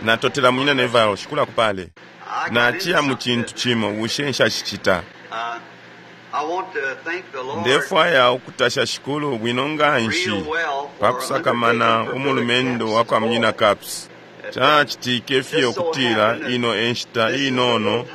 Natotela, Munyina Neville. Shikulu akupale. Naciya mu cintu cimo, bushe nshacicita? Ndefwaya ukutasha Shikulu bwino nganshi pa kusakamana umulumendo wa kwa Munyina Capps. Cacitike fye ukutila ino e nshita inono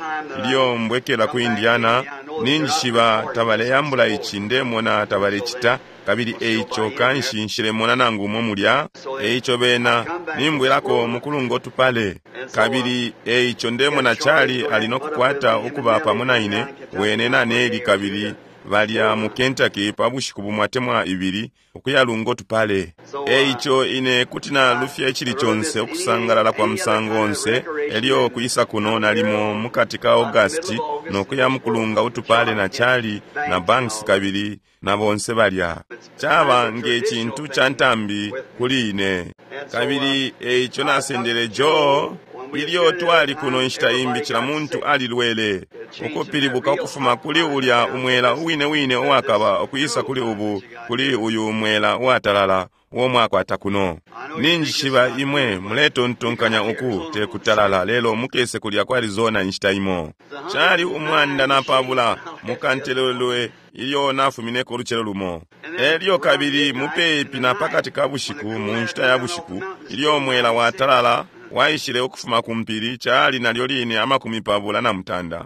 ilyo mbwekela ku Indiana. Ninjishiba tabaleyambula ici, ndemona tabalecita, kabili eico kanshi nshilemona nangu umo mulya. Eico bena nimbwelako mukulungo tupale, kabili eico ndemona Charlie ali nokukwata ukuba pamo na ine, wene na Nelly, kabili balya mu Kentucky pa bushiku bumo atemwa ibili ukuyalungo tupale. Eico ine kuti nalufya icili conse ukusangalala kwa musango onse, elyo kwisa kuno nalimo mukati ka August nokuya mukulunga utupale na Charlie na Banks kabili na bonse balya. Caba nge cintu ca ntambi kuli ine. Kabili eico nasendele Joe ilyo twali kuno inshita imbi, cila muntu alilwele, ukupilibuka ukufuma kuli ulya umwela uwine wine uwakaba ukwisa kuli ubu, kuli uyu umwela uwatalala uo mwakwata kuno. Ninjishiba imwe muletontonkanya uku tekutalala, lelo mukese kulya kwa Arizona inshita imo. Cali 120 mukantelelwe ilyo nafumineko ulucelo lumo. Elyo kabili mupepi na pakati ka bushiku, mu nshita ya bushiku, ilyo umwela watalala waishile ukufuma ku mpili, cali nalyo line 28.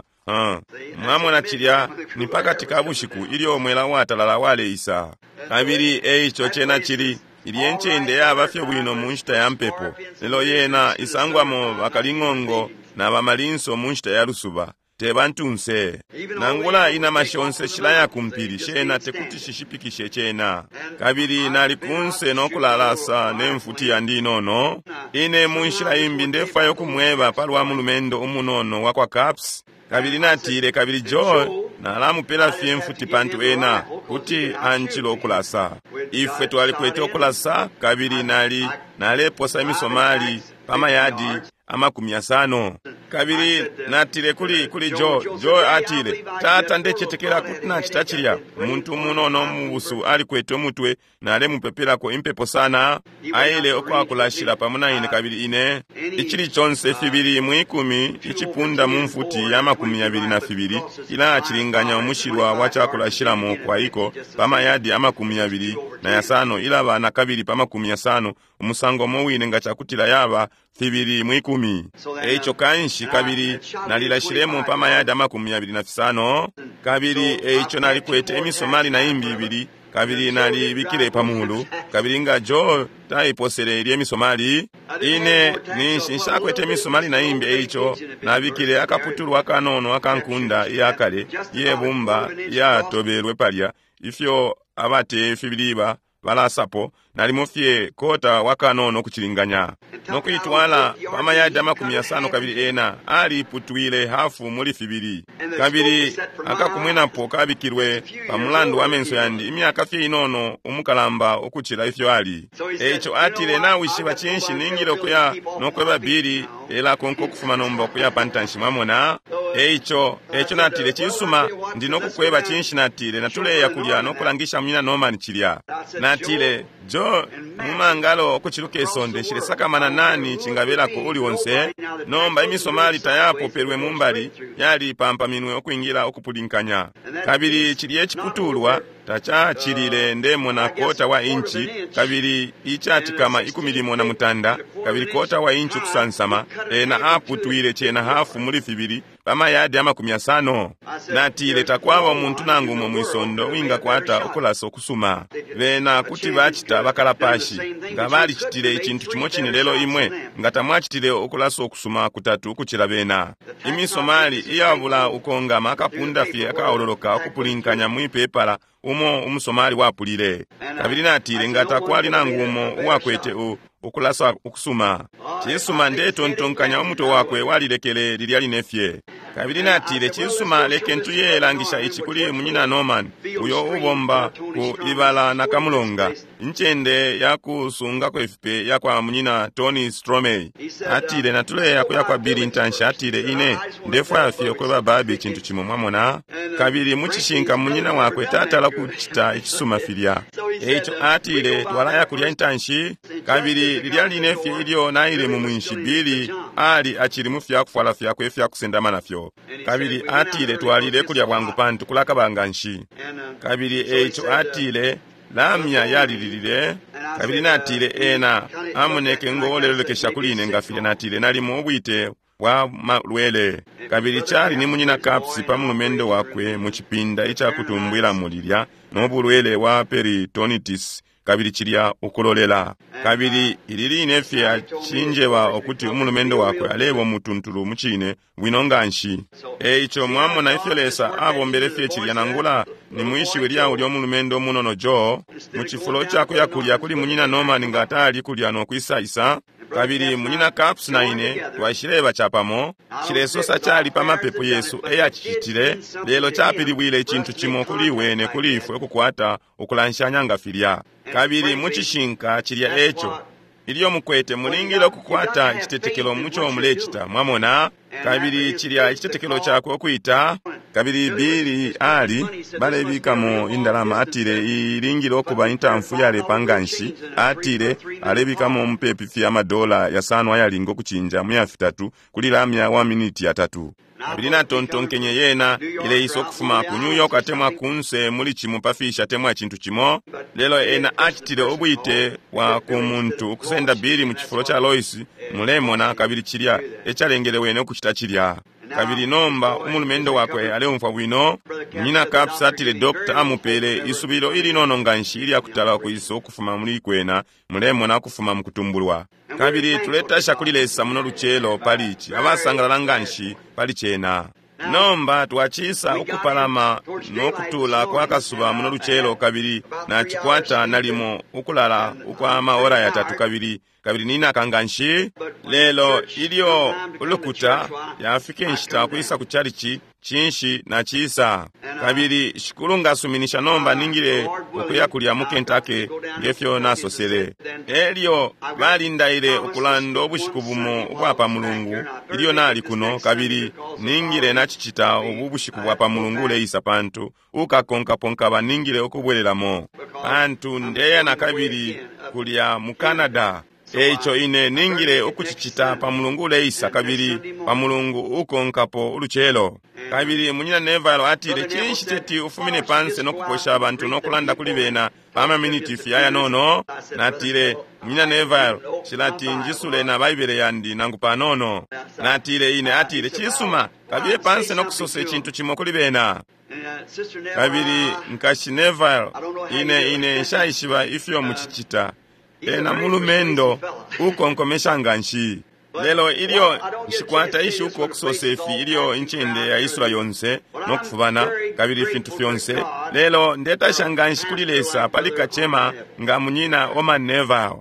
Mwamona, cilya ni pakati ka bushiku ilyo umwela watalala waleisa. Kabili eico cena cili ilye ncende yaba fye bwino mu nshita ya mpepo, lelo yena isangwamo bakaling'ongo na bamalinso mu nshita ya lusuba, te bantunse. Nangula inama shonse shilaya ku mpili, shena tekuti shishipikishe cena. Kabili nali kunse no kulalasa ne mfuti yandi inono. Ine mu nshila imbi ndefwaya ukumweba palwa mulumendo umunono wa kwa Capps. Kabili natile, kabili Joe nalamupela fye mfuti pantu ena kuti ancila ukulasa. Ifwe twalikwete ukulasa, kabili nali naleposa imisomali pa mayadi 50. Kabili natile kuli Joe. Joe atile, Tata, ndecetekela kuti nacita cilya. Umuntu umunono mubusu alikwete umutwe, nalemupepelako impepo sana. Aile ukwakulashila pamo na ine, kabili ine icili conse 2 mu 10 icipunda mu mfuti ya 22 ilacilinganya umushilwa wa cakulashilamo kwaiko pa mayadi 25, ilaba na kabili pa 50, umusango umo wine nga cakutila yaba 2 mu 10. Eico kanshi kabili nalilashilemo pa mayadi 25, kabili eico nalikwete imisomali na imbi ibili, kabili nalibikile pa mulu. Kabili nga Joe taiposele ilye misomali, ine ninshi nshakwete imisomali na imbi, eico nabikile akaputulwa akanono akankunda iyakale iyebumba iyatobelwe palya, ifyo abate fibiliba balasapo, nalimo fye kota wakanono kucilinganya, nokuitwala pa mayadi 50, kabili ena aliputwile hafu muli fibili. Kabili akakumwenapo kabikilwe pa mulandu wa menso yandi, imyaka fye inono umukalamba ukucila ifyo ali. Eico atile, nawishiba cinshi, ningile ukuya nokweba Billy elakonka ukufuma nomba ukuya pa ntanshi, mwamona. Eico natile, cisuma, ndi nokukweba cinshi, natile, natuleya kulya nokulangisha Munyina Norman cilya. Natile, Joe, mumangalo okuciluka isonde nshilesakamana nani cingabelako uli onse. Nomba imisomali tayapopelwe mumbali, yali pampaminwe ukwingila ukupulinkanya. Kabili cilye ciputulwa tacacilile ndemona kota wa inchi, kabili icatikama 16, kabili kota wa inchi ukusansama. Ena aputwile cena hafu muli fibili pa mayadi 50. Natile, takwaba umuntu nangu umo mwisondo wingakwata ukulasa ukusuma. Bena kuti bacita bakalapashi nga balicitile icintu cimo cine, lelo imwe nga tamwacitile ukulasa ukusuma kutatu ukucila bena. Imisomali iyabula ukongama akapunda fye akaololoka ukupulinkanya mwipepala umo umusomali wapulile. Kabili natile, nga takwali nangu umo uwakwete ukulasa ukusuma. Cisuma, ndetontonkanya umutwe wakwe walilekele lilya line fye. Kabili natile, cisuma, leken tuyelangisha ici kuli Munyina Norman, uyo ubomba ku ibala na kamulonga. Incende yakusungako ifipe yakwa Munyina Tony Stromey. Atile, natuleya kuya kwa Billy intanshi. Atile, ine ndefwaya fye ukweba Bobby icintu cimo, mwamona. Kabili mucishinka munyina wakwe tatala kucita icisuma filya. Eico atile, twalaya kulya intanshi. Kabili lilya line fye ilyo naile mu mwinshi, Billy ali acili mu fyakufwala fyakwe ifyakusendama nafyo. Kabili atile, twalile kulya bwangu pantu kulakaba nganshi. Kabili eico atile, lamya yalililile. Kabili natile, ena amoneke ngo olelolekesha kuli ine nga filya. Natile, nalimo ubwite bwa malwele. Kabili cali ni Munyina Capps pa mulumendo wakwe mu cipinda icakutumbwilamo lilya, no bulwele bwa peritonitis, kabili cilya ukulolela. Kabili ili line fye acinjeba ukuti umulumendo wakwe aleba umutuntulu mucine bwino nganshi. Eico mwamona ifyo Lesa abombele fye cilya, nangula ni mwishiwi lya ulya umulumendo umunono Joe, mu cifulo cakuya kulya kuli Munyina Norman nga tali kulya no kwisa isa. Kabili Munyina Capps na ine twaishileba capamo. Cilesosa cali pa mapepo yesu eyacicitile, lelo capilibwile icintu cimo kuli wene kuli ifwe ukukwata ukulanshanya nga filya. Kabili mucishinka cilya eco ilyo mukwete, mulingile ukukwata icitetekelo muco mulecita, mwamona. Kabili cilya icitetekelo cakwe ukwita. Kabili Billy ali balebikamo indalama, atile ilingile ukuba intamfu yalepa nganshi. Atile alebikamo mupepi fye amadola 5 ayalinga ukucinja mu ya 3 kuli lamya wa miniti 3. Kabili natontonkenye yena ileisa ukufuma ku New York atemwa kunse muli cimo pafisha atemwa cintu cimo. Lelo ena acitile ubwite bwa ku muntu ukusenda Billy mu cifulo ca Lois, mulemona, kabili cilya ecalengele wene ukucita cilya. Kabili nomba umulumendo wakwe aleumfwa bwino. Munyina Capps atile doctor amupele isubilo ilinono nganshi ilya kutala ukwisa ukufuma muli kwena, mulemona, ukufuma mu kutumbulwa. Kabili tuletasha kuli Lesa muno lucelo pali ici, abasangalala nganshi pali cena. Nomba twacisa ukupalama no kutula kwa kasuba muno lucelo, kabili nacikwata nalimo ukulala ukwa maora 3, kabili kabili ninaka nganshi. Lelo ilyo ulukuta yafika inshita kwisa ku chalichi, cinshi nacisa. Kabili Shikulu ngasuminisha nomba ningile ukuya kulya mu Kentucky ngefyo nasosele. Elyo balindaile ukulanda ubushiku bumo ubwa pa Mulungu ilyo nali kuno, kabili ningile nacicita ubu bushiku bwa pa Mulungu uleisa, pantu ukakonkaponka baningile ukubwelelamo, pantu ndeya nakabili kulya mu Canada. Eico ine ningile ukucicita pa Mulungu uleisa, kabili pa Mulungu ukonkapo ulucelo. Kabili Munyina Neville atile, cinshi teti ufumine panse no kuposha abantu no kulanda kuli bena pa maminiti fye ayanono? Natile, Munyina Neville, shilati njisule na Baibele yandi nangu panono. Natile ine, atile, cisuma, kabiye panse no kusosa icintu cimo kuli bena. Kabili nkashi Neville, ine nshaishiba ifyo mucicita. Ena mulumendo ukonkomesha nganshi. Lelo ilyo nshikwata ishuko ukusosa ifi ilyo incende yaisula yonse no kufubana kabili ifintu fyonse, lelo ndetasha nganshi kuli Lesa pali kacema nga Munyina Orman Neville.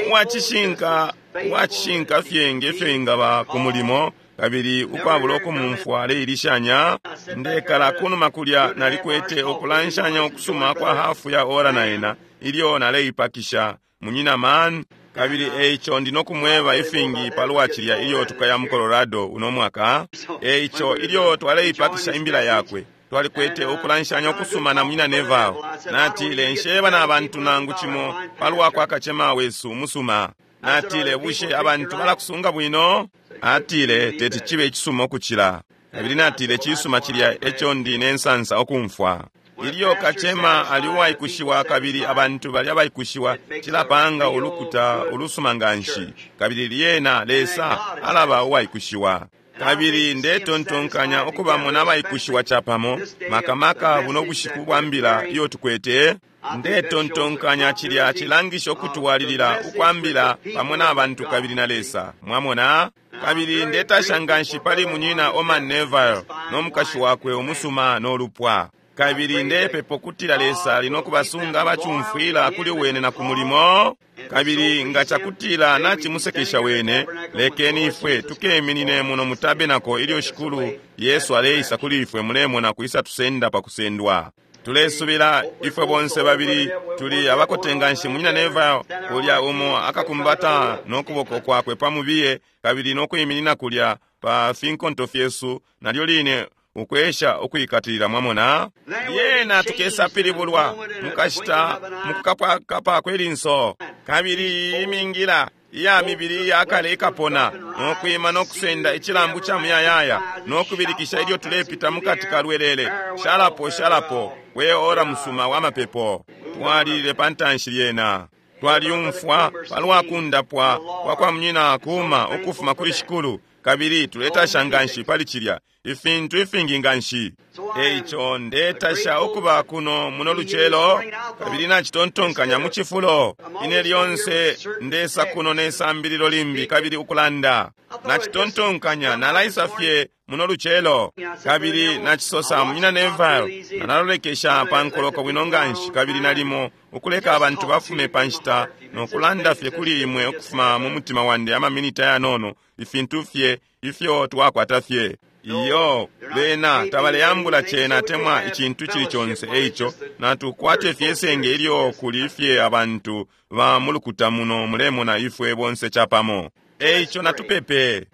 Uwacishinka, uwacishinka fye ngefyo ingaba ku mulimo, kabili ukwabula ukumumfwa aleilishanya. Ndekala kunuma kulya nalikwete ukulanshanya ukusuma kwa hafu ya ora na ena ilyo naleipakisha Munyina Mann. Kabili eico ndi nokumweba ifingi palwa cilya ilyo tukaya mu Colorado uno mwaka. Eico ilyo twaleipakisha imbila yakwe, twalikwete ukulanshanya ukusuma na Munyina Neville. Natile, nsheba na bantu nangu cimo palwa kwa kacema wesu umusuma. Natile, bushe abantu balakusunga bwino? Atile, teti cibe icisuma ukucila. Kabili natile, cisuma cilya eco ndi nensansa ukumfwa. Ilyo kacema ali uwaikushiwa kabili abantu bali abaikushiwa, cilapanga ulukuta ulusuma nganshi, kabili lyena Lesa alaba uwaikushiwa. Kabili ndetontonkanya ukubamona abaikushiwa capamo, makamaka buno bushiku bwa mbila iyo tukwete. Ndetontonkanya cilya cilangisha ukutwalilila ukwambila pamo na bantu kabili na Lesa, mwamona. Kabili ndetasha nganshi pali Munyina Orman Neville no mukashi wakwe umusuma no lupwa. Kabili ndepepa ukutila Lesa ali nokubasunga abacumfwila kuli wene na ku mulimo. Kabili nga cakutila nacimusekesha wene, lekeni ifwe tukeminine muno mu tabernacle ilyo Shikulu Yesu aleisa kuli ifwe, mulemona, kwisa tusenda pa kusendwa. Tulesubila ifwe bonse babili tuli abakote nganshi. Munyina Neville kulya umo akakumbata no kuboko kwakwe pa mubiye, kabili no kwiminina kulya pa finkonto fyesu, nalyo line ukwesha ukwikatilila. Mwamona, lyena tukesapilibulwa mukashita mukukapakapa kwelinso, kabili imingila iya mibili iyakale ikapona no kwima no kusenda icilambu ca muyayaya no kubilikisha ilyo tulepita mukati ka lwelele. Shalapo, shalapo, we ora musuma wa mapepo. Twalilile pa ntanshi. Lyena twalyumfwa palwa kundapwa kwa kwa munyina kuma ukufuma kuli Shikulu, kabili tuletasha nganshi pali cilya, ifintu ifingi nganshi. Eico ndetasha ukuba kuno muno lucelo, kabili nacitontonkanya mu cifulo ine lyonse ndesa kuno ne sambililo limbi kabili ukulanda. Nacitontonkanya nalaisa fye muno lucelo, kabili nacisosa munyina Neville, nalalolekesha pa nkoloko bwino nganshi, kabili nalimo ukuleka abantu bafume pa nshita no kulanda fye kuli imwe ukufuma mu mutima wandi amaminita yanono, ifintu fye ifyo twakwata fye. Iyo, bena tabaleyambula cena temwa icintu cili conse. Eico natukwate fye senge ilyo kuli fye abantu ba mulukuta muno, mulemona, ifwe bonse capamo. Eico natupepe.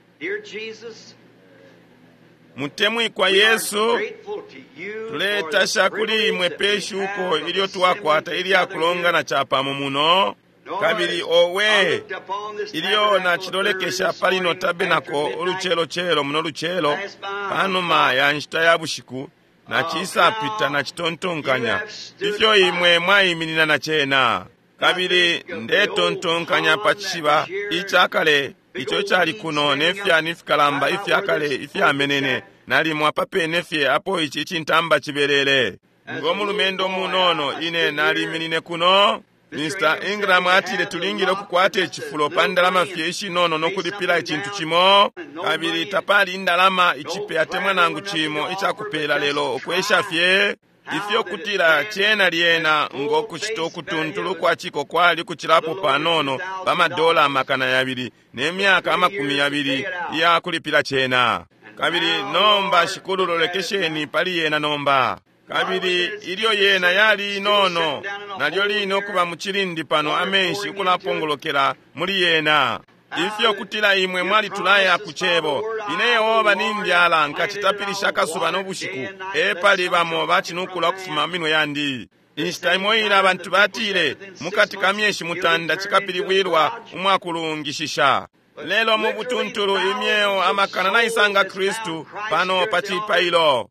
Mutemwikwa Yesu, tuletasha kuli imwe pe shuko ilyo twakwata ilya kulongana capamo muno. Kabili owe, ilyo nacilolekesha pali no tabenako ulucelocelo muno lucelo panuma ya nshita ya bushiku, nacisapita nacitontonkanya ifyo imwe mwaiminina na cena. Kabili ndetontonkanya pa cishiba icakale ico cali kuno ne fyani fikalamba ifyakale ifyamenene nalimo apapene fye apo ici icintamba cibelele. Ngo mulumendo munono ine naliminine kuno. Mr. Ingram atile tulingile ukukwata icifulo pa ndalama fye ishinono no kulipila icintu cimo, kabili tapali indalama icipe atemwa nangu cimo icakupela, lelo ukwesha fye ifyo kutila cena lyena ngo kucita ukutuntulu kwa ciko kwali kucilapo panono pa madola 200 ne myaka 20 iya kulipila cena. Kabili nomba, Shikulu, lolekesheni pali yena nomba. Kabili ilyo yena yali inono, nalyo line ukuba mu cilindi pano, amenshi ukulapongolokela muli yena. Ifyo kutila imwe mwalitulaya ku cebo, ine Yehova nimbyala, nkacitapilisha akasuba no bushiku, epali bamo bacinukula ukufuma minwe yandi. Inshita imo ine abantu batile mukati ka myeshi 9 cikapilibwilwa umwakulungishisha, lelo mu butuntulu imyeo amakana naisanga Kristu pano pa cipailo.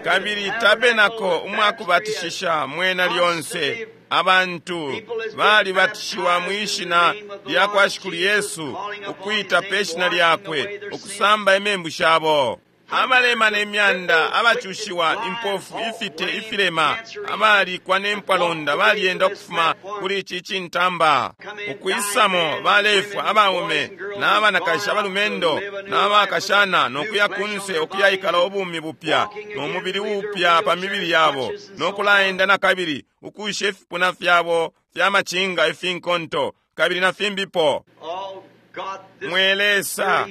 Kabili tabenako umwakubatishisha mwena lyonse abantu balibatishiwa mwishina lya kwa Shikulu Yesu, ukwita pe shina lyakwe, ukusamba imembu shabo. Abalema ne myanda, abacushiwa, impofu, ifite, ifilema, abalikwa ne mpwalonda balyenda ukufuma kuli ici cintamba ukwisamo, balefwa, abaume n'abanakashi, abalumendo n'abakashana, no kuya kunse ukuyaikala ubumi bupya no mubili upya pa mibili yabo, no kulaenda na kabili ukusha ifipuna fyabo fya macinga, ifinkonto kabili na fimbipo. Mwe Lesa,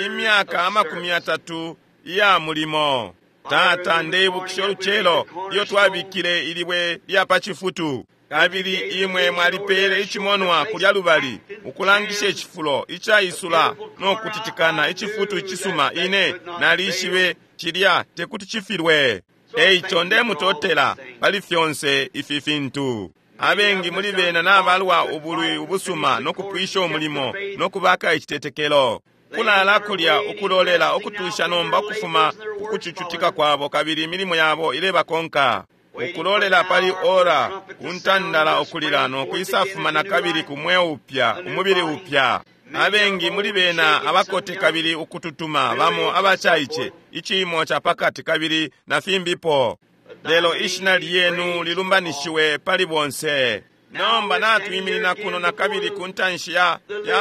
imyaka 30 iya mulimo. Tata, ndeibukisha ulucelo iyo twabikile ilibwe lya pa cifutu, kabili imwe mwalipele icimonwa kulya lubali ukulangisha icifulo icaisula no kutitikana, icifutu icisuma. Ine nalishibe cilya tekuti cifilwe. Eico ndemutotela pali fyonse ifi fintu. Abengi muli bena nabalwa ubulwi ubusuma no kupwisha umulimo no kubaka icitetekelo, kulala kulya ukulolela ukutusha nomba ukufuma kukucucutika kwabo, kabili imilimo yabo ilebakonka, ukulolela pali ora kuntandala ukulila no kwisafuma na kabili ku mweo upya, umubili upya. Abengi muli bena abakote kabili ukututuma, bamo abacaice, iciimo ca pakati kabili na fimbipo, lelo ishina lyenu lilumbanishiwe pali bonse. Nomba natwiminina kuno na kabili ku ntanshi ya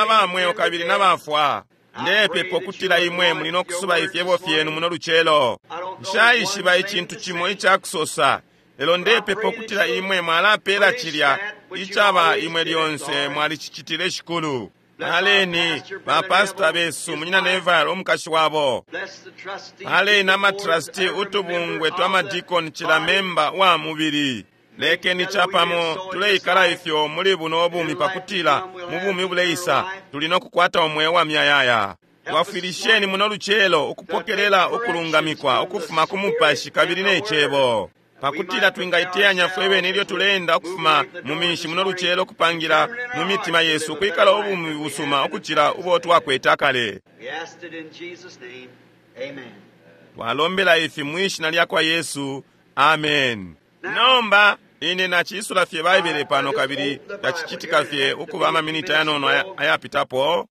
bamweo kabili na bafwa. Ndepepa ukutila imwe muli no kusuba ifyebo fyenu muno lucelo. Nshaishiba icintu cimo icakusosa, lelo ndepepa ukutila imwe mwalapela cilya icaba imwe lyonse mwalicicitile, Shikulu. Paleni bapasita besu, Munyina Neville, umukashi wabo. Paleni amatrasti, utubungwe twa madikoni, cila memba wa mubili. Lekeni capamo tuleikala ifyo muli buno bumi pakutila mu bumi buleisa tuli no kukwata umweo wa myayaya. Twafwilisheni muno lucelo ukupokelela ukulungamikwa ukufuma ku Mupashi kabili ne Cebo, pakutila twingaiteyanya fwe bene ilyo tuleenda ukufuma mu minshi muno lucelo, kupangira mu mitima yesu ukwikala ubumi busuma ukucila ubo twakwete akale. Twalombela ifi mwishina lya kwa Yesu, amen. Nomba ine naciisula fye Baibele pano kabili tacicitika fye ukuba amaminiti ayanono ayapitapo.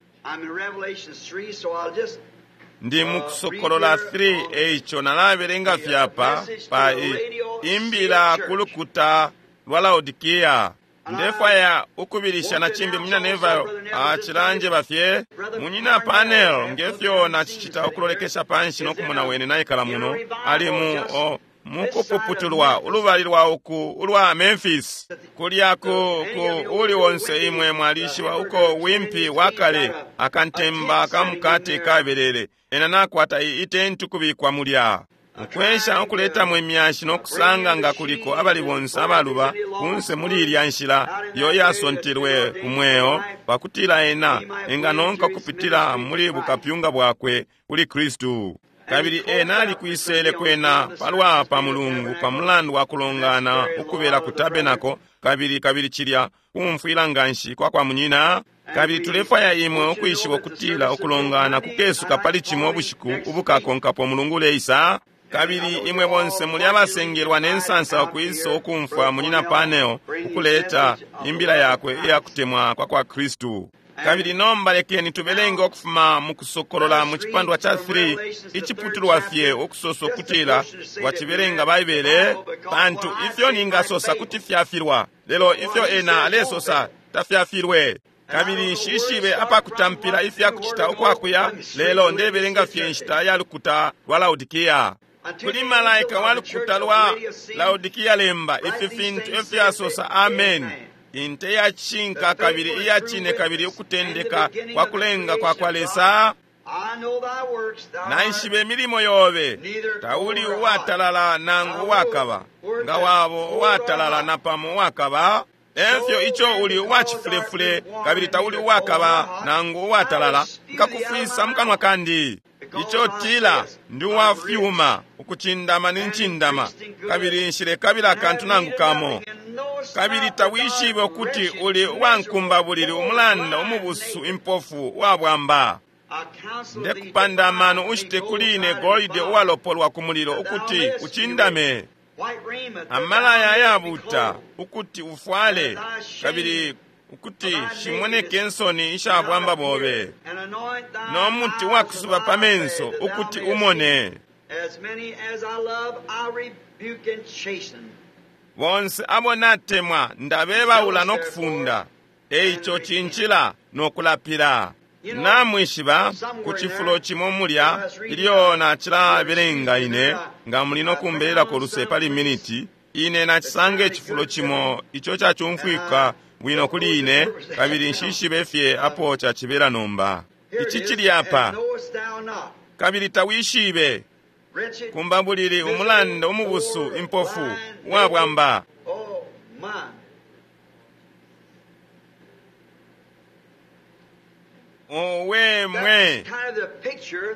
Ndi mukusokolola 3, eico nalabelenga fye apa pa imbila ku lukuta lwa Laodikia. Ndefwaya ukubilisha na cimbi Munyina Neville acilanjeba fye. Munyina Panel, ngefyo nacicita ukulolekesha panshi no kumona wene naikala muno, ali mu mukupuputulwa ulubali lwa uku ulwa Memphis. Kulya ku uli wonse imwe mwalishiba uko wimpi wakale akantemba kamukate kabelele, ena nakwata itenti kubikwa mulya. Ukwesha ukuletamo imyashi no kusanga nga kuliko abali bonse abaluba kunse muli ilya nshila iyo yasontelwe ku mweo, pakutila ena enganonka kupitila muli bukapyunga bwakwe kuli Kristu. Kabili ena alikwisele kwena palwa pa Mulungu pa mulandu wa kulongana ukubela ku tabenako, kabili kabili cilya kumfwila nganshi kwa kwa munyina. Kabili tulefwaya imwe ukwishiba ukutila ukulongana kukesuka pali cimo ubushiku ubukakonkapo Mulungu uleisa. Kabili imwe bonse muli abasengelwa ne nsansa ukwisa ukumfwa Munyina Panel ukuleta imbila yakwe iya kutemwa kwa kwa Kristu. Kabili nomba lekeni tubelenge ukufuma mu Kusokolola mu cipandwa ca 3, iciputulwa fye ukusosa ukutila wacibelenga Baibele, pantu ifyo ningasosa kuti fyafilwa, lelo ifyo ena alesosa tafyafilwe. Kabili nshishibe apakutampila ifya kucita ukwakuya, lelo ndebelenga fye inshita ya lukuta lwa Laodikia. Kuli malaika wa lukuta lwa Laodikia lemba ifi fintu efyasosa Amen, inte ya cishinka kabili iya cine kabili ukutendeka kwa kulenga kwa kwa Lesa. Naishibe milimo yobe, tauli uwatalala nangu uwakaba, nga wabo uwatalala napamo uwakaba. Efyo ico uli uwacifulefule kabili tauli uwakaba nangu uwatalala, nkakufwisa mukanwa kandi. Ico tila ndi uwafyuma, ukucindama ni ncindama, kabili nshilekabila akantu nangu kamo. Kabili tawishibe ukuti uli uwankumbabulili, umulanda, umubusu, impofu, uwabwamba. Ndekupanda amano ushite kuli ine golide uwalopolwa ku mulilo, ukuti ucindame, amalaya ayabuta, ukuti ufwale, kabili ukuti shimoneke nsoni isha bwamba bobe, no muti wakusuba pa menso, ukuti umone. Bonse abo natemwa ndabebaula no kufunda, eico cincila no kulapila. Namwishiba ku cifulo cimo mulya ilyo nacilabelenga ine, nga muli no kumbelelako luse pali miniti, ine nacisanga icifulo cimo ico cacumfwika bwino kuli ine, kabili nshishibe fye apo cacibela nomba. Ici cili apa, kabili tawishibe kumbabulili, umulanda, umubusu, impofu, uwabwamba. Owe mwe,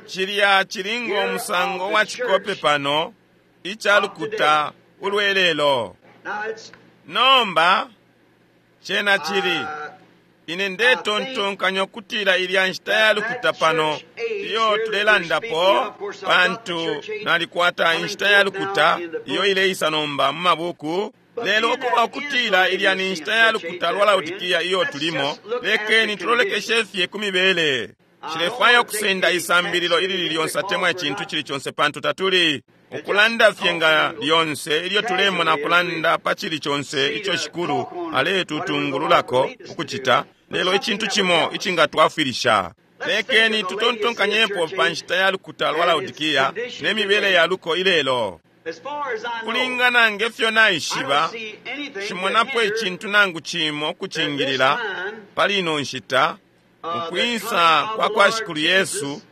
cilya cilinga umusango wa cikope pano ica lukuta ulwelelo. Nomba cena cili, ine ndetontonkanya ukutila ilya nshita ya lukuta pano iyo tulelandapo, pantu nalikwata inshita ya lukuta iyo ileisa nomba mu mabuku. Lelo ukuba ukutila ilya ni nshita ya lukuta lwa Laodikia iyo tulimo, lekeni tulolekeshe fye ku mibele. Nshilefwaya ukusenda isambililo ilili lyonse atemwa icintu cili conse, pantu tatuli ukulanda fye nga lyonse ilyo tulemona kulanda pa cili conse ico Shikulu aletutungululako ukucita, lelo icintu cimo icingatwafwilisha. Lekeni tutontonkanyepo pa nshita ya lukuta lwa Laodikia ne mibele ya luko ilelo. Kulingana nge fyo naishiba, nshimonapo icintu nangu cimo ukucingilila pali ino nshita. Ukwisa kwa kwa Shikulu Yesu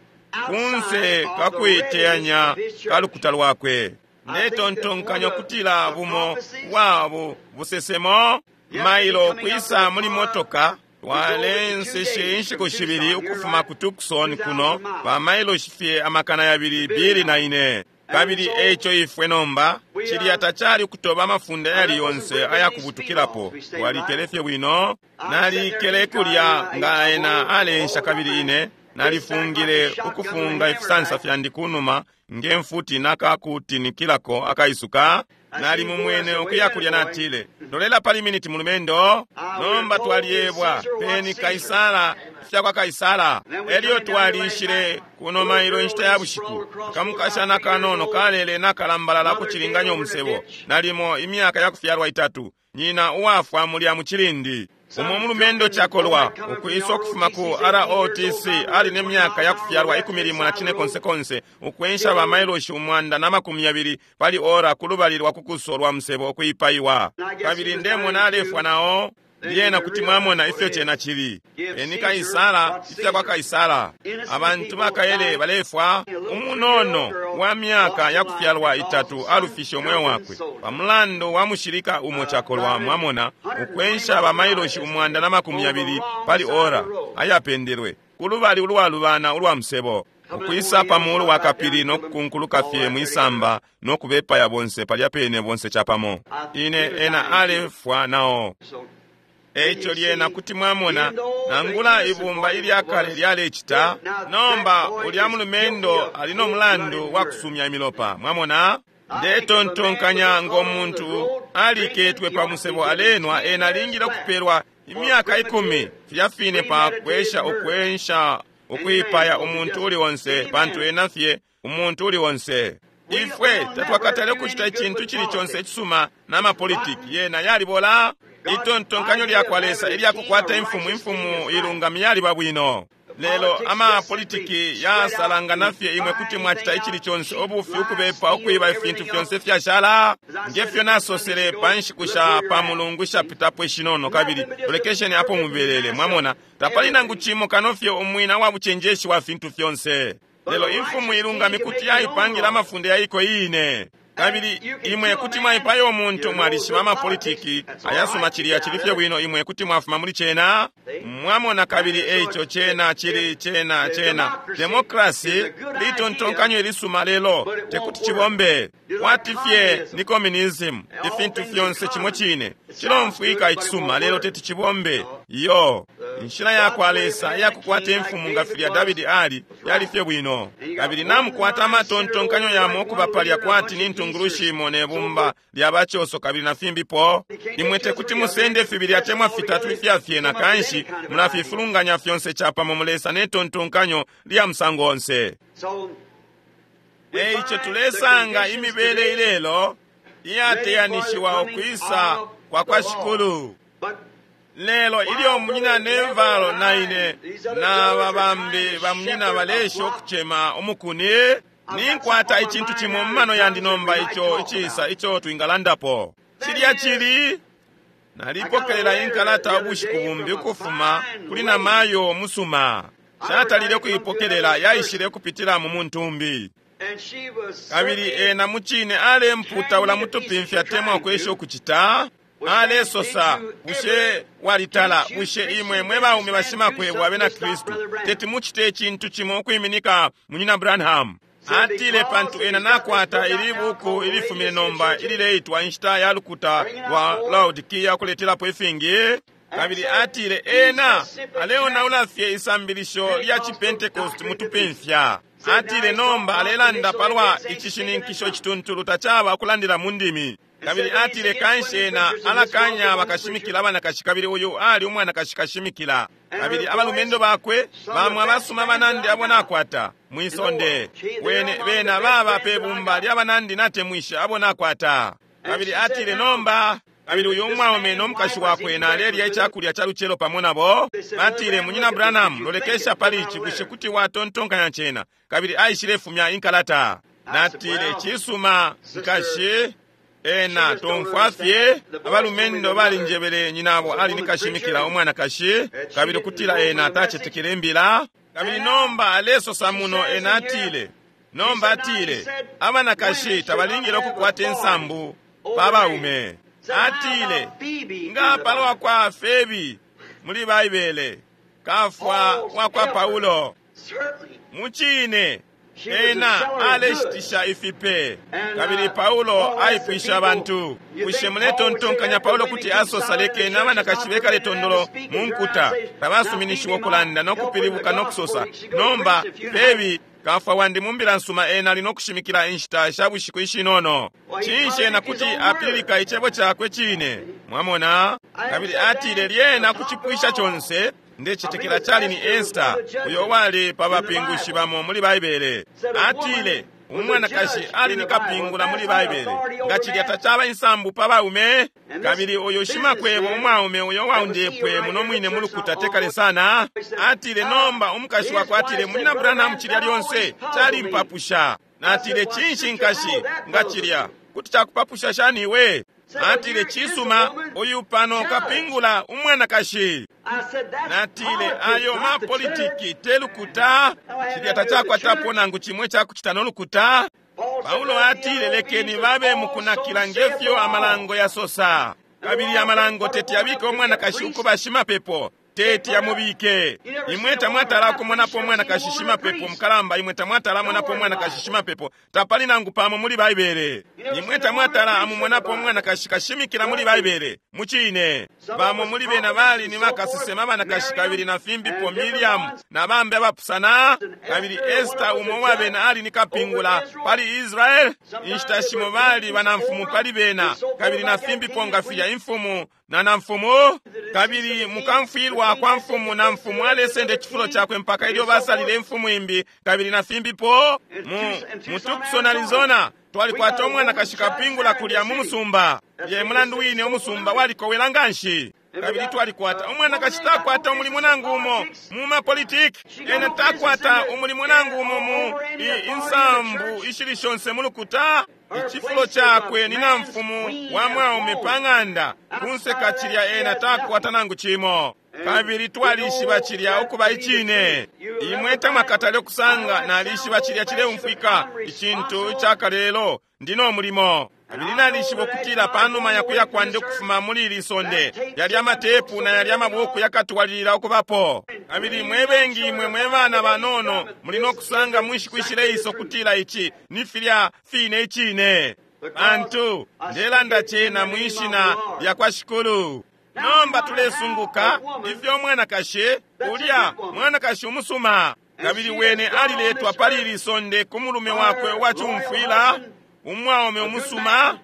kunse kakuiteyanya kalukuta lwakwe. Ndetontonkanya kutila bumo bwabo busesemo mailo kwisa muli motoka twalenseshe inshiku shibili ukufuma ku Tucson kuno ba mailoshi fye 204. Kabili eico ifwe nomba cilya tacali kutoba amafunde ayali yonse ayakubutukilapo. Twalikele fye bwino, nalikele kulya nga ena alensha kabili ine nalifungile ukufunga ifisansa fyandi kunuma nge mfuti nakakutinikilako akaisuka. Nali mumwene ukuya kulya natile, lolela pali miniti mulumendo. Nomba twaliebwa peni Kaisara ifya kwa Kaisara. Elyo twalishile kuno mailo inshita ya bushiku. Kamukashana kanono kalele nakalambalala kucilinganya umusebo, nalimo imyaka ya kufyalwa 3, nyina uwafwa mulya mucilindi. Umo mulumendo chakolwa ukwisa ukufuma ku ROTC ali ne myaka ya kufyalwa 14 ukwensha ba mailoshi 120 pali ora kulubali lwa kukuso lwa musebo okuipaiwa. Kabili ndemona alefwa nao. Lyena kuti mwamona ifyo chena chili. Eni Kaisara ifya kwa Kaisara. Abantu bakaele balefwa. Umunono wa myaka ya kufyalwa 3 alufishe umweo wakwe pamulandu wa mushilika umo chakolwa, mwamona, ukwensha ba mailoshi 120 pali ora ayapendelwe kulubali ulwalubana ulwa musebo, ukwisa pamuulu wa kapili nokukunkuluka fye mwisamba nokubepaya bonse palya pene bonse chapamo. Ine ena alefwa nao. Eico lyena kuti mwamona nangula ibumba ilyakale lyalecita. Nomba ulya mulumendo ali no mulandu wa kusumya imilopa. Mwamona, ndetontonkanya ngo muntu aliketwe pa musebo alenwa, ena alingile kupelwa imyaka 10 filya fine pa kwesha ukwensha ukuipaya umuntu uli onse, pantu ena fye umuntu uli onse. Ifwe tatwakatale ukucita icintu cili conse icisuma na mapolitiki yena yalibola. Itontonkanyo lyakwa Lesa ilyakukwata imfumu, imfumu ilungami yaliba bwino. Lelo amapolitiki yasalangana fye, imwe kuti mwacita icili conse, ubufi, ukubepa, ukwiba, ifintu fyonse fyashala. Ngefyo nasosele pa nshiku sha pa mulungu ishapitapo ishinono, kabili lolekesheni apo mubelele. Mwamona, tapali nangu cimo kano fye umwina wa bucenjeshi wa fintu fyonse. Lelo imfumu ilungami kuti yaipangila amafunde yaiko iine. Kabili imwe kuti mwaipaya umuntu, mwalishiba amapolitiki ayasuma, cilya cili fye bwino, imwe kuti mwafuma muli cena. Mwamona, kabili eico cena cili cena cena demokrasi litontonkanyo ilisuma, lelo tekuti cibombe. Kwati fye ni communism, ifintu fyonse cimo cine cilomfwika icisuma, lelo teti cibombe. Iyo inshila yakwa Lesa iyakukwata imfumu nga filya Davidi ali yali fye bwino. Kabili namukwata amatontonkanyo yamo okuba palya kwati ni ntungulushi imo ne bumba lya bachoso kabili na fimbipo. Imwe tekuti musende fibili atemwa fitatu ifya fyena, kanshi mulafifulunganya fyonse chapamo mulesa ne tontonkanyo lya musango onse. Eico tulesanga imibele ilelo iyateyanishiwa ukwisa kwa kwa Shikulu. Lelo ilyo munyina Nevalo na ine na babambi ba munyina balesha ukucema umukuni, ninkwata icintu cimo mumano yandi nomba ico icisa ico twingalandapo. Cilya cili nalipokelela inkalata ubushiku bumbi ukufuma kuli namayo musuma. Shatalile kuipokelela, yaishile kupitila mu muntumbi. Kabili ena mucine alemputaula mutupimfya temwa kwesha ukucita. Alesosa, bushe walitala, bushe imwe mwe baume bashimakwebo abena Kristu teti mucite icintu cimo ukwiminika munyina Branham? Atile, pantu ena nakwata ili buku ilifumine nomba ilileitwa Inshita ya Lukuta lwa Laodikia, kuletelapo ifingi. Kabili atile ena aleonaula fye isambilisho lya Chipentecost mutupimfya. Atile nomba alelanda palwa icishininkisho cituntulu tacaba ukulandila mu ndimi. Kabili atile kanshi ena alakanya bakashimikila abanakashi, kabili uyu ali umwanakashi kashimikila. Kabili abalumendo bakwe bamwe abasuma banandi abo nakwata mwisonde, wene bena baba pe bumba lya banandi natemwisha abo nakwata. Kabili atile nomba, kabili uyu umwaume no mukashi wakwe nalelya icakulya ca lucelo pamo nabo. Batile, munyina Branham, lolekesha pali ici, bushe kuti watontonkanya cena? Kabili aishile fumya inkalata. Natile, cisuma nkashi. Ena tomfwa fye. Abalumendo balinjebele nyinabo ali ni kashimikila umwanakashi, kabili ukutila ena tacetekele imbila. Kabili nomba alesosa muno, ena atile, nomba atile, abanakashi tabalingile ukukwata insambu pa baume. Atile, nga palwa kwa Febi muli Baibele, kafwa wa kwa Paulo, mucine ena aleshitisha ifipe. Kabili Paulo aipwisha abantu, bushe muletontonkanya Paulo kuti asosa lekeni abanakashi bekale tondolo mu nkuta, tabasuminishiwa ukulanda no kupilibuka no kusosa? Nomba Febi kafwa wandi mu mbila nsuma, ena ali no kushimikila inshita sha bushiku ishinono. Cinshi ena kuti apililika icebo cakwe cine? Mwamona? Kabili atile lyena kucipwisha conse, ndecetekela cali ni Esther, uyo wali pa bapingushi bamo muli Baibele. Atile umwanakashi ali ni kapingula muli Baibele, nga cilya tacaba insambu pa baume. Kabili uyu shimakwebo umwaume uyo waundepwe muno mwine mu lukuta tekale sana, atile nomba umukashi wakwe atile, Munyina Branham, cilya lyonse calimpapusha. Natile, cinshi nkashi, nga cilya kuti cakupapusha shani iwe? Atile, cisuma, uyu pano kapingula umwanakashi. Natile, ayo mapolitiki te lukuta, cilya tacakwatapo nangu cimwe cakucita no lukuta. Paulo atile, lekeni babe mukunakila ngefyo amalango yasosa. Kabili amalango teti yabike umwanakashi ukuba shimapepo, teti yamubike. Imwe tamwatala kumonapo umwanakashi shimapepo mukalamba, imwe tamwatala monapo umwanakashi shimapepo, tapali nangu pamo muli Baibele. Imwe tamwatala amumonapo umwanakashi kashimikila muli Baibele. Mucine, bamo muli bena bali ni bakasesema abanakashi, kabili na fimbipo, Miriam na bambi abapusana. Kabili Esther umo wa bena ali ni kapingula pali Israel. Inshita shimo bali banamfumu pali bena, kabili na fimbipo nga filya imfumu na namfumu. Kabili mukamfwilwa kwa mfumu, na mfumu alesenda icifulo cakwe mpaka ilyo basalile imfumu imbi, kabili na fimbipo. Mu Tucson, Arizona, twalikwata umwanakashi kapingula kulya mu musumba. Ye mulandu wine umusumba walikowela nganshi. Kabili twalikwata umwanakashi takwata umulimo nangu umo mu mapolitiki, ena takwata umulimo nangu umo mu insambu ishili shonse mu lukuta. Icifulo cakwe ni namfumu wa mwaume pa ng'anda, kunseka cilya ena takwata nangu cimo. Kabili twalishiba cilya ukuba icine. Imwe tamwakatale ukusanga, nalishiba cilya cileumfwika icintu icakalelo, ndi no mulimo. Kabili nalishiba ukutila panuma yakuya kwandi ukufuma muli ili sonde, yalya amatepu na yalya amabuku yakatwalilila ukubapo. Kabili mwe bengi imwe mwe bana banono muli no kusanga mu nshiku ishileisa ukutila ici ni filya fine icine. Pantu ndelanda cena mwi shina lya kwa Shikulu. Nomba tulesunguka ifyo mwanakashi ulya mwanakashi umusuma, kabili wene aliletwa pali ili sonde ku mulume wakwe uwacumfwila, umwaume umusuma.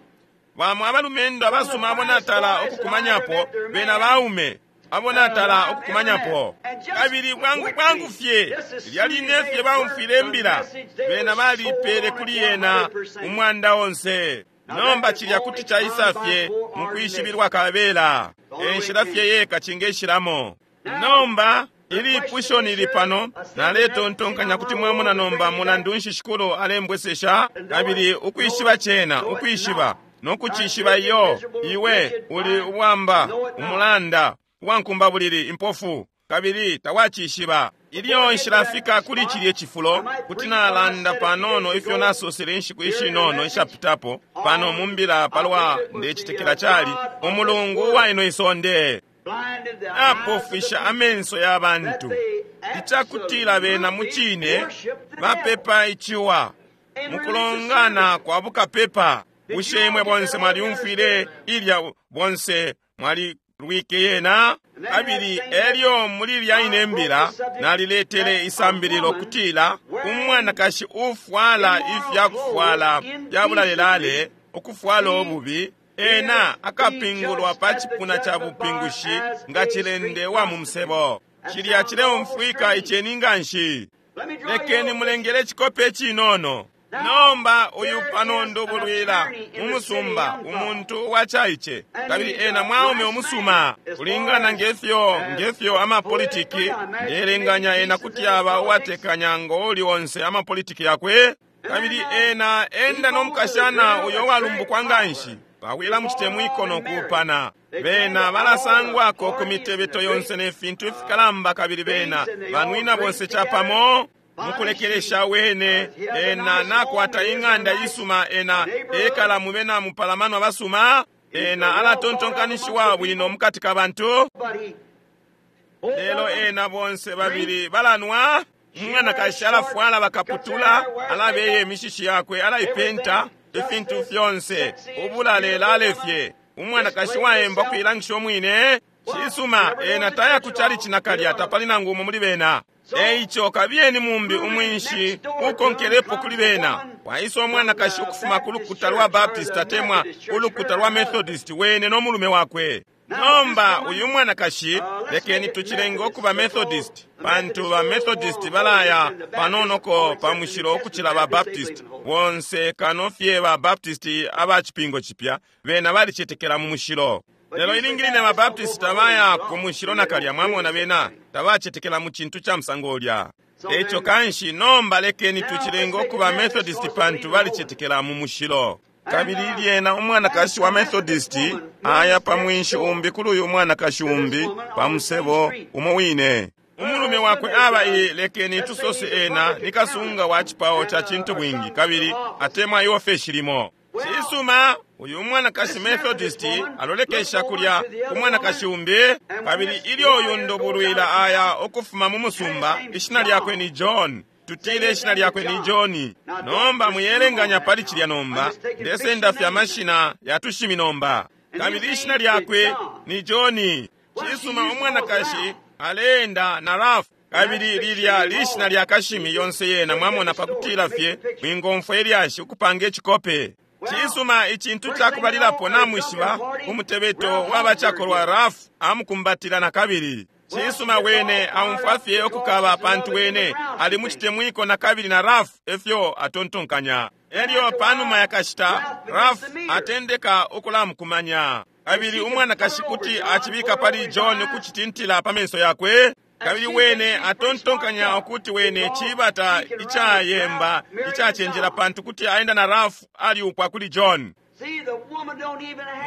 Bamo abalumendo abasuma abo natala ukukumanyapo, bena baume abo natala ukukumanyapo. Kabili bwangu bwangu fye lilya line fye baumfwile imbila, bena balipele kuli yena umwanda onse. Nomba cilya kuti caisa fye mukwishibilwa kabela, enshila fye yeka cingeshilamo. Nomba ilipusho nili pano, naletontonkanya kuti mwamona nomba mulandu nshi Shikulu alembwesesha. Kabili ukwishiba cena, ukwishiba nokucishiba iyo, iwe uli ubwamba, umulanda, uwankumbabulili, impofu, kabili tawacishiba. Ilyo nshilafika kuli cilye cifulo, kuti nalanda panono ifyo nasosele inshiku ishinono ishapitapo pano mumbila palwa ndecitekela cali umulungu uwa ino isonde apofwisha amenso ya bantu, icakutila bena mucine bapepa iciwa mukulongana kwa bukapepa. Bushe imwe bonse mwalyumfwile ilya? Bonse mwalilwike yena? Kabili elyo muli ilya ine mbila naliletele isambililo kutila umwanakashi ufwala ifyakufwala fya bulalelale, ukufwala ububi, ena akapingulwa pa cipuna ca bupingushi nga cilende wa mu musebo. Cilya cileumfwika iceni nganshi. Lekeni mulengele icikope cinono. Nomba uyu pano ndubulwila mu musumba, umuntu uwacaice, kabili ena mwaume umusuma kulingana ngefyo amapolitiki. Ndelenganya ena kuti aba uwatekanya ngo uli onse amapolitiki yakwe. Kabili ena enda no mukashana uyo walumbukwa nganshi. Bawila mucitemwiko no kuupana. Bena balasangwako ku mitebeto yonse ne fintu ifikalamba, kabili bena banwina bonse capamo. Mukulekelesha wene ena nakwata ing'anda isuma, ena ekala mube na mupalamano abasuma, ena alatontonkanishiwa bwino mukati ka bantu. Lelo ena bonse babili balanwa. Umwanakashi alafwala bakaputula, alabeye imishishi yakwe, alaipenta, ifintu fyonse ubulalela fye. Umwanakashi waemba kuilangisha umwine. Cisuma, ena taya ku chalichi nakalya, tapali nangu umo muli bena. Eico kabiyeni mumbi umwinshi ukonkelepo kuli bena. Waisa umwanakashi ukufuma ku lukuta lwa Baptist atemwa ulukuta lwa Methodist, wene no mulume wakwe. Nomba uyu mwanakashi, lekeni tucilenge ukuba Methodist, pantu ba Methodist balaya panonoko pa mushilo ukucila ba Baptist. Bonse kano fye ba Baptist aba cipingo cipya, bena balicetekela mu mushilo. Lelo ilingi line ba Baptist tabaya ku mushilo nakalya, mwamona, bena tabacetekela mu cintu ca musango ulya. Eico kanshi nomba lekeni tucilenge ukuba Methodist, pantu balicetekela mu mushilo. Kabili lyena umwanakashi wa Methodist aya pa mwinshi umbi kuli uyu mwanakashi umbi pa musebo umo wine. Umulume wakwe aba i, lekeni tusose ena ni kasunga wa cipao ca cintu bwingi, kabili atemwa iofeshi limo. Cisuma, uyu mwanakashi Methodist alolekesha kulya ku mwanakashi umbi, kabili ilyo uyu ndubulwila aya ukufuma mu musumba, ishina lyakwe ni John. Tutile ishina lyakwe ni John. Nomba muyelenganya pali cilya nomba, ndesenda fye amashina ya tushimi nomba. Kabili ishina lyakwe ni John. Cisuma, umwanakashi aleenda na Ralph. Kabili lilya lishina lya kashimi yonse yena, mwamona, pakutila fye mwingomfwa ilyashi ukupanga icikope. Cisuma, icintu cakubalilapo namwishiba, umutebeto wabacakolwa Ralph amukumbatila na kabili. Cisuma, wene aumfwa fye ukukaba, pantu wene ali mucitemwiko na kabili na Ralph efyo atontonkanya. Elyo panuma yakashita Ralph atendeka ukulamukumanya, kabili umwanakashi kuti acibika pali John ukucitintila pa menso yakwe. Kabili wene atontonkanya ukuti wene cibata icayemba icacenjela, pantu kuti aenda na Ralph aliupwa kuli John.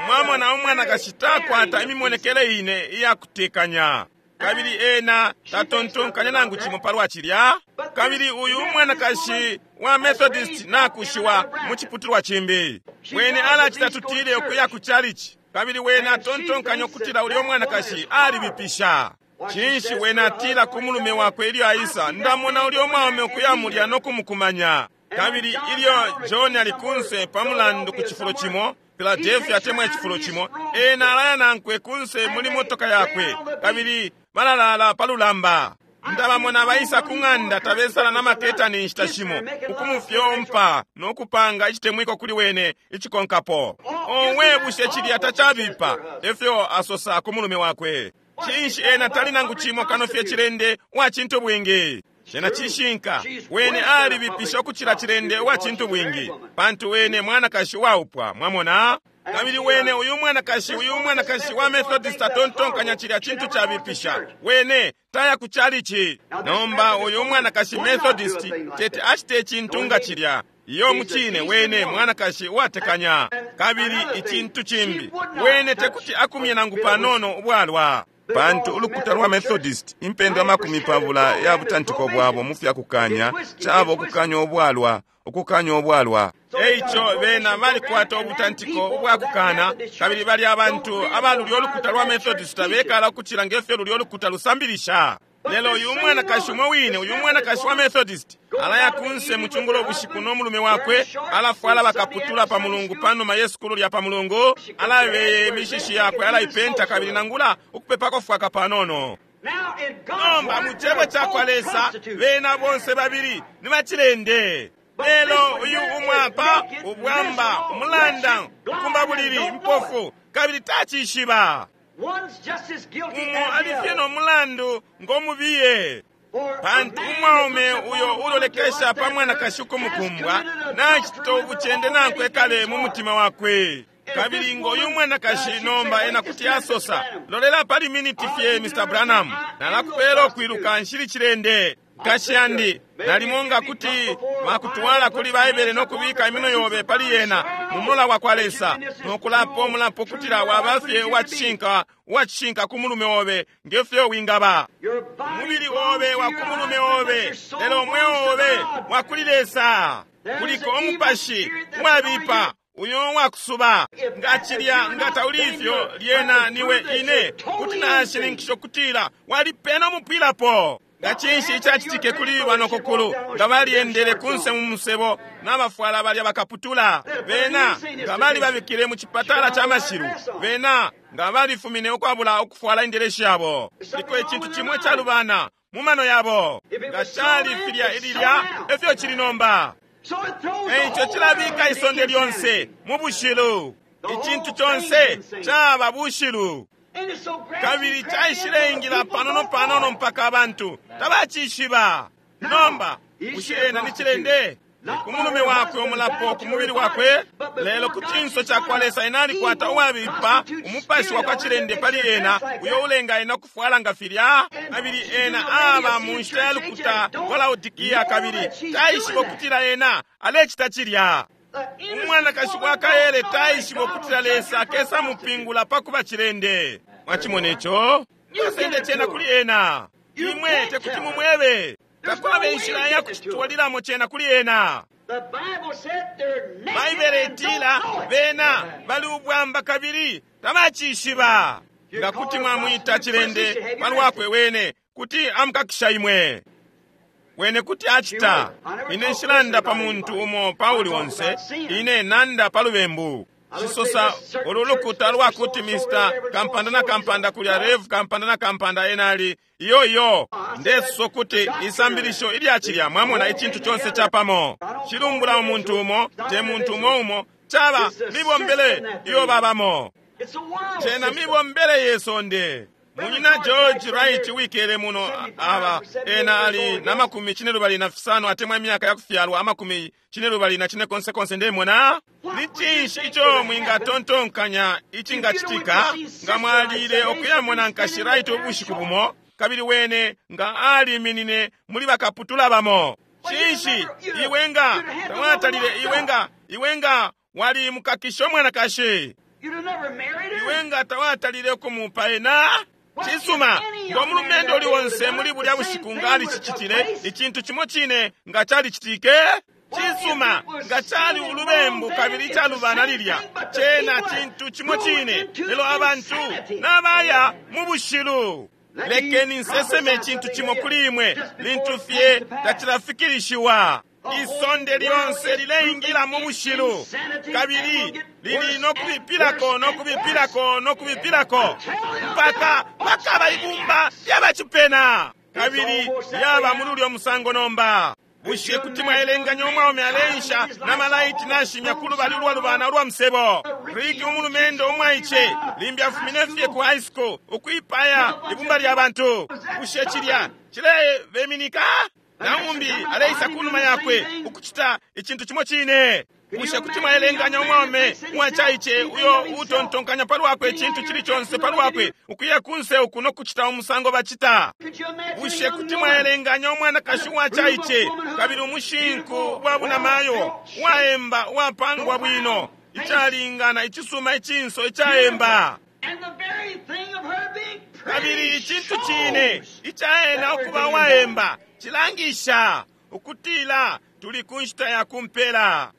Mwamona, umwanakashi takwata imimonekele ine iyakutekanya, kabili ena tatontonkanya nangu cimo palwa cilya. Kabili uyu umwanakashi wa Methodist nakushiwa mu ciputulwa cimbi, wene alacita tutile ukuya ku chalichi, kabili wene atontonkanya ukutila ulya umwanakashi alibipisha. Cinshi wene atila ku mulume wakwe ilyo aisa, ndamona ulya umwaume ukuya mulya no kumukumanya. Kabili ilyo John ali kunse pa mulandu ku cifulo cimo, Philadelphia atemwa icifulo cimo, ena alaya nankwe kunse muli motoka yakwe, kabili balalala pa lulamba. Ndabamona baisa ku ng'anda tabesala na maketani inshita shimo, ukumufyompa no kupanga icitemwiko kuli wene icikonkapo. Owe, bushe cilya tacabipa? Efyo asosa ku mulume wakwe. Cinshi ena tali nangu cimo kano fye cilende wa cintu bwingi. Cena cishinka, wene alibipisha ukucila cilende wa cintu bwingi, pantu wene mwanakashi waupwa, mwamona. Kabili wene uyu mwanakashi, uyu mwanakashi wa Methodist atontonkanya cilya cintu cabipisha, wene taya ku chalichi. Nomba uyu mwanakashi Methodist teti acite icintu nga cilya. Iyo mucine wene mwanakashi uwatekanya. Kabili icintu cimbi, wene tekuti akumye nangu panono ubwalwa, pantu ulukuta lwa Methodist impendwa 20 ya butantiko bwabo mu fyakukanya cabo ukukanya ubwalwa, ukukanya ubwalwa. Eico bena balikwata ubutantiko ubwakukana, kabili bali abantu abalulya ulukuta lwa Methodist bekala ukucila ngefyo lulya ulukuta lusambilisha. Lelo uyu mwanakashi umwe wine, uyu mwanakashi wa Methodist alaya kunse mu cungulo bushiku no mulume wakwe, alafwala bakaputula pa mulungu panuma ye sukulu lya pa mulungu, alabeye imishishi yakwe, alaipenta, kabili nangula ukupepako fwaka panono. Nomba mu cebo ca kwa Lesa bena bonse babili ni bacilende. Lelo uyu umwapa ubwamba umulanda ukumba bulili impofu, kabili tacishiba. Umo alifye no mulandu ngomubiye, pantu umwaume uyo ulolekesha pa mwanakashi ukumukumbwa nacita ubucende nankwe kale mu mutima wakwe. Kabili ngo uyu mwanakashi nomba ena kuti asosa, lolela pali miniti fye Mr. Branham, nalakupela ukwiluka nshili cilende. Nkashi yandi, nalimo nga kuti bakutwala kuli Baibele no kubika iminwe yobe pali yena mu mulola wa kwa Lesa, no kulapa umulapo kutila waba fye uwacishinka, uwacishinka ku mulume obe nge fyo wingaba. Umubili obe wa ku mulume obe, lelo umweo obe wa kuli Lesa. Kuliko umupashi uwabipa uyo wakusuba. Nga cilya nga tauli ifyo, lyena niwe ine kuti nashininkisha ukutila walipena umupwilapo. Nga cinshi icacitike kuli banokokulu nga balyendele kunse mu musebo n'abafwala balya bakaputula? Bena nga balibabikile mu cipatala ca mashilu. Bena nga balifumine ukwabula ukufwala indeleshi yabo. Liko icintu cimo icalubana mu mano yabo. Nga cali filya ililya, efyo cili nomba. Eico cilabika isonde lyonse mu bushilu. Icintu conse caba bushilu. Kabili caishileingila panono panono mpaka abantu tabacishiba. Nomba bushe ena ni cilende? Ku mulume wakwe umulapo ku mubili wakwe, lelo ku cinso ca kwa Lesa ena alikwata uwabipa umupashi wa kwa cilende pali ena, uyo ulenga ena kufwala nga filya. Kabili ena aba mu nshita ya lukuta lwa Laodikia, kabili taishiba ukutila ena alecita cilya. Umwanakashi wa kaele taishiba ukutila Lesa akesa mupingula pa kuba cilende. Mwacimona ico? Basende cena kuli ena. Imwe tekuti mumwebe. Takwaba inshila ya kucitwalilamo cena kuli ena. Baibele itila bena bali ubwamba kabili tabacishiba. Nga kuti mwamwita cilende palwakwe wene, kuti amukakisha imwe. Wene kuti acita. Ine nshilanda pa muntu umo pa uli onse, ine nanda pa lubembu. Cisosa ulu lukuta lwakuti Mr. Kampanda na Kampanda kulya Rev Kampanda na Kampanda enali iyo iyo. Ndesosa kuti isambilisho ilya cilya, mwamona icintu conse capamo. Cilumbula umuntu umo, te muntu umo umo, caba mibombele iyo babamo. Cena mibombele ye sonde. Munyina George Wright wikele muno aba ena ali na 25 atemwa imyaka ya kufyalwa 24 konse konse ndemona. Ni cinshi ico mwingatontonkanya icingacitika nga mwalile okuyamona nkashi Wright ubushiku bumo, kabili wene nga aliminine muli bakaputula bamo? Cinshi iwe nga tawatalile, iwe nga wali mukakisha umwanakashi, iwe nga tawatalile ukumupa ena? Cisuma, ngo mulumendo uli onse muli bulya bushiku nga alicicitile icintu cimo cine nga calicitike. Cisuma, nga cali ulubembu kabili calubana lilya, cena cintu cimo cine, lelo abantu nabaya mu bushilu. Lekeni nseseme icintu cimo kuli imwe lintu fye tacilafikilishiwa. Isonde lyonse lileingila mu bushilu, kabili lili nokubipilako nokubipilako nokubipilako mpaka bakaba ibumba lyabacipena, kabili lyaba muli ulyo musango nomba. Bushe kuti mwaelenganya umwaume aleisha na malaiti nashimya ku lubali ulwalubana ulwa musebo? Rick umulumendo umwaice limbi afumine fye ku high school ukwipaya ibumba lya bantu. Bushe cilya cilebeminika? Naumbi aleisa kunuma yakwe ukucita icintu cimo cine. Bushe kuti mwaelenganya umwaume uwacaice uyo utontonkanya palwakwe icintu cili conse palwakwe ukuya kunse uku nokucita umusango bacita? Bushe kuti mwaelenganya umwanakashi uwacaice kabili umushinku wa bunamayo uwaemba uwapangwa bwino icalingana icisuma icinso icaemba, kabili icintu cine icaena ukuba uwaemba cilangisha ukutila tuli ku nshita ya kumpela?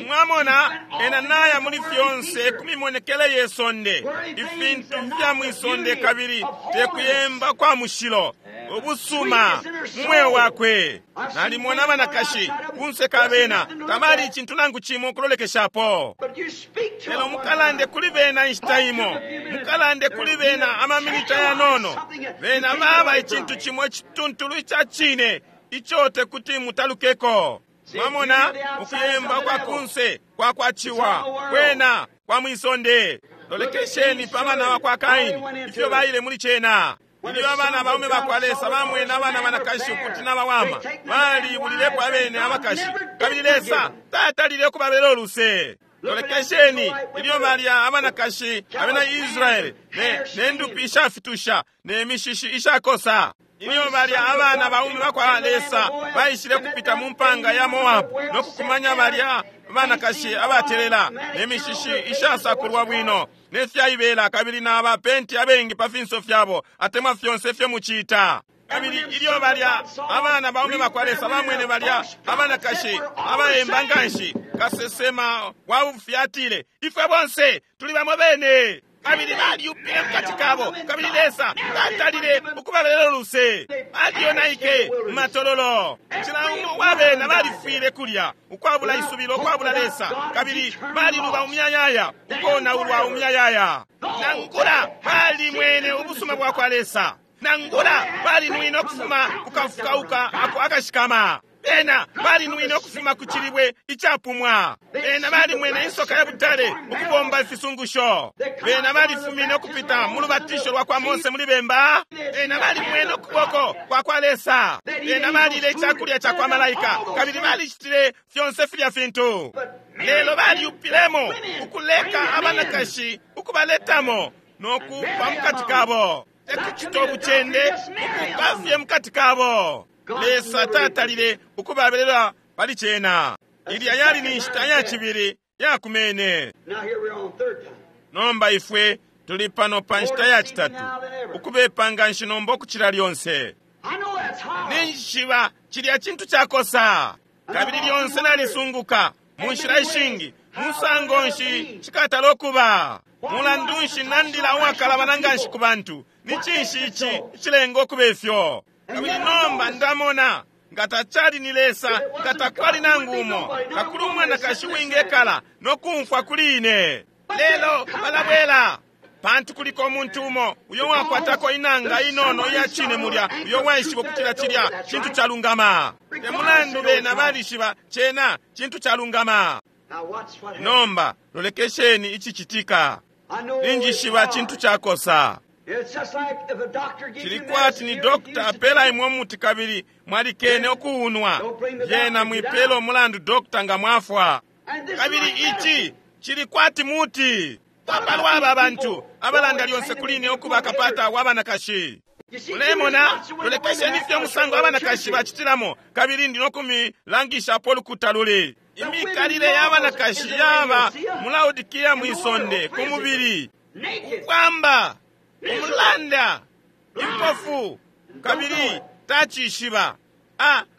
Mwamona, ena naya muli fyonse kumimonekele ye sonde, ifintu fya mwisonde, kabili tekuyemba kwa mushilo ubusuma mu mweo wakwe. Nalimona abanakashi kunse ka bena tabali icintu nangu cimo kulolekeshapo, lelo mukalande kuli bena inshita imo, mukalande kuli bena amaminita yanono, bena baba icintu cimo icituntulu ica cine ico tekuti mutalukeko. Mwamona, ukuyemba kwa kunse kwa kwaciwa kwena kwa mwisonde. Lolekesheni pa bana bakwa Kaini ifyo baile muli cena. Ilyo abana baume bakwa Lesa bamwene abana banakashi ukuti nabawama, balibulilepo abene abakashi, kabili Lesa tatalile ukubabela uluse. Lolekesheni ilyo balya abanakashi abena Israele ne ndupi ishafitusha ne mishishi ishakosa. Ilyo balya abana baume bakwa Lesa baishile kupita mu mpanga ya Moabu no kukumanya balya banakashi abatelela ne mishishi ishasakulwa bwino ne fyaibela kabili na bapenti abengi pa finso fyabo atemwa fyonse fyo mucita. Kabili ilyo balya abana baume bakwa Lesa bamwene balya abanakashi abaemba nganshi, kasesema wa bufi atile, ifwe bonse tuli bamo bene. Kabili balyupile mukati kabo, kabili Lesa tatalile ukubabelela uluse. Balyonaike mu matololo. Cila umo wa bena balifwile kulya ukwabula isubilo, ukwabula Lesa, kabili baliluba umuyayaya, ukonaulwa umuyayaya. Nangula balimwene ubusuma bwakwa Lesa, nangula balinwine ukufuma kukafukauka ako akashikama, bena balinwine ukufuma ku cilibwe icapumwa, bena balimwene insoka ya butale ukubomba ifisungusho, bena balifumine ukupita mu lubatisho lwa kwa Mose muli bemba, bena balimwene ukuboko kwa kwa Lesa, bena balile icakulya ca kwa malaika, kabili balicitile fyonse filya fintu. Lelo balyupilemo ukuleka abanakashi ukubaletamo no kupa mukati kabo, tekucita ubucende, ukupa fye mukati kabo. Lesa tatalile ukubabelela pali cena. Ilya yali ni nshita ya cibili yakumene. Nomba ifwe tuli pano pa nshita ya citatu, ukubepa nganshi nomba ukucila lyonse. Ninjishiba cilya cintu cakosa, kabili lyonse nalisunguka mu nshila ishingi musango nshi cikatala ukuba. Mulandu nshi nandila uwakalabana nganshi ku bantu? Ni cinshi ici icilenga ukuba ifyo? Kabili nomba ndamona nga tacali ni Lesa, nga takwali nangu umo, kakuli umwanakashi wingekala no kumfwa kuli ine. Lelo balabwela, pantu kuliko umuntu umo uyo wakwatako inanga inono iya cine mulya, uyo waishiba ukutila cilya cintu calungama. Te mulandu bena balishiba cena cintu calungama. Nomba lolekesheni icicitika. Ninjishiba cintu cakosa. Cili kwati ni dokta apela imwe umuti kabili mwalikene ukuunwa, lyena mwipela umulandu dokta nga mwafwa. Kabili ici cili kwati muti. Papalwa aba bantu abalanda lyonse kuli ine ukuba kapata wa banakashi. Mulemona, lolekesheni fye umusango abanakashi bacitilamo, kabili ndi no kumilangishapo ulukuta luli. Imikalile ya banakashi yaba mu Laodikia mwisonde ku mubili, ukwamba, umulanda, impofu, kabili tacishiba.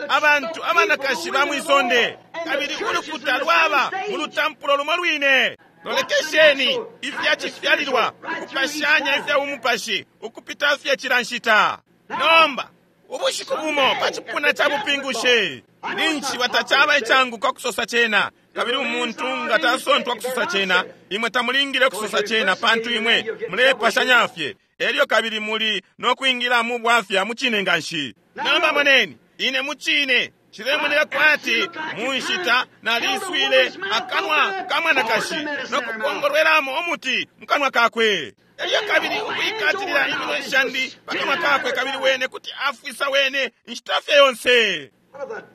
Abantu abanakashi ba mwisonde, kabili ulukuta lwaba mu lutampulo lumo lwine. Lolekesheni ifya cifyalilwa ukupashanya ifya umupashi ukupita fye cila nshita. Nomba ubushiku bumo pa cipuna ca bupingushi, ninshi batacaba icanguka kusosa cena, kabili umuntu nga tasontwa kusosa cena, imwe tamulingile kusosa cena, pantu imwe mulepashanya fye, elyo kabili muli no kwingila mu bwafya mu cine nganshi. Nomba moneni, ine mu cine cilemoneka kwati mu nshita naliswile akanwa ka mwanakashi no kupongolwelamo umuti mu kanwa kakwe, elyo kabili ukwikatilila iminwe shandi pa kanwa kakwe, kabili wene kuti afwisa wene inshita fye yonse.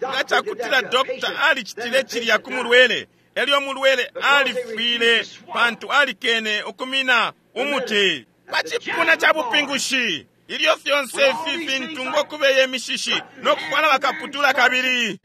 Nga cakutila dokta alicitile cilya ku mulwele, elyo mulwele alifwile pantu alikene ukumina umuti. Pa cipuna ca bupingushi, ilyo fyonse ifi fintu ngokubeye mishishi no kufwala bakaputula kabili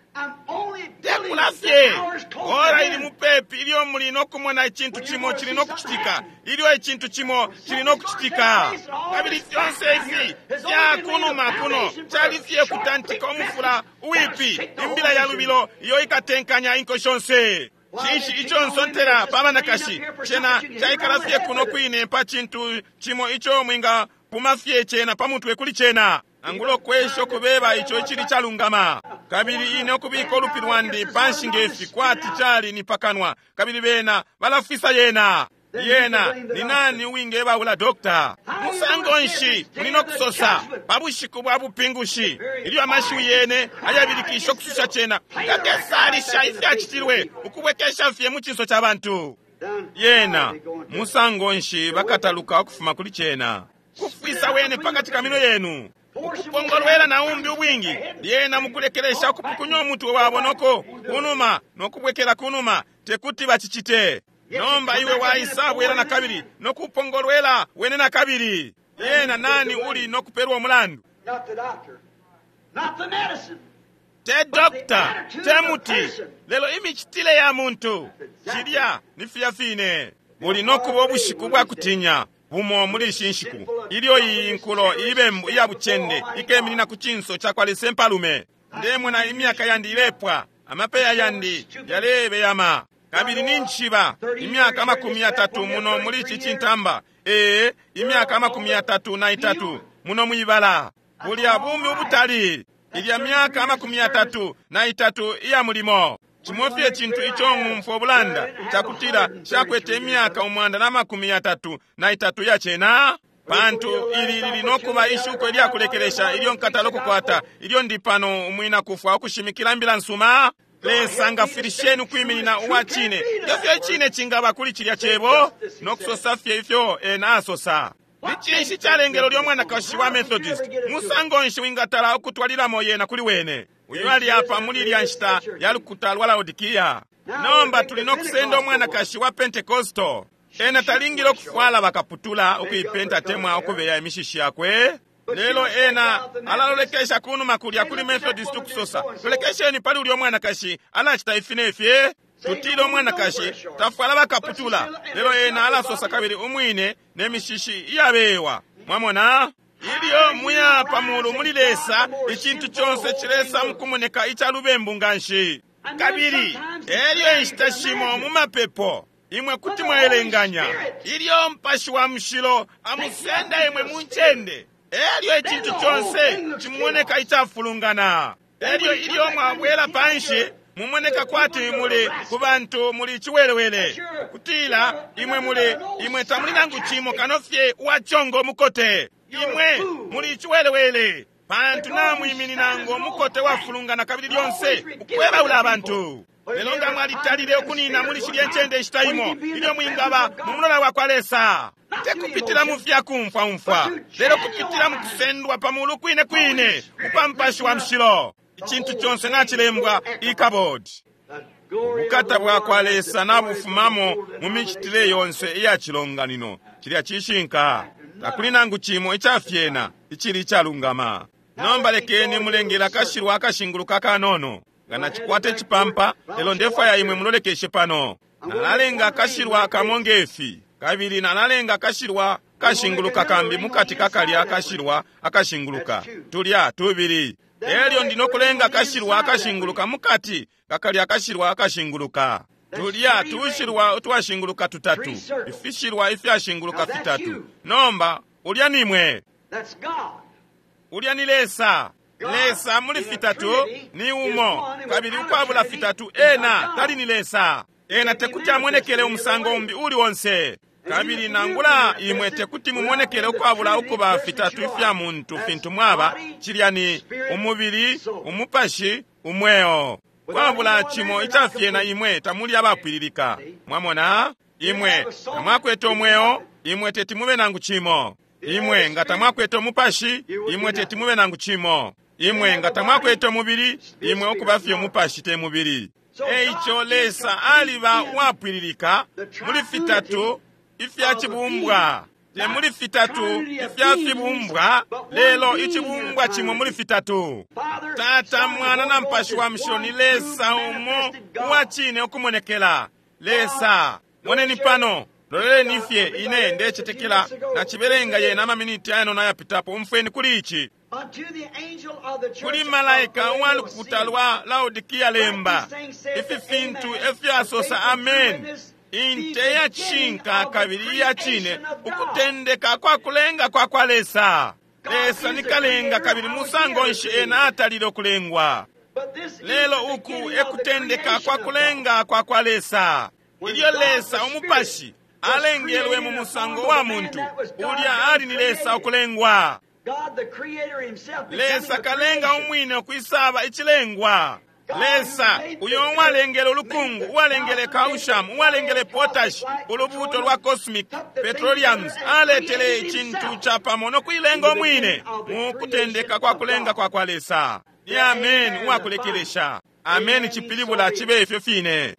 tekula fye, ora ili mupepi ilyo muli no kumona icintu cimo cili no kucitika, ilyo icintu cimo cili no kucitika. Kabili fyonse ifi fya kunuma kuno cali fye kutantika umufula uwipi, imbila ya lubilo iyo ikatenkanya inko shonse. Cinshi ico nsontela pa banakashi? Cena caikala fye kuno kwine pa cintu cimo ico mwinga puma fye cena pa mutwe kuli cena, angulo kwesho kubeba ico icili calungama. Kabili ine ukubika ulupi lwandi panshi ngefi kwati cali ni pakanwa, kabili bena balafisa yena. Yena ni nani uwingebaula dokta? Musango nshi muli no kusosa pa bushiku bwa bupingushi, ilyo amashiwi yene ayabilikisha ukususha cena kakesalisha ifyacitilwe ukubwekesha fye mu cinso ca bantu? Yena musango nshi bakataluka ukufuma kuli cena? Kufwisa wene pakati ka minwe yenu, ukupongolwela na umbi ubwingi, lyena mukulekelesha ukupukunya umutwe wabo noko kunuma nokubwekela kunuma, tekuti bacicite. Nomba iwe waisa bwela na kabili nokupongolwela wene na kabili. Yena nani uli nokupelwa umulandu? Not the doctor, not the medicine. Te doctor, te muti, lelo imicitile ya muntu. Cilya ni filya fine. Buli nokuba ubushiku bwa kutinya bumo muli ishi nshiku, ilyo iyi nkulo ibembu iya bucende ikeminina ku cinso cakwa Lesa impalume. Ndemona imyaka yandi ilepwa, amapeya yandi yalebeyama, kabili ninjishiba imyaka 30 muno muli ici cintamba, ee, imyaka 33 muno mwibala. Bulya bumi ubutali, ilya myaka 33 iya mulimo. Cimo fye cintu ico ng'umfwa ubulanda cakutila shakwete imyaka 133 ya cena, pantu ili lili nokuba ishuko ilyakulekelesha ilyo nkatala ukukwata ilyo ndi pano umwina kufwa ukushimikila mbila nsuma. Lesa ngafwilisheni ukwiminina uwa cine, ifyo icine cingaba kuli cilya cebo no kusosa fye ifyo ena asosa. Ni cinshi calengelo lyo mwanakashi wa Methodist? Musango nshi wingatala ukutwalilamo yena kuli wene? Uyu ali apa muli ilya nshita ya lukuta lwa Laodikia. Nomba tuli no kusenda umwanakashi wa Pentecostal. Ena talingile ukufwala bakaputula, ukuipenta temwa ukubeya imishishi yakwe. Lelo ena alalolekesha kunuma kulya kuli Methodist ukusosa, lolekesheni pali ulya mwanakashi alacita ifi ne fye. Tutile umwanakashi tafwala bakaputula, lelo ena alasosa kabili umwine ne mishishi iyabewa. Mwamona? Ilyo muya pamulu muli Lesa, icintu conse cilesa mukumoneka ica lubembu nganshi. Kabili elyo inshita shimo mu mapepo imwe kuti mwaelenganya ilyo Mupashi wa Mushilo amusenda imwe mu ncende, elyo icintu conse cimoneka icafulungana. Elyo ilyo mwabwela panshi mumoneka kwati muli ku bantu muli ciwelewele, kutila imwe muli, imwe tamuli nangu cimo kano fye uwacongo mukote. Imwe muli ciwelewele pantu namwiminina ngo mukote wafulungana kabili lyonse ukwebaula abantu. Lelo nga mwalitalile ukunina muli shilya ncende inshita imo ilyo mwingaba mu mulola wa kwa Lesa, te kupitila mu fya kumfwaumfwa, lelo kupitila mu kusendwa pa mulu kwine kwine ukwa Mupashi wa Mushilo. Icintu conse nacilembwa ikabodi. Ubukata bwa kwa Lesa nabufumamo mu micitile yonse iya cilonganino. Cilya cishinka. Takuli nangu cimo icafyena icili icalungama. Nomba lekeni mulengela akashilwa akashinguluka kanono. Nga nacikwata icipampa, lelo ndefwaya imwe mulolekeshe pano. Nalalenga akashilwa kamo ngefi, kabili nalalenga akashilwa kashinguluka kambi mukati kakalya akashilwa akashinguluka. Tulya tubili. Elyo ndi nokulenga akashilwa akashinguluka mukati kakalya akashilwa akashinguluka. Tulya tushilwa utwashinguluka tutatu, ifishilwa ifyashinguluka fitatu. Nomba ulya nimwe, ulya ni Lesa. Lesa muli fitatu ni umo, kabili ukwabula fitatu ena tali ni Lesa. Ena tekuti amonekele umusango umbi uli onse, kabili nangula imwe tekuti mumonekele ukwabula ukuba fitatu ifya muntu fintu mwaba. Cilya ni umubili, umupashi, umweo. Kwabula cimo icafyena imwe tamuli abapwililika. Mwamona? Imwe tamwakwete umweo, imwe teti mube nangu cimo. Imwe nga tamwakwete umupashi, imwe teti mube nangu cimo. Imwe nga tamwakwete umubili, imwe ukuba fye umupashi te mubili. Eico Lesa aliba uwapwililika muli fitatu ifya cibumbwa. Te muli fitatu ifya fibumbwa, lelo icibumbwa cimo muli fitatu. Tata, Mwana na Mupashi wa Mushilo ni Lesa umo uwa cine ukumonekela. Lesa, moneni pano, loleleni fye ine ndecetekela nacibelenga yena amaminiti ayanono ayapitapo. Umfweni kuli ici. Kuli malaika uwa lukuta lwa Laodikia lemba, ifi fintu efyasosa Amen, inte ya cishinka kabili iya cine, ukutendeka kwa kulenga kwa kwa Lesa. Lesa ni kalenga kabili musango nshi ena atalile ukulengwa. Lelo uku ekutendeka kwa kulenga kwa kwa Lesa. Ilyo Lesa umupashi alengelwe mu musango wa muntu, ulya ali ni Lesa ukulengwa. Lesa kalenga umwine ukwisaba icilengwa. Lesa uyo uwalengele ulukungu, uwalengele calcium, uwalengele potash, ulubuto lwa cosmic petroleums, aletele icintu capamo no kuilenga umwine mu kutendeka kwa kulenga kwa kwa Lesa. Ni amen uwakulekelesha. Amen cipilibula cibe ifyo fine.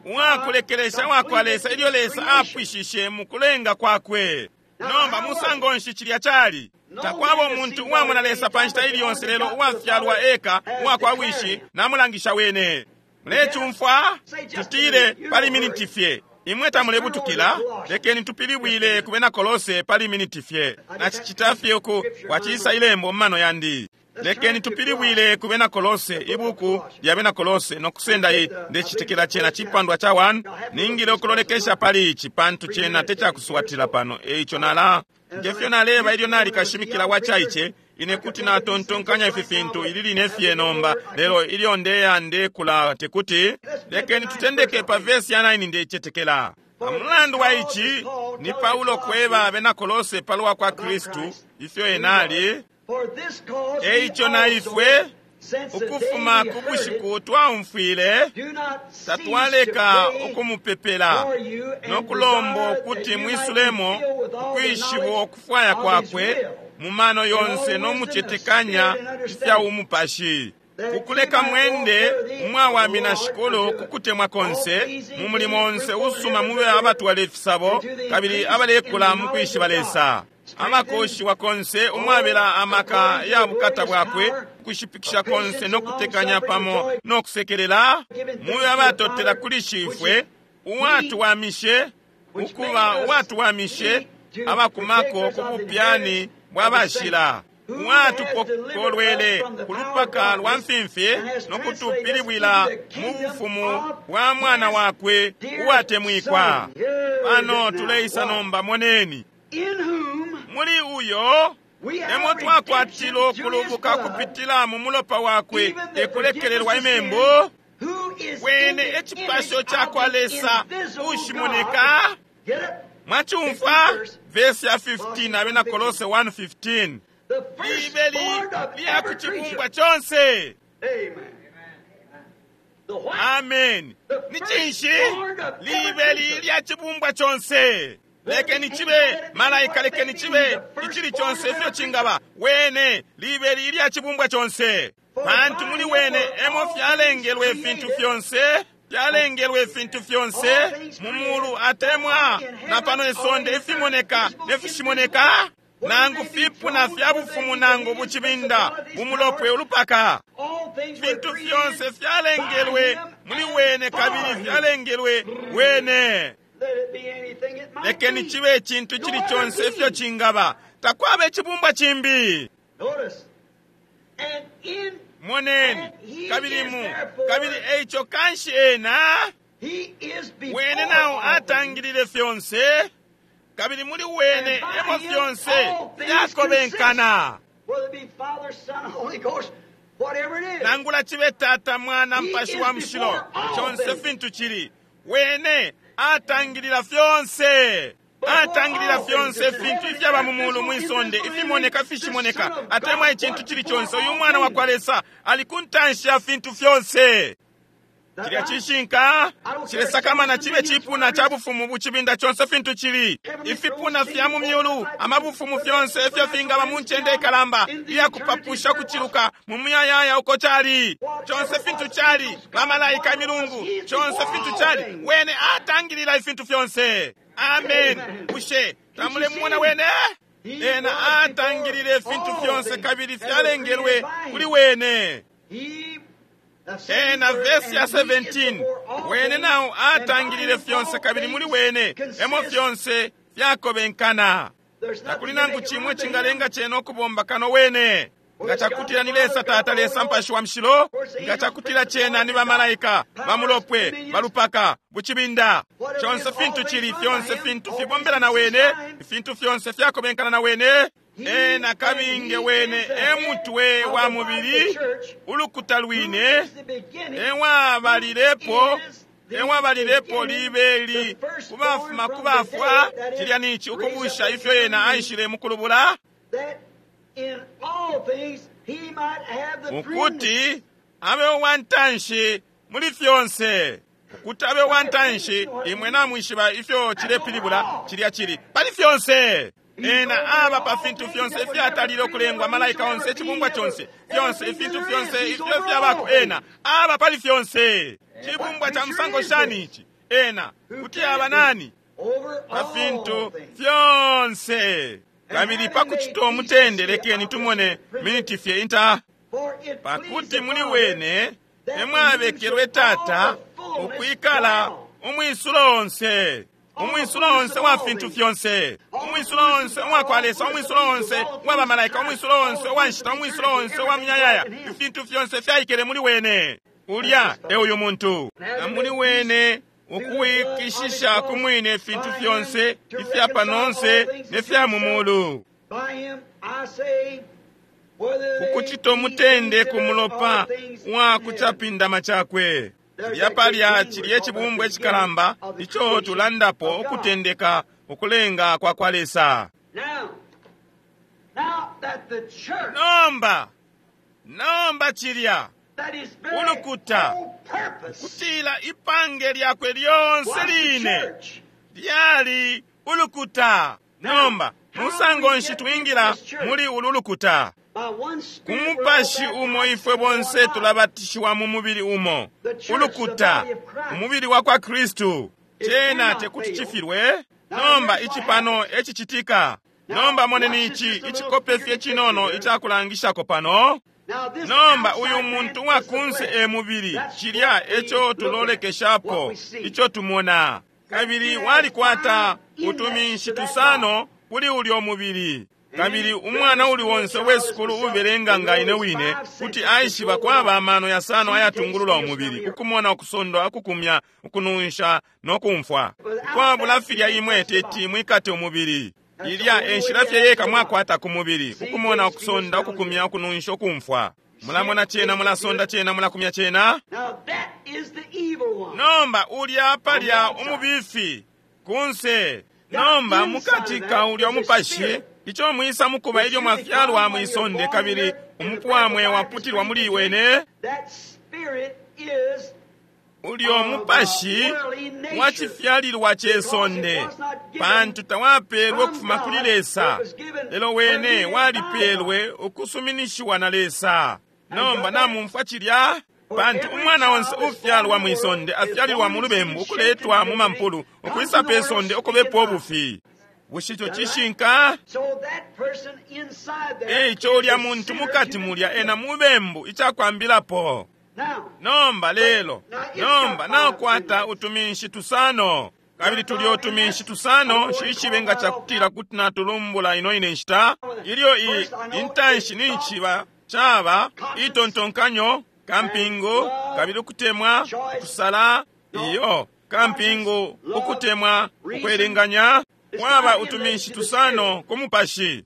Uwakulekelesha wakwa Lesa ilyo Lesa apwishishe mu kulenga kwakwe. Nomba musango nshi cilya cali? Takwaba umuntu uwamona Lesa pa nshita ili yonse lelo uwafyalwa eka uwakwa Wishi namulangisha wene. Mulecumfwa? Tutile pali miniti fye. Imwe tamulebutukila, lekeni tupilibwile ku Bena Kolose pali miniti fye. Nacicita fye uku kwacisa ilembo mu mano yandi. Lekeni tupilibwile ku Bena Kolose, ibuku lya Bena Kolose, no kusenda i ndecitekela cena cipandwa ca 1. Ningile ukulolekesha pali ici pantu cena tecakuswatila pano. Eico nala ngefyo naleba ilyo nali kashimikila wa caice, ine kuti natontonkanya ifi fintu ili line fye nomba, lelo ilyo ndeya ndekula tekuti. Lekeni tutendeke pa vesi ya 9 ndecetekela. Pamulandu wa ici ni Paulo kweba Abena Kolose palwa kwa Kristu ifyo ena ali. Eico na ifwe ukufuma ku bushiku twaumfwile tatwaleka ukumupepela no kulomba ukuti mwisulemo ukwishiba ukufwaya kwakwe mu mano yonse no mucetekanya ifya umupashi, kukuleka mwende umwawamina Shikulu ku kutemwa konse, mu mulimo onse usuma mube abatwala ifisabo kabili abalekula mu kwishiba Lesa, abakoshiwa konse umwabela amaka ya bukata bwakwe, kushipikisha konse no kutekanya pamo no kusekelela, mube abatotela kuli Shifwe uwatuwamishe ukuba uwatuwamishe abakumako ku bupyani bwa bashila, uwatupokolwele ku lupaka lwa mfimfi no kutupilibwila mu bufumu bwa mwana wakwe uwatemwikwa. Pano tuleisa nomba, moneni muli uyo emo twakwatila ukulubuka kupitila mu mulopa wakwe ekulekelelwa imembu. Wene ecipasho cakwa Lesa ushimoneka. Mwacumfwa vesi ya 15 Abena Kolose 1:15. Libeli lya ku cibumbwa conse. Amen. Ni cinshi? Libeli lya cibumbwa conse. Lekeni cibe malaika, lekeni cibe icili conse ifyo cingaba. Wene libeli lya cibumbwa conse, pantu muli wene emo fyalengelwe ifintu fyonse, fyalengelwe ifintu fyonse mu mulu atemwa na pano isonde, ifimoneka ne fishimoneka, nangu fipuna fya bufumu nangu bucibinda bumulopwe ulupaka. Fintu fyonse fyalengelwe muli wene kabili fyalengelwe wene. Lekeni cibe icintu cili conse ifyo cingaba, takwaba icibumbwa cimbi. Moneni, kabili mu kabili eico kanshi ena wene nao atangilile fyonse, kabili muli wene emo fyonse fyakobenkana. Nangula cibe Tata, Mwana, Mpashi wa Mushilo, conse fintu cili, wene atangilila fyonse, atangilila fyonse ifintu ifyaba mu mulu, mwisonde, ifimoneka, fishimoneka, atemwa icintu cili conse. Uyu mwana wa kwa Lesa ali ku ntanshi ya fintu fyonse. Cilya cishinka cilesakamana cibe cipuna ca bufumu bucibinda conse fintu cili, ifipuna fya mu myulu, amabufumu fyonse ifyo fingaba mu ncende ikalamba iyakupapusha kuciluka mu muyayaya uko cali conse fintu cali, bamalaika, imilungu, conse fintu cali, wene atangilila ifintu fyonse. Amen. Bushe tamulemumona wene? Ena atangilile ifintu fyonse kabili fyalengelwe kuli wene. Ena vesi ya 17, wene nao atangilile fyonse kabili muli wene emo fyonse fyakobenkana. Takuli nangu cimwe cingalenga cena ukubomba kano wene. Nga cakutila ni Lesa Tata, Lesa Mpashi wa Mushilo, nga cakutila cena ni bamalaika, bamulopwe, balupaka, bucibinda, conse fintu cili, fyonse fintu fibombela na wene, ifintu fyonse fyakobenkana na wene. Ena kabinge wene emutwe wa mubili, ulukuta lwine, ewabalilepo ewabalilepo libeli kubafuma kubafwa. Cilya nici ukubusha ifyo yena aishile mukulubula, ukuti abe uwantanshi muli fyonse, ukuti abe uwantanshi. Imwe namwishiba ifyo cilepilibula, cilya cili pali fyonse. Ena aba pa fintu fyonse ifyatalile ukulengwa, malaika onse, icibumbwa conse, fyonse ifintu fyonse ifyo fyabako, ena aba pali fyonse. Cibumbwa ca musango shani ici? Ena kuti aba nani? Pa fintu fyonse. Kabili pa kucito mutende, lekeni tumone miniti fye inta, pakuti muli wene emwabekelwe Tata ukwikala umwisulo onse, umwisulo onse wa fintu fyonse, umwisulo onse uwa kwa Lesa, umwisulo onse uwa bamalaika, umwisulo onse uwa nshita, umwisulo onse uwa muyayaya. Ifintu fyonse fyaikele muli wene. Ulya e uyu muntu, na muli wene ukuwikishisha ku mwine ifintu fyonse ifya panonse ne fya mu mulu, kukucito mutende ku mulopa wa kucapindama cakwe. Cilya palya cilye cibumbwa icikalamba ico tulandapo, ukutendeka ukulenga kwa kwa Lesa. Nomba, nomba cilya ulukuta, kutila ipange lyakwe lyonse line lyali ulukuta. Nomba musango nshi twingila muli ulu lukuta? Ku mupashi umo ifwe bonse tulabatishiwa mu mubili umo, ulukuta, umubili wa kwa Kristu. Cena tekuti cifilwe. Nomba ici pano ecicitika. Nomba moneni ici icikope fye cinono icakulangishako pano. Nomba uyu muntu wa kunse e mubili, cilya eco tulolekeshapo, ico tumona. Kabili walikwata utuminshi tusano kuli ulyo mubili. Kabili umwana uli onse wesukulu ubelenga nga ine wine kuti aishiba kwaba amano yasano ayatungulula umubili, ukumona, ukusondwa, ukukumya, ukununsha no kumfwa. Kwabula filya imwe teti mwikate umubili. Ilya e nshila fye yeka mwakwata ku mubili, ukumona, ukusonda, ukukumya, ukununsha, ukumfwa. Mulamona cena, mulasonda cena, mulakumya cena. Nomba ulya palya umubifi kunse. Nomba mukati ka ulya umupashi, ico mwisa mukuba ilyo mwafyalwa mwisonde kabili umupwamwe waputilwa muli wene, ulyo mupashi wacifyalilwa ce sonde, pantu tawapelwe ukufuma kuli Lesa, lelo wene walipelwe ukusuminishiwa na Lesa. Nomba namumfwa cilya? Pantu umwana onse ufyalwa mwisonde afyalilwa mu lubembu, ukuletwa mu mampulu, ukwisa pe sonde ukubepo ubufi. Bushe ico cishinka? Eico ulya muntu mukati mulya ena mubembu icakwambilapo. Nomba lelo, nomba nakwata utuminshi tusano, kabili tulya utuminshi tusano shishibe nga cakutila kuti natulumbula ino ine nshita. Ilyo intanshi ninchiba caba itontonkanyo, kampingu, kabili ukutemwa, ukusala, iyo kampingu, ukutemwa, ukwelenganya. Mwaba utuminshi tusano ku mupashi.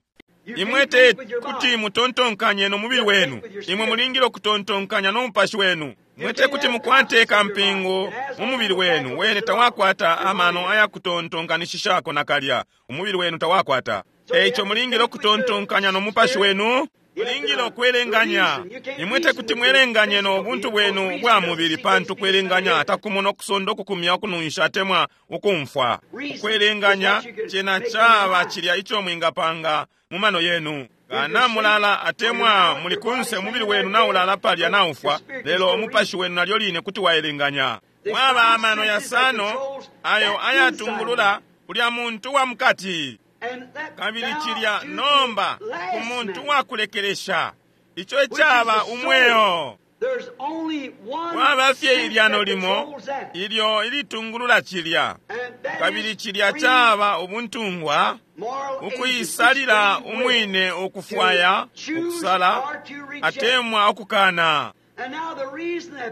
Imwe te kuti mutontonkanye no mubili wenu, imwe mulingile ukutontonkanya no mupashi wenu. Imwe te kuti mukwate kampingu mu mubili wenu, wene tawakwata amano ayakutontonkanishishako nakalya, umubili wenu tawakwata. Eico mulingile ukutontonkanya no mupashi wenu, mulingile ukwelenganya. Imwe te kuti mwelenganye no buntu bwenu bwa mubili, pantu kwelenganya takumona, ukusonda, ukukumya, ukununsha atemwa ukumfwa. Ukwelenganya cena caba cilya ico mwingapanga mu mano yenu. Kana mulala atemwa muli kunse, umubili wenu naulala palya naufwa, lelo umupashi wenu nalyo line kuti waelenganya. Mwaba amano yasano ayo ayatungulula ulya muntu wa mukati. Kabili cilya nomba ku muntu wakulekelesha, ico icaba umweo. Kwaba fye ilyano limo ilyo ilitungulula cilya, kabili cilya caba ubuntungwa, ukuisalila umwine ukufwaya, ukusala atemwa ukukana.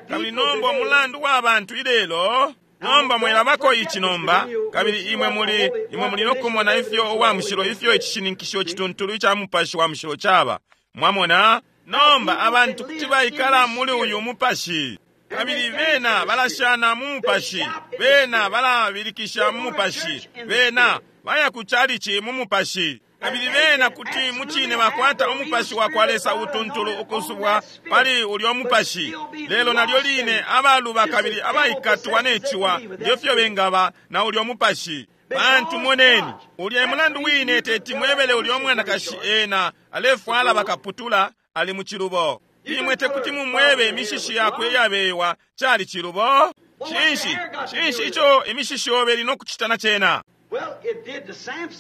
Kabili nomba umulandu wa bantu ilelo, nomba mwelabako ici nomba, kabili imwe muli imwe muli nokumona ifyo uwa mushilo, ifyo icishininkisho cituntulu ica mupashi wa mushilo caba. Mwamona? Nomba abantu kuti baikala muli uyu mupashi, kabili bena balashana mu mupashi, bena balabilikisha mu mupashi, bena baya ku chalichi mu mupashi, kabili bena kuti mucine bakwata umupashi wa kwa Lesa utuntulu ukusubwa pali ulyo mupashi. Lelo nalyo line abaluba kabili abaikatwa ne ciwa ngefyo bengaba na ulyo mupashi. Pantu moneni, ulya mulandu wine teti mwebele ulyo mwanakashi ena alefwala bakaputula ali mu cilubo. Imwe tekuti mumwebe imishishi yakwe iyabewa cali cilubo. Cinshi cinshi ico imishishi yobe ili no kucita na cena?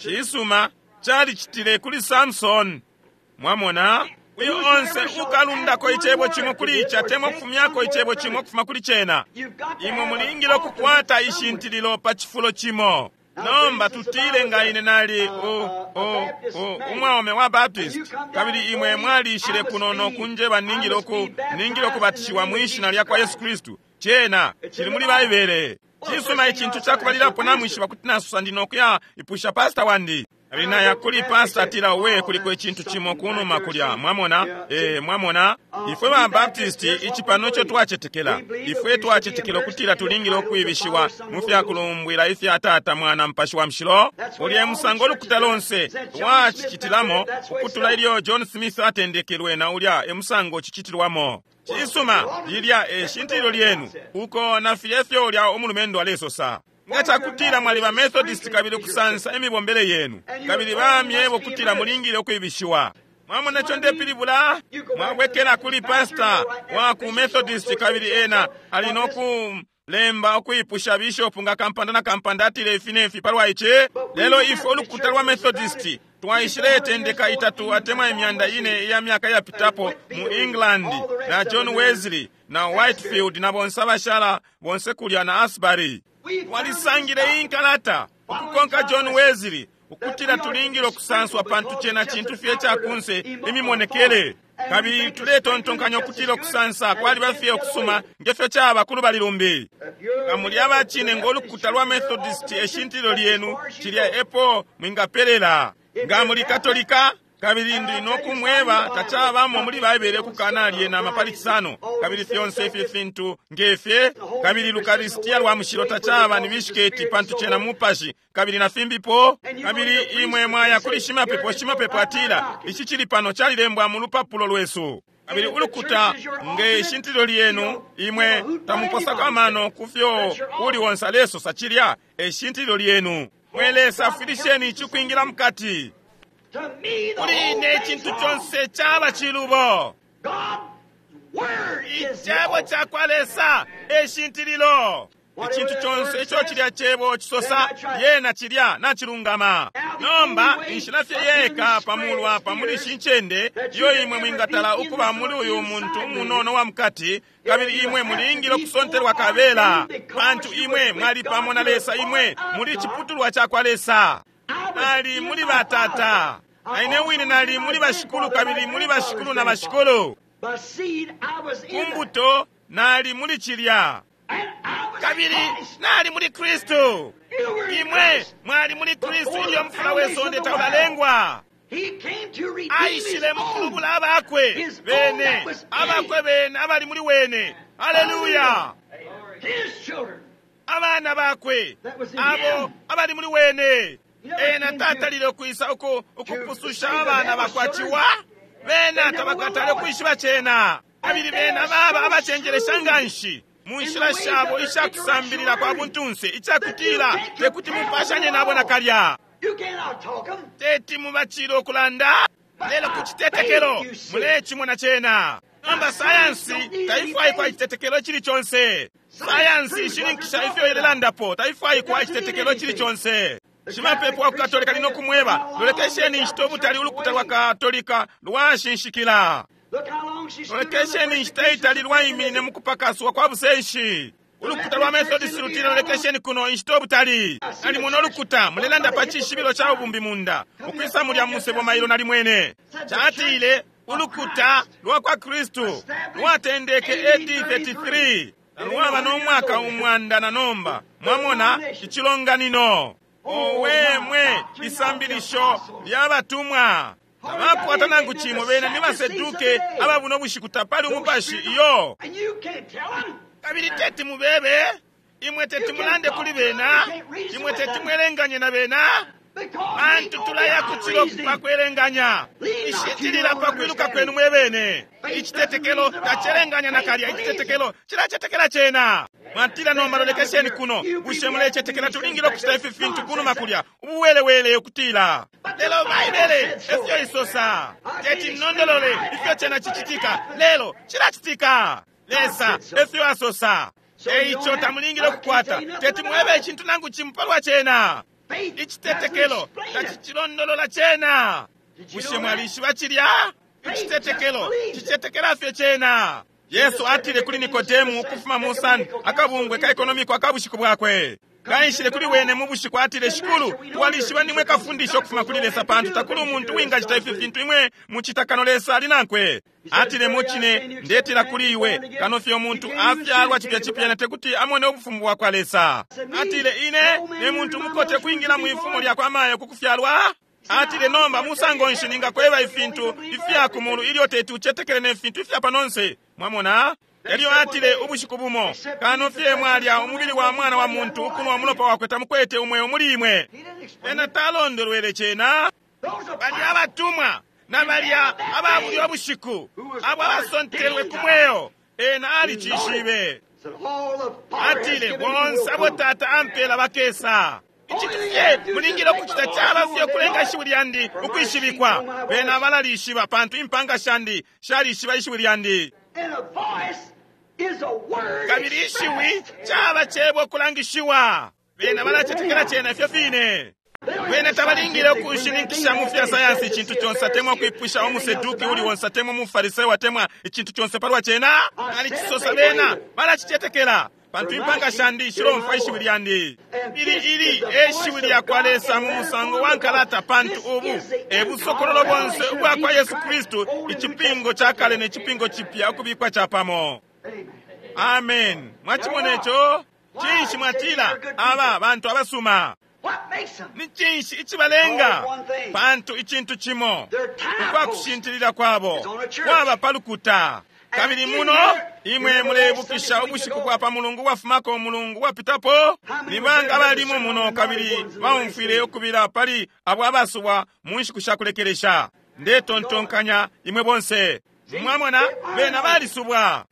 Cisuma, Calicitile kuli Samson. Mwamona? Uyo onse ukalundako icebo cimo kuli ici atemwa kufumyako icebo cimo kufuma kuli cena. Imwe mulingile ukukwata ishintililo pa cifulo cimo. Nomba tutile nga ine nali umwaume wa Baptist, kabili imwe mwalishile kuno no kunjeba ningile ukubatishiwa mwi shina lya kwa Yesu Kristu. Cena cili muli Baibele. Cisuma, icintu cakubalilapo namwishiba kuti nasusa ndi nokuya ipusha pastor wandi. Kabili naya kuli pastor atila, we kuliko icintu cimo kunuma kulya. Mwamona? Mwamona? Ifwe ba Baptist ici pano ico twacetekela. Ifwe twacetekela ukutila tulingile ukwibishiwa mu fyakulumbwila ifya Tata, Mwana, Mupashi wa Mushilo. Ulya musango ulukuta lonse lwacicitilamo ukutula ilyo John Smith atendekelwe, na ulya e musango cicitilwamo. Cisuma, lilya e shintililo lyenu, uko na filya ifyo ulya umulumendo alesosa. Nga cakutila mwaliba Methodist kabili kusansa imibombele yenu, kabili bamyebo kutila mulingile ukwibishiwa. Mwamona ico ndepilibula? Mwabwekela kuli pastor wa ku Methodist kabili ena ali no kulemba ukwipusha bishop nga kampanda na kampanda atile ifi ne fi palwa ici. Lelo ifwe ulukuta lwa Methodist twaishiletendeka 3 atemwa 400 iya myaka yapitapo mu England na John Wesley na Whitefield na bonse abashala bonse kulya na Asbury. Walisangile inkalata ukukonka John Wesley ukutila tulingile ukusanswa pantu cena cintu fye cakunse imimonekele. Kabili tuletontonkanya ukutila ukusansa kwaliba fye ukusuma ngefyo caba kulubali lumbi. Nga muli abacine ngo lukuta lwa Methodist eshintililo lyenu, cilya epo mwingapelela. Nga muli Katolika, kabili ndi nokumweba tacabamo muli Baibele kukana lyena pali Cisano, kabili fyonse ifi fintu ngefye, kabili Lukaristia lwa mushilo tacaba ni bishiketi pantu cena mupashi, kabili na fimbipo. Kabili imwe mwaya kuli shimapepo, shimapepo atila ici cili pano calilembwa mu lupapulo lwesu. Kabili ulukuta nge shintililo lyenu, imwe tamuposako amano kufyo uli onse alesosa, cilya e shintililo lyenu. Mwe Lesa, afwilisheni ici kwingila mukati. Kuli ine icintu conse caba cilubo. Icebo cakwa Lesa e shintililo. Icintu conse ico cilya cebo cisosa, yena cilya nacilungama. Nomba inshila fye yeka pamulu apa muli ishi ncende iyo imwe mwingatala ukuba muli uyu muntu umunono wa mukati, kabili imwe mulingile ukusontelwa kabela, pantu imwe mwali pamo na Lesa, imwe muli ciputulwa cakwa Lesa. Nali muli batata, na ine wine nali muli bashikulu, kabili muli bashikulu na bashikulu. Kumbuto nali muli cilya, kabili nali muli Kristu. Imwe mwali muli Kristu ilyo mufula we sonde taulalengwa. Aishile mukulubula abakwe bene, abakwe bene abali muli wene. Haleluya! Abana bakwe abo abali muli wene. Ena tatalile ukwisa ukupususha abana bakwa ciwa, bena tabakatale ukwishiba cena. Kabili bena baba abacenjelesha nganshi mu nshila shabo ishakusambilila kwa buntunse, icakutila tekuti mupashanye nabo nakalya. Teti mubacile ukulanda, lelo ku citetekelo mulecimona cena. Nomba sayansi taifwaikwa icitetekelo icili conse. Sayansi ishininkisha ifyo ilelandapo, taifwaikwa icitetekelo icili conse. Shimapepo wa ku Katolika ali nokumweba, lolekesheni inshita ubutali ulukuta lwa Katolika lwashinshikila. Lolekesheni inshita itali lwaiminine mu kupakaswa kwa busenshi. Ulukuta lwa Methodist lutile, lolekesheni kuno inshita ubutali. Nalimona ulukuta mulelanda pa cishibilo ca ubumbi munda, ukwisa mulya musebo mailo nalimwene. Catile ulukuta lwa kwa Kristu lwatendeke AD 33, lwaba no mwaka 100 na nomba. Mwamona icilonganino. Owe mwe, isambilisho lya batumwa. Tabakwata nangu cimo, bena ni baseduke ababuno bushiku, tapali umupashi iyo. Kabili teti mubebe, imwe teti mulande kuli bena, imwe teti mwelenganye na bena, pantu tulaya kucilo pakwelenganya. Ishintilila pakwiluka kwenu mwe bene. Icitetekelo tacelenganya nakalya, icitetekelo cilacetekela cena. Mwatila nomba lolekesheni kuno, bushe mulecetekela tulingile ukucita ifi fintu kunuma kulya, ubuwelewele ukutila. Lelo Baibele efyo isosa, teti nondolole ifyo cena cicitika, lelo cilacitika. Lesa efyo asosa. Eico tamulingile ukukwata, teti mwebe icintu nangu cimo palwa cena. Icitetekelo tacicilondolola cena. Bushe mwalishiba cilya? Icitetekelo cicetekela fye cena. Yesu atile kuli Nikodemu ukufuma mu San akabungwe ka ekonomiko akabushiku bwakwe. Kaishile kuli wene mu bushiku atile, Shikulu, twalishiba nimwe kafundisha ukufuma kuli Lesa, pantu takuli umuntu wingacita ifi fintu imwe mucita kano Lesa ali nankwe. Atile, mucine ndetila kuli iwe, kano fye umuntu afyalwa cipya cipya na tekuti amone ubufumu bwa kwa Lesa. Atile, ine ne muntu mukote kwingila mu ifumo lya kwa mayo ku kufyalwa. Atile, nomba musango nshi ningakweba ifintu ifya kumulu ilyo teti ucetekele ne fintu ifya panonse? Mwamona? Elyo atile ubushiku bumo, kano fye mwalya umubili wa mwana wa muntu ukunwa umulopa wakwe tamukwete umweo muli imwe. Ena talondolwele cena. Balya abatumwa na balya aba bulya bushiku abo abasontelwe ku mweo, ena alicishibe. Atile, bonse abo Tata ampela bakesa. Icintu fye mulingile ukucita caba fye ukulenga ishiwi lyandi ukwishibikwa. Bena balalishiba, pantu impanga shandi shalishiba ishiwi lyandi. Kabili ishiwi caba cebo kulangishiwa. Bena balacetekela cena ifyo fine. Bena tabalingile ukushininkisha mu fya sayansi icintu conse, atemwa kwipusha umuseduki uli wonse, atemwa umufarisayo, atemwa icintu conse palwa cena. Alicisosa, bena balacicetekela, pantu impanga shandi shilomfwa ishiwi lyandi. Ili ili e shiwi lya kwa Lesa mu musango wa nkalata, pantu ubu e busokololo bonse ubwa kwa Yesu Kristu, icipingo ca kale ne cipingo cipya ukubikwa capamo. Amen. Mwacimona ico? Cinshi mwatila aba bantu abasuma? Ni cinshi icibalenga? Pantu icintu cimo, ukwakushintilila kwabo kwaba pa lukuta. Kabili muno imwe mulebukisha ubushiku bwa pa mulungu wafumako umulungu wapitapo, ni banga abalimo muno kabili baumfwile ukubila pali abo abasubwa mu nshiku sha kulekelesha. Ndetontonkanya imwe bonse mwamona bena balisubwa.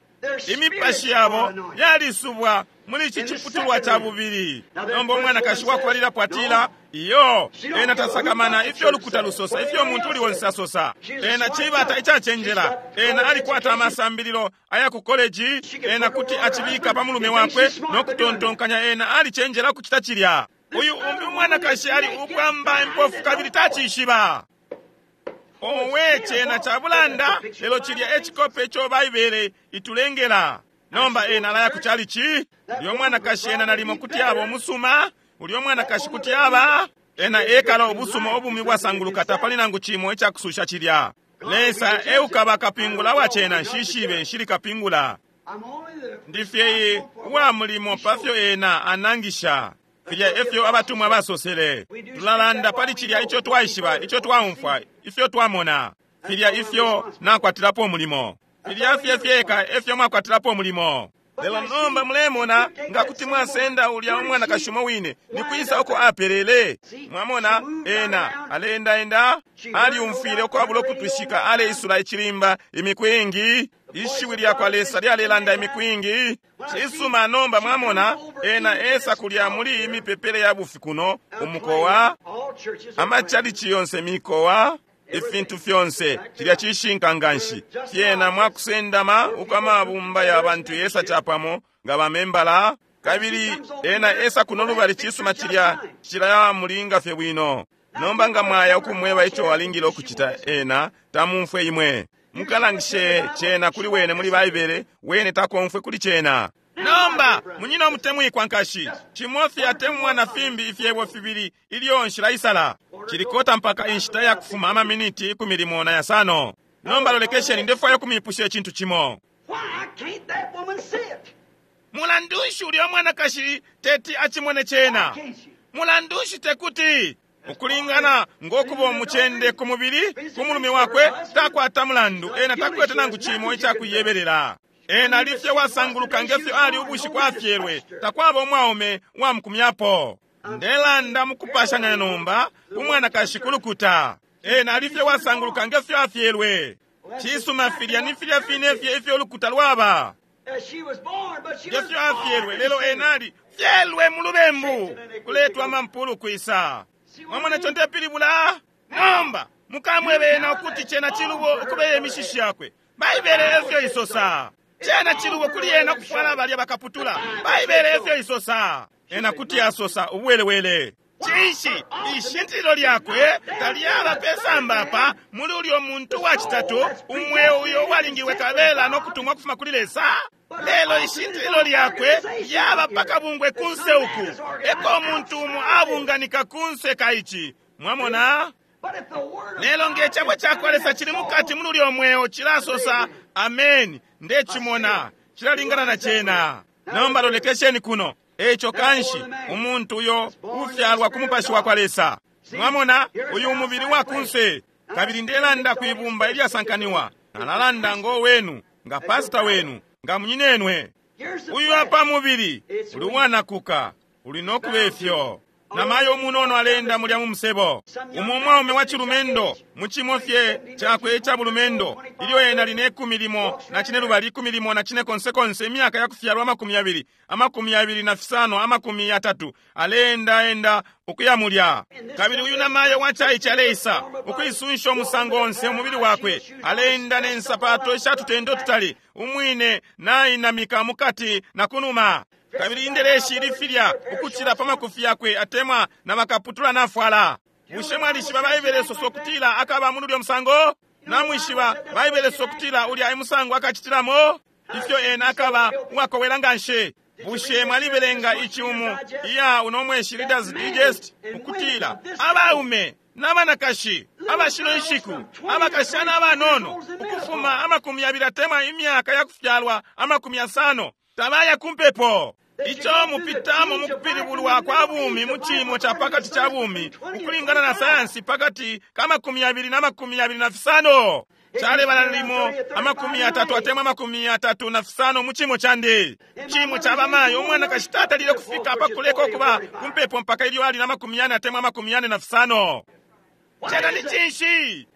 Imipashi yabo yalisubwa muli ici ciputulwa ca bubili. Nomba umwanakashi wakubalilapo atila, iyo, ena tasakamana ifyo lukuta lusosa, ifyo umuntu uli wonse asosa. Ena cibata icacenjela, ena alikwata amasambililo aya ku koleji, ena kuti acibika pa mulume wakwe no kutontonkanya ena alicenjela kucita cilya. Uyu umbi umwanakashi ali ubwamba impofu kabili tacishiba. Owe, cena ca bulanda, lelo cilya ecikope ico Baibele itulengela. Nomba ena alaya ku chalichi, ulyo mwanakashi ena nalimo kuti aba umusuma, ulyo mwanakashi kuti aba ena ekala ubusuma ubumi bwasanguluka, tapali nangu cimo icakususha cilya. Lesa eukaba kapingula wa cena, nshishibe nshili kapingula. Ndifye uwa mulimo pafyo ena anangisha. Filya efyo abatumwa basosele. Tulalanda pali cilya ico twaishiba, ico twaumfwa, ifyo twamona. Filya ifyo nakwatilapo umulimo. Filya fye fyeka efyo mwakwatilapo umulimo. Lelo nomba mulemona nga kuti mwasenda ulya umwanakashi umo wine, ni kwisa uko apelele? Mwamona, ena aleendaenda, aliumfwile ukwabula ukutwishika, aleisula icilimba imiku ingi. Ishiwi lya kwa Lesa lyalelanda imiku ingi. Cisuma, nomba mwamona ena esa kulya muli imipepele ya bufi kuno umukowa, amachalichi yonse mikowa, ifintu fyonse cilya cishinka nganshi. Fyena mwakusendama uko amabumba ya bantu yesa capamo nga bamembala, kabili ena esa kuno lubali. Cisuma, cilya cilaya mulinga fye bwino. Nomba nga mwaya ukumweba ico alingile ukucita, ena tamumfwe imwe. Mukalangishe cena kuli wene muli Baibele, wene takomfwe kuli cena. Nomba munyina omutemwikwa nkashi, cimo fye atemwa na fimbi ifyebo fibili ilyo nshilaisala. Cilikota mpaka inshita ya kufuma amaminiti 15. Nomba lolekesheni, ndefwaya ukumipusha icintu cimo. Mulandu nshi ulya mwanakashi teti acimone cena? Mulandu nshi tekuti? Ukulingana ngokuba umucende ku mubili ku mulume wakwe, takwata mulandu, ena takwete nangu cimo icakuyebelela. Ena alifye wasanguluka ngefyo ali ubushiku afyelwe, takwaba umwaume wamukumyapo. Ndelanda mukupashanya nomba umwanakashi kulukuta. Ena alifye wasanguluka ngefyo afyelwe. Cisuma, filya ni filya fine fye ifyo ulukuta lwaba. Ngefyo afyelwe, lelo ena ali fyelwe mu lubembu, kuletwa amampulu kwisa. Mwamona ico ndepilibula? Nomba mukamwebe ena ukuti cena cilubo ukubeya imishishi yakwe. Baibele efyo isosa. Cena cilubo kuli ena ukufwala balya bakaputula. Baibele efyo isosa. Ena kuti asosa ubuwelewele. Cinshi ishintililo lyakwe talyaba pesamba apa muli ulyo muntu wa citatu, umweo uyo uwalingilwe kabela no kutumwa kufuma kuli Lesa? Lelo ishintililo lyakwe lyaba pakabungwe kunse uku, eko umuntu umo abunganika kunse ka ici. Mwamona? Lelo nge cebo cakwa Lesa cili mukati muli ulyo mweo, cilasosa ameni, ndecimona, cilalingana na cena. Nomba lolekesheni kuno. Eco kanshi umuntu uyo ufyalwa ku mupashi wa kwa Lesa. Mwamona, uyu umubili wa kunse. Kabili ndelanda kwibumba ilyasankaniwa. Nalalanda ngo wenu, nga pastor wenu, nga munyinenwe. Uyu apa mubili uli wanakuka, uli nokuba ifyo. Namayo umunono alenda mulya mu musebo. Umo umwaume wa cilumendo mu cimo fye cakwe ica bulumendo, ilyo ena ali ne 15 na cine lubali, 14 na cine konse konse, imyaka ya kufyalwa 20, 25, 30, aleenda enda ukuya mulya. Kabili uyu namayo wa caice aleisa ukuisunsha umusango onse umubili wakwe, aleenda ne nsapato ishatutendo tutali, umwine nainamika mukati na kunuma. Kabili indeleshi ili filya ukucila pa makufi yakwe, atemwa na makaputula nafwala. Bushe mwalishiba Baibele soso kutila akaba muli ulyo musango? Namwishiba Baibele soso kutila ulya emusango akacitilamo? Ifyo ena akaba uwakowela nganshi. Bushe mwalibelenga ici umu iya uno mweshi Reader's Digest, ukutila abaume n'abanakashi abashino inshiku, abakashana abanono ukufuma 20 atemwa imyaka ya kufyalwa 50 tabaya kumpepo. Ico mupitamo mukupilibulwa kwa bumi mu cimo ca pakati ca bumi ukulingana na sayansi pakati ka 20 na 25. Calebala limo 30 atemwa 35 mu cimo candi. Cimo ca bamayo umwanakashi tatalile kufika pakuleka ukuba kumpepo mpaka ilyo ali na 40 atemwa 45. Cena ni cinshi?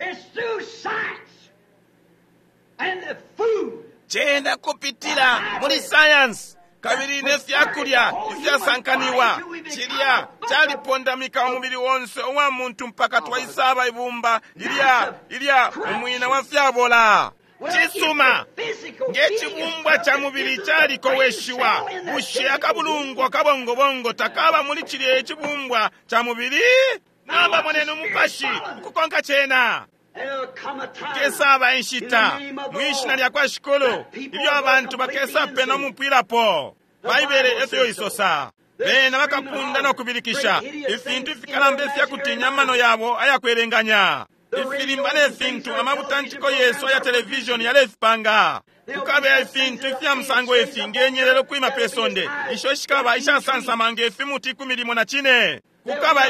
Cena kupitila muli sayansi kabili ne fyakulya ifyasankaniwa. Cilya calipondamika umubili wonse uwa muntu mpaka twaisaba ibumba ilya umwina wa fyabola. Cisuma, nge cibumbwa ca mubili calikoweshiwa, bushe akabulungwa kabongobongo takaba muli cilya icibumbwa ca mubili? Nomba moneni umupashi ukukonka cena. Kukesaba inshita mwishina lya kwa Shikulu ilyo abantu bakesa pena umupwilapo. Baibele efyo isosa. Bena bakapunda no kubilikisha ifintu ifikalamba ifyakutinya amano yabo ayakwelenganya. Ifilimba ne fintu amabutantiko yesu aya televishoni yalefipanga. Kukabe ifintu ifya musango ifi ngenyelelo kwima pe sonde, isho shikaba ishasansama nge fimuti 14. Kukaba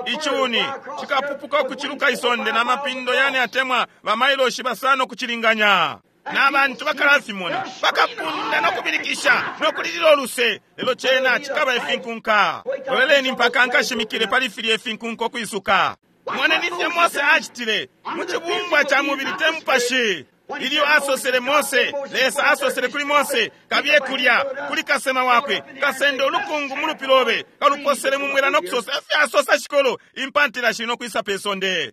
icuni cikapupuka ukuciluka isonde na mapindo yane atemwa bamailoshi 5 kucilinganya. Na bantu bakalafimona, bakapunda no kubilikisha no kulilila uluse, lelo cena cikaba ifinkunka. Loleleni mpaka nkashimikile pali filya ifinkunka ukwisuka. Moneni ifyo Mose acitile mu cibumbwa ca mubili te mupashi. Ilyo asosele Mose, Lesa asosele kuli Mose, kabiye kulya kuli kasema wakwe, kasende ulukungu mu lupi lobe, kaluposele mu mwela no kusosa ifyo asosa Shikulu, impantila shili no kwisa pe sonde.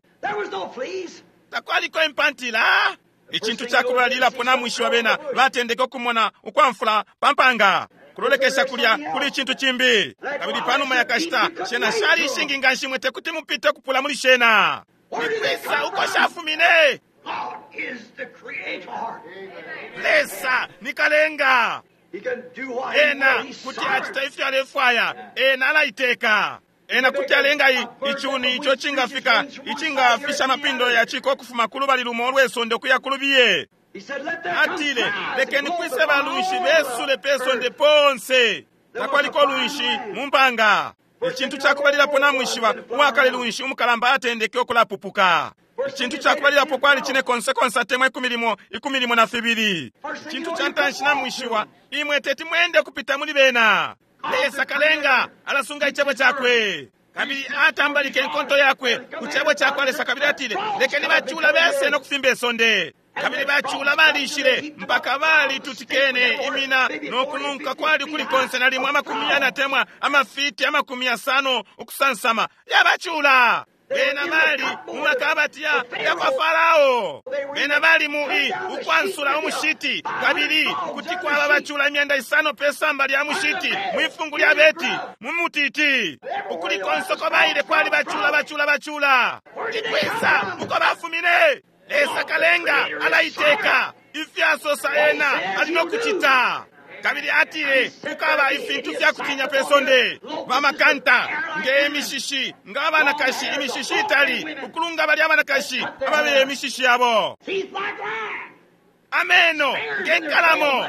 Takwaliko impantila. Icintu cakubalilapo namwishiwa bena batendeke ukumona ukwamfula pampanga. Kulolekesha kulya kuli icintu cimbi. Kabili panuma ya kashita shena shali ishingi nganshi mwe tekuti mupite kupula muli shena. Nikwisa uko shafumine? Lesa ni kalenga. Ena kuti acita ifyo alefwaya, ena alaiteka. Ena kuti alenga icuni ico cingafika, icingafisha amapindo ya ciko ukufuma kulubali lumo olwesonde ukuya kulubiye. Atile, lekeni kwise balunshi besule pesonde ponse. Takwaliko lunshi mu mpanga. Icintu cakubalilapo namwishiba, uwakale lunshi umukalamba atendeke ukulapupuka. Icintu cakubalilapo kwali cine konse konse atemwa 12. Icintu ca ntanshi namwishiwa, imwe teti mwende kupita muli bena. Lesa kalenga alasunga icebo cakwe. Kabili atambalike inkonto yakwe ku cebo cakwa Lesa, kabili atile, lekeni bacula bese no kufimba isonde. Kabili bacula balishile mpaka balitutikene imina no kununka kwali kuli konse nalimo 40 atemwa amafiti 50 ukusansama yabacula. Bena bali mu makabati ya kwa Farao. Bena bali mu i ukwansula umushiti, kabili kuti kwaba bacula 500 pe samba lya mushiti mwifungu lya beti mu mutiti. Ukuli konse uko baile kwali bacula bacula bacula. Ikwisa uko bafumine. Lesa kalenga alaiteka ifyasosa ena ali no kucita. Kabili atile kukaba ifintu fya kutinya pe sonde, bamakanta nge mishishi, nga abanakashi imishishi itali ukulunga bali abanakashi ababeye imishishi yabo, ameno nge nkalamo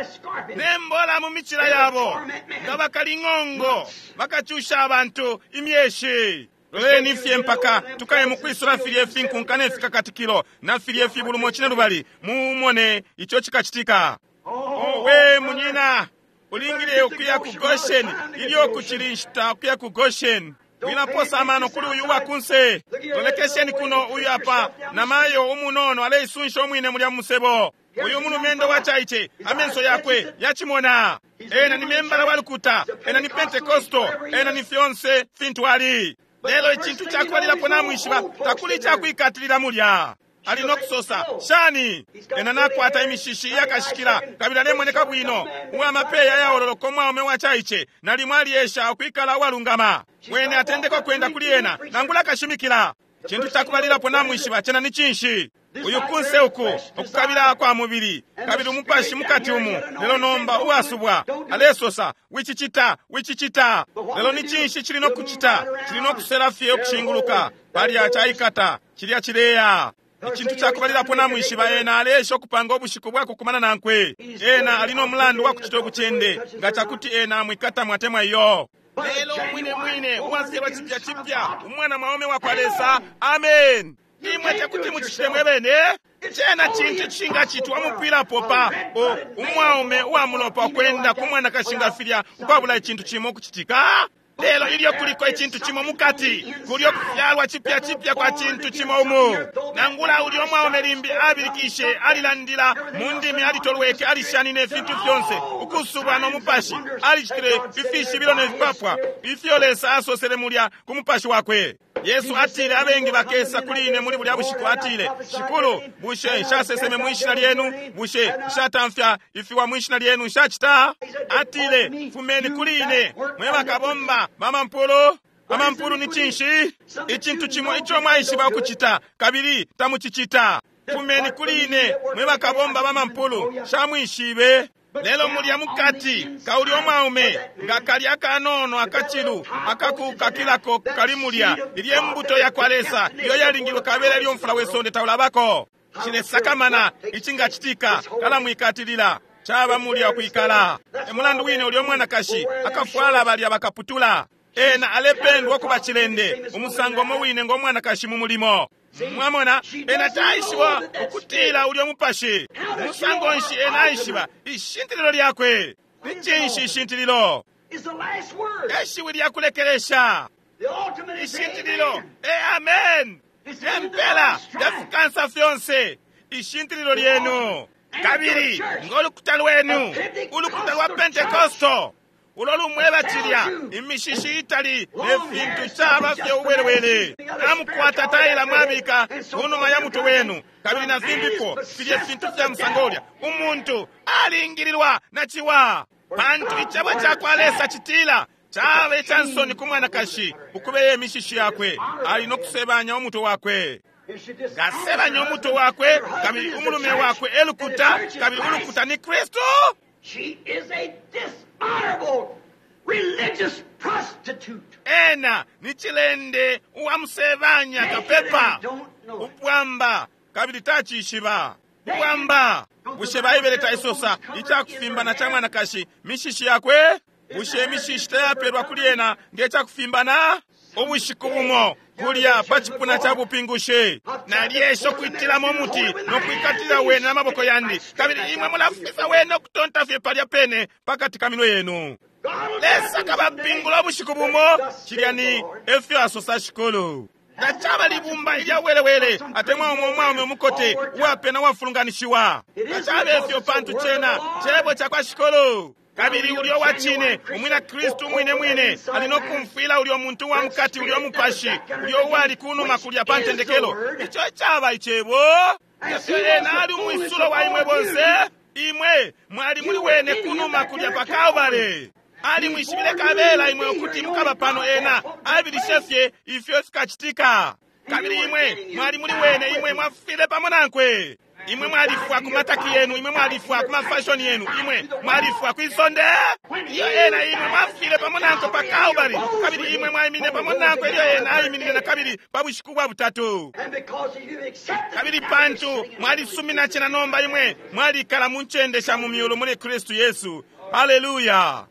nembola mu micila yabo, nga bakaling'ongo bakacusha abantu imyeshi. Loleni fye mpaka tukaye mukwisula filye ifinkunka ne fikakatikilo na filye fibulumo cine lubali, mumone ico cikacitika. Owe munyina, ulingile ukuya ku Goshen ilyo kucili nshita ukuya ku Goshen. Wilaposa amano kuli uyu wakunse. Lolekesheni kuno, uyu apa namayo umunono aleisunsha umwine mulya musebo. Uyu mulumendo wa chaiche amenso yakwe yachimona. Ena ni membala wa lukuta, ena ni Pentekosto, ena ni fyonse fintu ali. Lelo icintu cakubalilapo namwishiba takuli cakwikatilila mulya. Ali no kusosa shani ena nakwata imishishi iyakashikila kabili alemoneka bwino, uwamapeya yaololoka umwaume wa chaiche nalimo aliesha ukwikala uwalungama. Wene atendeka kwenda kuli ena nangula akashimikila. Cintu cakubalilapo namwishiba cena ni cinshi? Uyu kunse uku ukukabila kwa mubili kabili umupashi mukati umu, lelo nomba uwasubwa alesosa wicicita wicicita. Lelo ni cinshi cili no kucita? Cili no kusela fye ukushinguluka palya caikata cilya cileya. Icintu cakubalilapo namwishiba ena aleesha ukupanga ubushiku bwakukumana nankwe. Ena ali no mulandu wa kucita ubucende nga cakuti ena amwikata mwatemwa iyo. Lelo mwine mwine uwafyalwa cipya cipya umwana mwaume wa kwa Lesa. Amen. Imwe tekuti mucicite mwebene. Cena cintu cingacitwa umupwilapo pa umwaume uwamulopa ukwenda ku mwanakashi nga filya ukwabula icintu cimo ukucitika. Lelo ilyo kuliko icintu cimo mukati, kulyo kufyalwa cipya cipya kwa cintu cimo umu. Nangula ulyo mwaume limbi abilikishe, alilandila mu ndimi, alitolweke, alishanine ifintu fyonse, ukusubwa no mupashi, alicitile ifishibilo ne fipapwa ifyo Lesa asosele mulya ku mupashi wakwe. Yesu atile abengi bakesa kuli ine muli bulya bushiku, atile, Shikulu, bushe nshaseseme mwishina lyenu? Bushe nshatamfya ifiwa mwishina lyenu? Nshacita? Atile, fumeni kuli ine mwe bakabomba bamampulu. Amampulu ni cinshi? Icintu cimo ico mwaishiba ukucita kabili tamucicita. Fumeni kuli ine mwe bakabomba bamampulu, shamwishibe. Lelo mulya mukati kauli omwaume nga kali akanono akachilu akakukakilako kali mulya ilye mbuto ya kwa Lesa iyo yalingilwe kabela ilyo mfula wesonde taulabako. Cilesakamana icingacitika kalamwikatilila caba mulya kwikala. Emulandu wine ulyo mwanakashi akafwala balya bakaputula. Ena alependwa kuba cilende umusango umo wine ngo mwanakashi mu mulimo. Mwamona ena taishiba ukutila ulyo mupashi. Musango nshi ena aishiba ishintililo lyakwe? Ni cinshi ishintililo? Eshiwi lyakulekelesha ishintililo. E amen. Empela yafikansa fyonse ishintililo lyenu. Kabili ngolukuta lwenu, ulukuta lwa Pentekosto ulo lumweba cilya imishishi itali ne fintu caba fye uwelewele. Namukwata taila mwabika kunuma ya mutwe wenu kabili na fimbipo filye fintu fya musango ulya. Umuntu alingililwa na ciwa, pantu icebo ca kwa Lesa citila caba icansoni ku mwanakashi ukubeya imishishi yakwe, ali no kusebanya umutwe wakwe. Ngasebanya umutwe wakwe kabili umulume wakwe elukuta, kabili ulukuta ni Kristu. She is a dishonorable religious prostitute. Ena ni cilende uwamusebanya kapepa upwamba kabili tacishiba upwamba. Bushe Baibele taisosa icakufimbana ca mwanakashi mishishi yakwe? Bushe imishishi tayapelwa kuli ena nge cakufimbana? Ubushiku bumo kulya pa cipuna ca bupingushi nalyesha ukwitilamo umuti no kwikatila wene n'amaboko yandi, kabili imwe mulafisa wene ukutonta fye palya pene pakati ka minwe yenu. Lesa akabapingula ubushiku bumo. Cilya ni efyo asosa Shikulu. Tacaba libumba ilya welewele atemwa umo umwaume umukote uwapena uwafulunganishiwa. Tacaba efyo, pantu cena cebo ca kwa Shikulu. Kabili ulyo wa cine umwina Kristu umwine mwine ali no kumfwila ulyo muntu wa mukati, ulyo mupashi ulyo uwali kunuma kulya pa ntendekelo. Ico caba icebo. Ifyo ena ali umwisulo wa imwe bonse, imwe mwali muli wene kunuma kulya pa Kalvary. Ali mwishibile kabela imwe ukuti mukaba pano. Ena abilishe fye ifyo fikacitika, kabili imwe mwali muli wene, imwe mwafile pamo nankwe. Imwe mwalifwa ku mataki yenu, imwe mwalifwa ku mafashoni yenu, imwe mwalifwa kwi sonde. Iyo ena imwe mwafile pamo nankwe pa Kalvary, kabili imwe mwaimine pamo nankwe ilyo ena aiminine na kabili pa bushiku bwa butatu. Kabili pantu mwalisumina cena, nomba imwe mwalikala mu ncende sha mu myulu muli Kristu Yesu. Haleluya!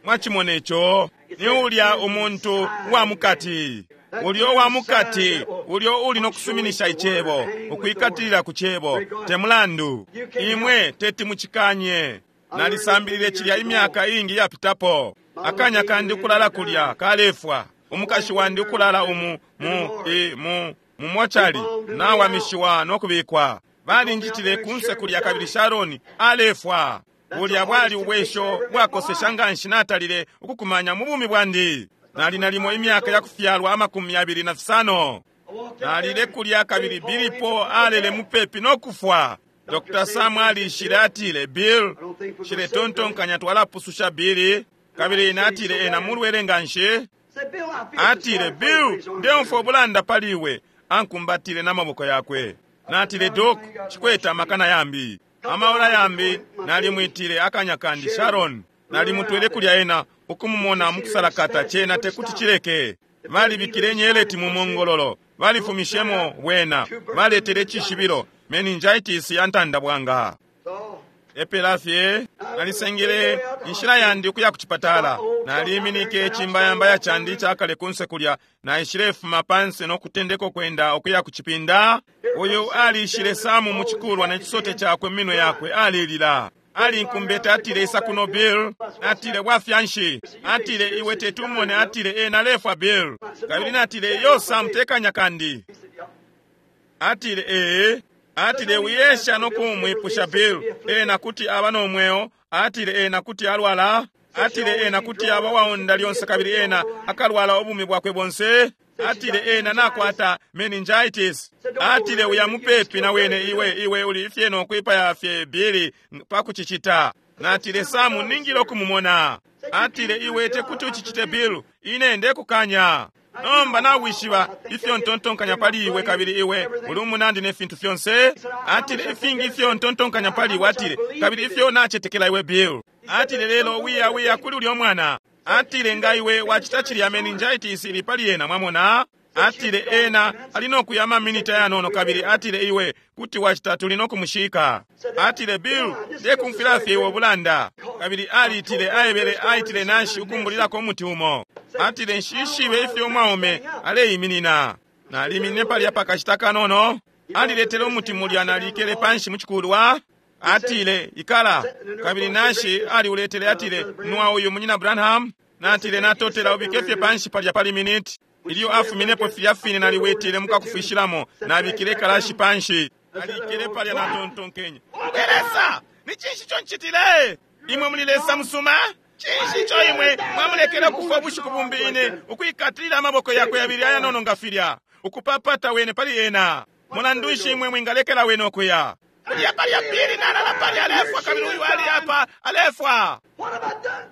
Mwachimona ico? Ni ulya umuntu wa mukati, ulyo wa mukati ulyo uli nokusuminisha icebo, ukwikatilila ku cebo, te mulandu imwe teti mucikanye. Nalisambilile cilya imyaka iingi yapitapo. Akanya kandi ukulala kulya kalefwa, umukashi wandi ukulala umu mu i mu mumochali nawamishiwa nokubikwa. Balinjitile kunse kulya, kabili Sharoni alefwa. Bulya bwali ubwesho bwakosesha nganshi natalile ukukumanya mu bumi bwandi. Nali nalimo imyaka yakufyalwa 25. Nalile kulya, kabili Bilipo alele mupepi no kufwa. Dr. Sam alishile, atile, Bill, shiletontonkanya twalapususha Billy. Kabili ine atile, ena mulwele nganshi. Atile, Bill, ndeumfwa ubulanda pali iwe. Ankumbatile n'amaboko yakwe. Natile, Doc, chikwete amakana yambi, amaola yambi. Nalimwitile akanya kandi Sharon, nalimutwele kulya ena ukumumona mukusalakata. Cena tekuti chileke. Balibikile nyeleti mu mongololo, balifumishemo bwena, baletele icishibilo meningitis ya ntanda bwanga. Epela fye nalisengele inshila yandi ukuya ku chipatala. Naliminike icimbayambaya candi icakale kunse kulya, naishilefuma panse no kutendeka kwenda ukuya ku chipinda. Uyu alishile Samu mu chikulwa ne chisote chakwe minwe yakwe, alilila. Alinkumbete, atile, isa kuno Bill. Atile, bwafyanshi? Atile, iwe tetumone. Atile, e nalefwa Bill. Kabili natile, yo Sam, tekanya kandi. Atile, ee. Atile, wiyesha no kumwipusha Bill, ena kuti aba no mweo. Atile, ena kuti alwala. Atile, ena kuti aba waonda lyonse, kabili ena akalwala ubumi bwakwe bonse. Atile, ena nakwata meningitis. Atile, uya mupepi na wene, iwe iwe uli fye no kwipaya fye Billy pa kucicita. Natile, Samu, ningile okumumona. Atile, iwe tekuti ucicite Bill, ine ndekukanya. Nomba nawishiba ifyo ntontonkanya pali iwe, kabili iwe uli umunandi ne fintu fyonse. Atile, ifingi ifyo ntontonkanya pali iwe. Atile, kabili ifyo nacetekela iwe Bill. Atile, lelo wiya wiya kuli ulyo mwana. Atile, nga iwe wacita cilya, meningitis ili pali ena, mwamona. Atile, ena ali nokuya amaminita yanono, kabili atile, iwe kuti wacita, tuli nokumushika. Atile, Bill, ndekumfwila fye iwe ubulanda. Kabili alitile, aebele, aitile nashi ukumbulilako umuti umo. Atile, nshishibe ifyo umwaume aleiminina. Naliminine palya pakashita kanono. Aliletele umuti mulya, nalikele panshi muchikulwa. Atile, ikala. Kabili nashi aliuletele, atile, nwa uyu munyina Branham. Natile, natotela, ubike fye panshi palya pali miniti. Ilyo afuminepo filya fine, naliwetele mukakufishilamo, nabikile kalashi panshi. Nalikele palya, natontonkenye, Lesa, ni cinshi ico ncitile? Imwe muli Lesa musuma? Cinshi ico imwe mwamulekele kufa ubushiku bumbi, ine ukwikatilila amaboko yakwe yabili ayanono nga filya, ukupapata wene pali ena? Mulandu nshi imwe mwingalekela wene ukuya? Kulya palya pili nalala palya alefwa, kabili uyu ali apa alefwa.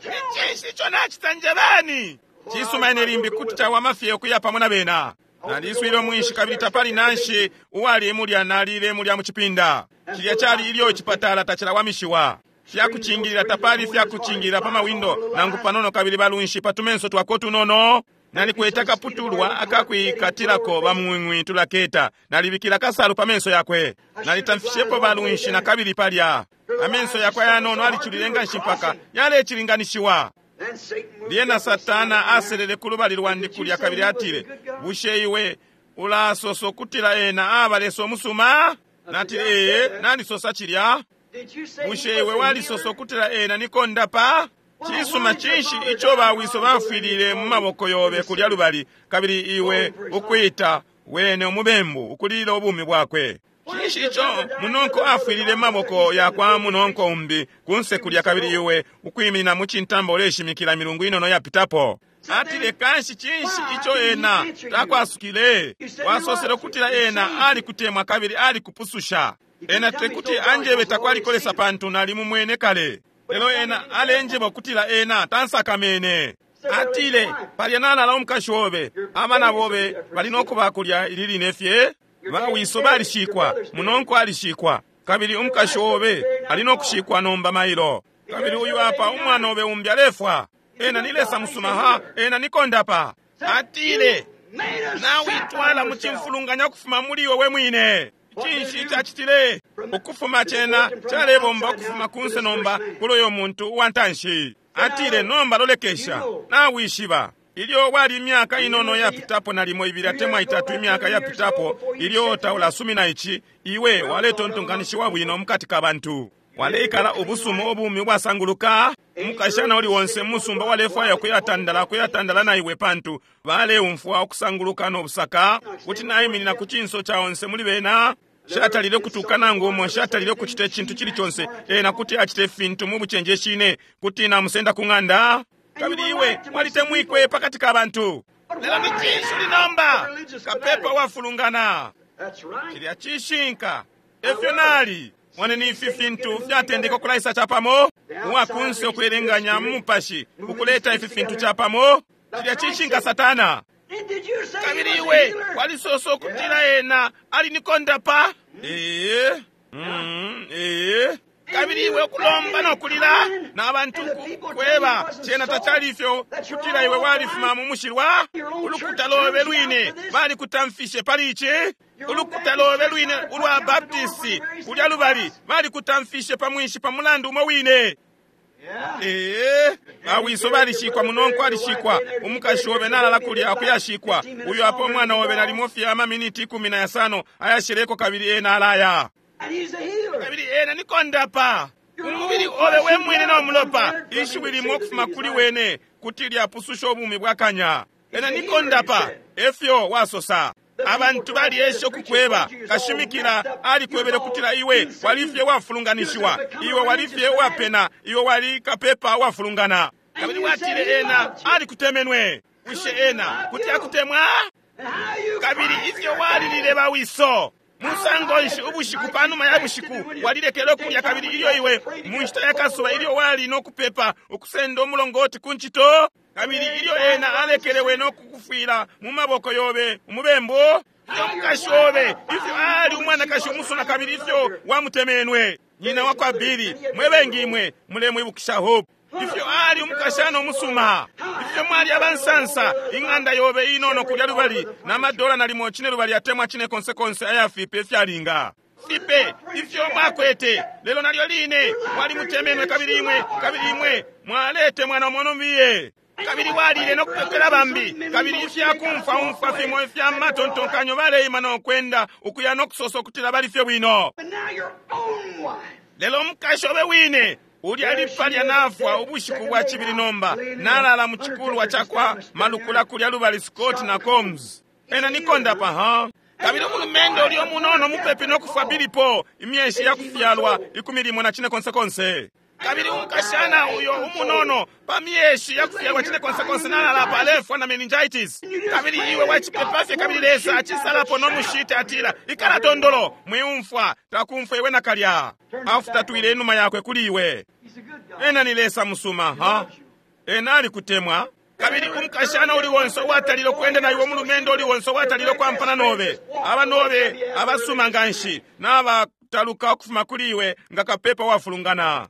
Ni cinshi ico nacita? Njebeni. Cisuma, ine limbi kuti cawama fye ukuya pamo na bena. Naliswile umwinshi, kabili tapali nanshi uwali mulya. Nalile mulya mu chipinda. Cilya cali ilyo icipatala tacilawamishiwa. Fyakucingilila tapali, fyakucingilila pa mawindo nangu panono, kabili balunshi pa tumenso twako tunono. Nalikwete akaputulwa akakwikatilako bamwing'wi tulaketa. Nalibikila kasalu pa menso yakwe. Nalitamfishepo balunshi na kabili palya. Amenso yakwe ayanono aliculile nganshi mpaka yalecilinganishiwa. Lyena Satana aselele ku lubali lwandi kulya, kabili atile, bushe iwe ulasosa ukutila ena aba Lesa umusuma? Natile, ee, nalisosa cilya. Bushe iwe walisosa ukutila ena ni kondapa? Cisuma, cinshi ico bawiso bafwilile mu maboko yobe kulya lubali, kabili iwe ukwita wene umubembu, ukulila ubumi bwakwe? Cinshi ico munonko afwilile maboko yakwa munonko umbi kunse kulya, kabili iwe ukwiminina mu cintamba uleshimikila milungu inono yapitapo? Atile, kanshi cinshi ico ena takwasukile? Wasosele ukutila ena alikutemwa kabili alikupususha. Ena tekuti anjebe takwalikolesa pantu nalimumwene kale, lelo ena alenjeba ukutila ena tansakamene. Atile, palya nalala umukashi obe, abana bobe bali nokuba kulya ili line fye. Bawiso balishikwa, munonko alishikwa, kabili umukashi obe ali nokushikwa nomba mailo. Kabili uyu apa umwana obe umbi alefwa. Ena ni Lesa musuma ha, ena ni kondapa. Atile, nawitwala mu cimfulunganya ukufuma muli iwe we mwine. Cinshi cacitile? Ukufuma cena calebomba ukufuma kunse nomba kuli uyo muntu uwantanshi. Atile, nomba lolekesha, nawishiba ilyo wali imyaka inono yapitapo, nalimo ibili atemwa itatu imyaka yapitapo, ilyo taulasumina ici, iwe waletontonkanishiwa bwino mukati ka bantu, waleikala ubusuma ubumi ubwasanguluka. Umukashana uli wonse musumba walefwaya kuyatandala kuyatandala na iwe, pantu baleumfwa ukusanguluka no busaka. Kuti naiminina ku cinso ca onse muli bena. Shatalile kutuka nangu umo, shatalile kucita icintu cili conse. Ena kuti acite ifintu mu bucenjeshi, kuti namusenda ku ng'anda. Kabili iwe walitemwikwe pakati ka bantu. Lelo ni cinshi uli nomba? Kapepa wafulungana. Cilya cishinka. Efyo nali. Moneni ifi fintu fyatendeka ukulaisa capamo, uwakunse ukwelenganya mu mupashi ukuleta ifi fintu capamo. Cilya cishinka, Satana. Kabili iwe walisosa ukutila ena ali ni kondapa. Ee, ee. Kabili iwe ukulomba nokulila na bantu kweba cena tacali ifyo, kutila iwe walifuma mu mushilwa. Ulukuta lobe lwine balikutamfishe pali ici. Ulukuta lobe lwine ulwa Baptisti kulya lubali balikutamfishe pa mwinshi pa mulandu umo wine. Ee, bawiso balishikwa, munonko alishikwa, umukashi obe nalala kulya akuyashikwa. Uyo apo umwana obe nalimo fye amaminiti 15 ayashileko, kabili ena alaya. Kabili ena ni kondapa. Umubili obe we mwine no mulopa, ishiwi limo ukufuma kuli wene kuti lyapususha ubumi bwa kanya. Ena ni kondapa, efyo wasosa. Abantu baliesha ukukweba, kashimikila alikwebele kutila iwe walifye wafulunganishiwa, iwe walifye wapena, iwe wali kapepa wafulungana. Kabili watile ena alikutemenwe. Bushe ena kuti akutemwa? Kabili ifyo walilile bawiso musango nshi ubushiku panuma ya bushiku walilekele ukulya, kabili ilyo iwe mu nshita ya kasuba ilyo wali no kupepa ukusenda umulongoti ku ncito, kabili ilyo ena alekelewe no kukufwila mu maboko yobe umubembu, ifyo umukashi obe ifyo ali umwanakashi umusuna, kabili ifyo wamutemenwe nyina wa kwa Bili, mwe bengi imwe mulemwibukisha Hope, ifyo ali umukashana umusuma, ifyo mwali abansansa, ing'anda yobe inono kulya lubali na madola nalimo cine lubali atemwa cine konse konse ayafipe ifyalinga fipe ifyo mwakwete, lelo nalyo line mwali mutemenwe, kabili imwe kabili imwe mwaletemwa na mwono mbiye, kabili walile no kupepela bambi, kabili ifyakumfwa umfwa fimo ifya matontonkanyo baleima no kwenda ukuya no kusosa ukutila bali fye bwino. Lelo umukashi obe wine ulya lipalya nafwa ubushiku bwa cibili nomba nalala mu cikulwa cakwa malukula kulya lubali Scott na Combs. Ena ni kondapa ha. Kabili umulumendo ulya umunono mupepi no kufwa bilipo imyeshi ya kufyalwa 14 konse konse. Kabili umukashana uyo umunono pa myeshi ya kufyalwa cine konse konse nalala pa alefwa na meningitis. Kabili iwe wacipepa fye, kabili Lesa acisalapo no mushite atila ikala tondolo mwiumfwa takumfwa iwe nakalya. Afutatwile inuma yakwe kuli iwe. Ena ni Lesa musuma ha. Ena alikutemwa. Kabili umukashana uli wonse uwatalile kwenda na iwe, umulumendo uli wonse uwatalile kwampana nobe, aba nobe abasuma nganshi nabataluka ukufuma kuli iwe nga kapepa wafulungana.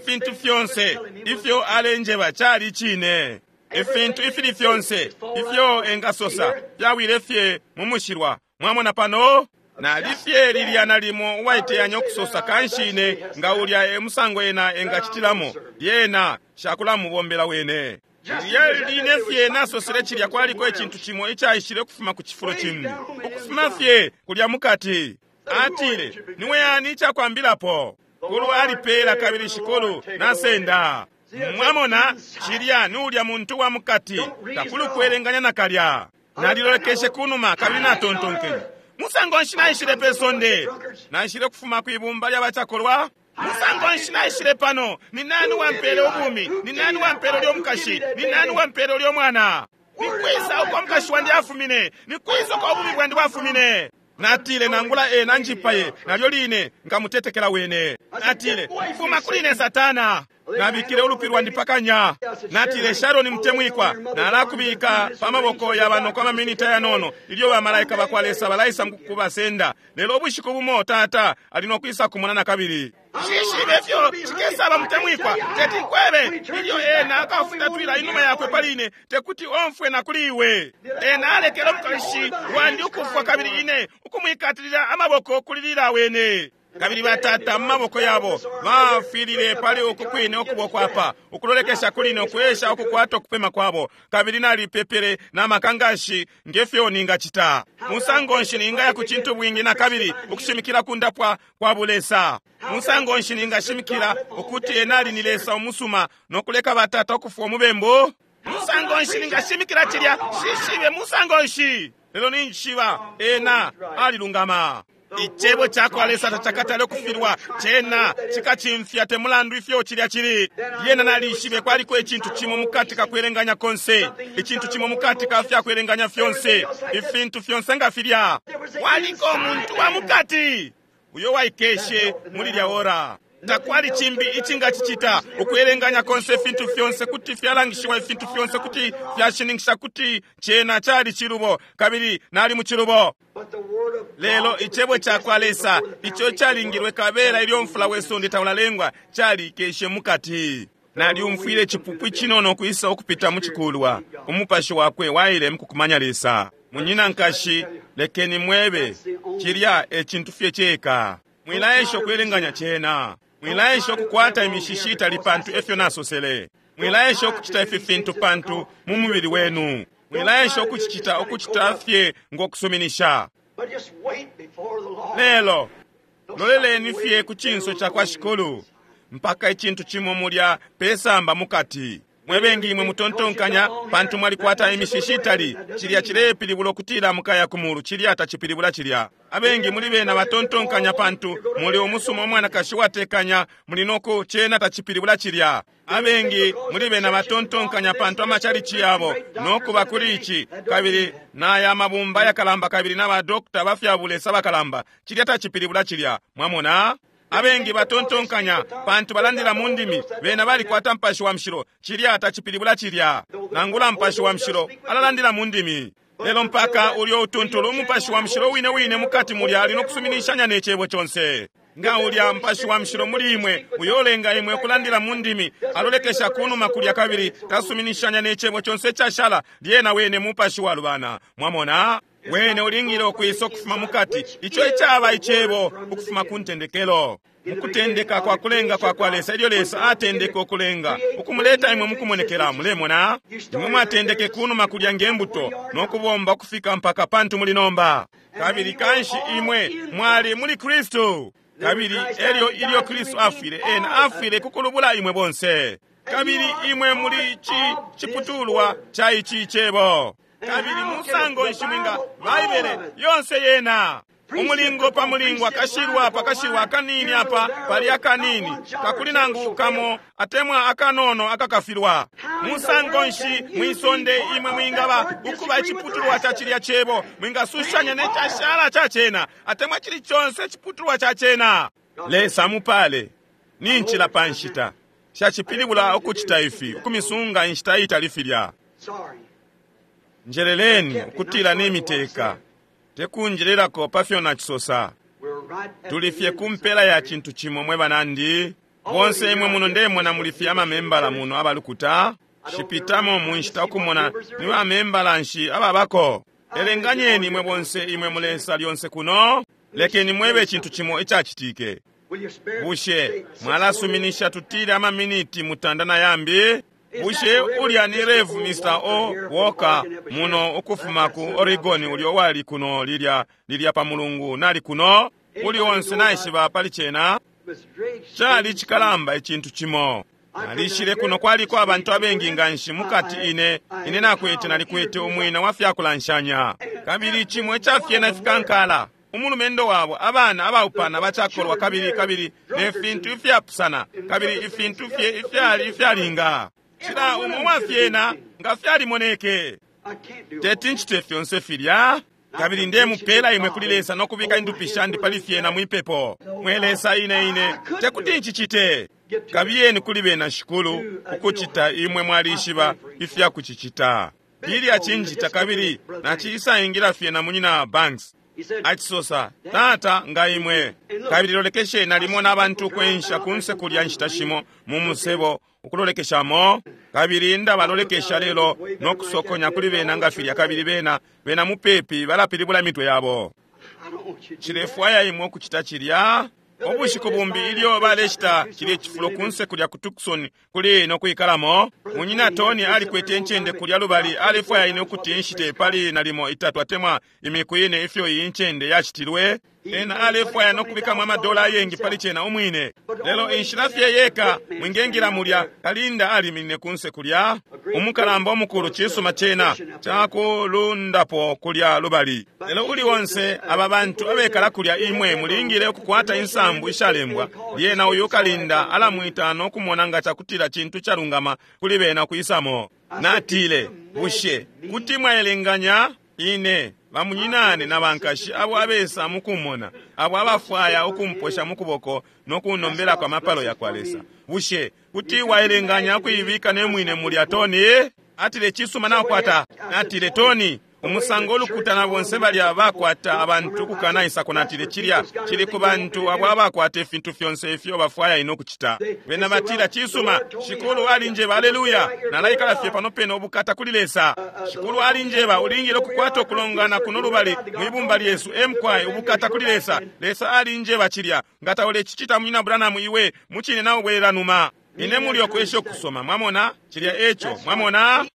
Fintu fyonse ifyo alenjeba cali cine. Ifintu ifili fyonse ifyo engasosa fyawile fye mu mushilwa. Mwamona pano nalifye lilya nalimo uwaiteyanya ukusosa kanshi ine nga ulya emusango ena engacitilamo, lyena shakulamubombela wene. Lilya line fye nasosele cilya kwaliko icintu cimo icaishile ukufuma ku cifulo cimbi, ukufuma fye kulya mukati. Atile, niwe yani icakwambilapo? Kulu alipela kabili shikulu nasenda. Mwamona cilya ni ulya muntu wa mukati, takuli kwelenganya nakalya. Nalilolekeshe kunuma kabili natontonkenye, Musango nshi naishile pe sonde? Naishile kufuma kwibumba lya bacakolwa? Musango nshi naishile pano? Ni nani wampele ubumi? Ni nani wampele ulyo mukashi? Ni nani wampele ulyo mwana? Nikwisa uko mukashi wandi afumine? Nikwisa uko ubumi bwandi bwafumine? Natile, nangula ena njipaye, nalyo line nkamutetekela wene. Natile, fuma kuli ine Satana. Nabikile ulupi lwandi pakanya. Natile, Sharon mutemwikwa, nalakubika pa maboko ya banoko amaminita yanono ilyo bamalaika bakwa Lesa balaisa mukubasenda. Lelo ubushiku bumo tata ali nokwisa kumona nakabili. Shishibe fyo cikesaba mutemwikwa, teti nkwebe ilyo ena akafutatwila inuma yakwe pali ine, tekuti omfwe na kuli iwe. Ena alekele umukashi wandi ukufwa kabili ine ukumwikatilila amaboko kulilila wene. Kabili batata mu maboko yabo bafwilile pali uku kwine ukuboko apa, ukulolekesha kuli ine, ukwesha ukukwata ukupema kwabo. Kabili nalipepele na makangashi ngefyo ningacita. Musango nshi ningaya ku cintu bwingi na kabili ukushimikila kundapwa kwa bulesa? Musango nshi ningashimikila ukuti ena ali ni Lesa umusuma no kuleka batata ukufwa umubembu? Musango nshi ningashimikila cilya? Shishibe musango nshi. Lelo ninjishiba ena alilungama. Icebo cakwa Lesa tacakatale ukufilwa, cena cikacimfya te mulandu ifyo cilya cili. Lyena nalishibe kwaliko icintu cimo mukati ka kwelenganya konse, icintu cimo mukati ka fya kwelenganya fyonse, ifintu fyonse nga filya. Kwaliko umuntu wa mukati uyo waikeshe muli lya ora. Takwali cimbi icingacicita. Ukwelenganya konse, ifintu fyonse kuti fyalangishiwa, ifintu fyonse kuti fyashininkisha kuti cena cali cilubo, kabili nali mu cilubo. Lelo icebo cakwa Lesa ico calingilwe kabela ilyo mfula we sonde taulalengwa calikeshe mukati. Nalyumfwile icipupu icinono kwisa ukupita mu cikulwa. Umupashi wakwe waile mukukumanya Lesa. Munyina nkashi, lekeni mwebe, cilya e cintu fye ceka. Mwilaesha ukwelenganya cena. Mwilaesha ukukwata imishishi itali pantu efyo nasosele. Mwilaesha ukucita ifi fintu pantu mu mubili wenu. Mwilaesha ukucicita ukucita fye ngokusuminisha. Lelo loleleni fye ku cinso cakwa Shikulu mpaka icintu cimo mulya pesamba mukati. Mwebengi imwe mutontonkanya pantu mwalikwata imishishi itali, cilya cilepilibula ukutila mukaya ku mulu. Cilya tacipilibula cilya. Abengi muli bena batontonkanya pantu muli umusuma umwanakashi watekanya muli noku, cena tacipilibula cilya. Abengi muli bena batontonkanya pantu amachalichi yabo nokuba kuli ici kabili naya mabumba yakalamba kabili na badokta bafyabulesa bakalamba, cilya tacipilibula cilya. Mwamona? Abengi batontonkanya pantu balandila mu ndimi, bena balikwata mpashi wa mushilo, cilya tacipilibula cilya. Nangula mpashi wa mushilo alalandila mu ndimi, lelo mpaka ulyo utuntulu umupashi wa mushilo wine wine mukati mulya ali nokusuminishanya ne cebo conse. Nga ulya mpashi wa mushilo muli imwe uyolenga imwe ukulandila mu ndimi, alolekesha kunuma kulya kabili tasuminishanya ne cebo conse icashala, lyena wene mupashi walubana. Mwamona? Wene ulingile ukwisa ukufuma mukati, ico icaba icebo ukufuma ku ntendekelo. Mukutendeka kwa kulenga kwa kwa Lesa, ilyo Lesa atendeke ukulenga, ukumuleta imwe mukumonekela. Mulemona? Imwe mwatendeke kunuma kulya nge mbuto no kubomba ukufika mpaka pantu muli nomba. Kabili kanshi imwe mwali muli Kristu. Kabili elyo ilyo Kristu afwile, ena afwile kukulubula imwe bonse. Kabili imwe muli ciputulwa ca ici cebo. Kabili musango nshi mwinga Baibele yonse yena umulingo pa mulingo, akashilwa pa kashilwa, akanini apa pali akanini, takuli nangu kamo atemwa akanono akakafilwa. Musango nshi mwisonde imwe mwingaba ukuba iciputulwa ca cilya cebo, mwingasushanya ne cashala ca cena atemwa cili conse iciputulwa ca cena? Lesa mupale. Ni ncila pa nshita shacipilibula ukucita ifi, ukumisunga inshita itali filya. Njeleleni ukutila nimiteka, tekunjelelako pafyo nacisosa. Tuli fye ku mpela ya cintu cimo mwe banandi. Bonse imwe muno ndemona muli fye amamembala muno abalukuta. Shipitamo mu nshita ukumona ni bamembala nshi ababako. Elenganyeni imwe bonse imwe mulesa lyonse kuno. Lekeni mwebe icintu cimo icacitike. Bushe mwalasuminisha tutile amaminiti mutanda na yambi? Bushe ulya ni Rev Mr. O. Walker muno ukufuma ku Oregon ulyo wali kuno lilya lilya pa mulungu nali kuno? Uli onse naishiba pali cena? Cali cikalamba icintu cimo. Nalishile kuno kwaliko abantu abengi nganshi mukati ine ine nakwete nalikwete umwina wa fyakulanshanya. Kabili cimwe cafyena ifikankala. Umulumendo wabo, abana abaupana bacakolwa kabili kabili ne fintu ifyapusana kabili ifintu fye ifyali ifyalinga. Cila umo wafyena nga fyalimoneke. Teti ncite fyonse filya. Kabili ndemupela imwe kuli Lesa no kubika indupi shandi pali fyena mwipepo. Mwe Lesa ine ine tekuti ncicite. Kabiyeni kuli bena Shikulu ukucita imwe mwalishiba ifya kucicita. Billy acinjita kabili naciisaingila fye na munyina Banks. Acisosa, Tata nga imwe. Kabili lolekesheni nalimona abantu ukwensha kunse kulya nshita shimo mu musebo ukulolekeshamo. Kabili ndabalolekesha lelo no kusokonya kuli bena nga filya kabili bena bena mupepi balapilibula mitwe yabo. Nshilefwaya imwe ukucita cilya. Ubushiku bumbi ilyo baleshita cilye cifulo kunse kulya ku Tucson kuli no kwikalamo, munyina Tony alikwete incende kulya lubali alefwaya ine ukuti nshite pali nalimo itatu atemwa imiku ine ifyo iyi ncende yacitilwe. Ena alefwaya no kubikamo amadola ayengi pali cena umwine. Lelo inshila fye yeka mwingengila mulya, kalinda aliminine kunse kulya. Umukalamba umukulu cisuma cena cakulundapo kulya lubali. Lelo uli onse aba bantu abekala kulya imwe mulingile ukukwata insambu ishalembwa. Lyena uyu kalinda alamwita no kumona nga cakutila cintu calungama kuli bena kwisamo. Natile, bushe kuti mwaelenganya ine bamunyinane na bankashi abo abesa mukumona, abo abafwaya ukumposha mukuboko no kunombelako amapalo yakwa Lesa. Bushe kuti waelenganya ukuibika ne mwine mulya Tony? Atile cisuma nakwata. Natile Tony, umusango ulukuta na bonse balya bakwata abantu ukukanaisako. Natile cilya cili ku bantu abo abakwata ifintu fyonse ifyo bafwaya ine ukucita. Bena batila cisuma, Shikulu alinjeba, aleluya, nalaikala fye pano pene ubukata kuli Lesa. Shikulu alinjeba ulingile ukukwata ukulongana kuno lubali mwibumba lyesu emkwai ubukata kuli Lesa. Lesa alinjeba cilya, nga taulecicita munyina Branham iwe mucine naubwelela numa. Ine muli okwesha ukusoma, mwamona cilya eco, mwamona.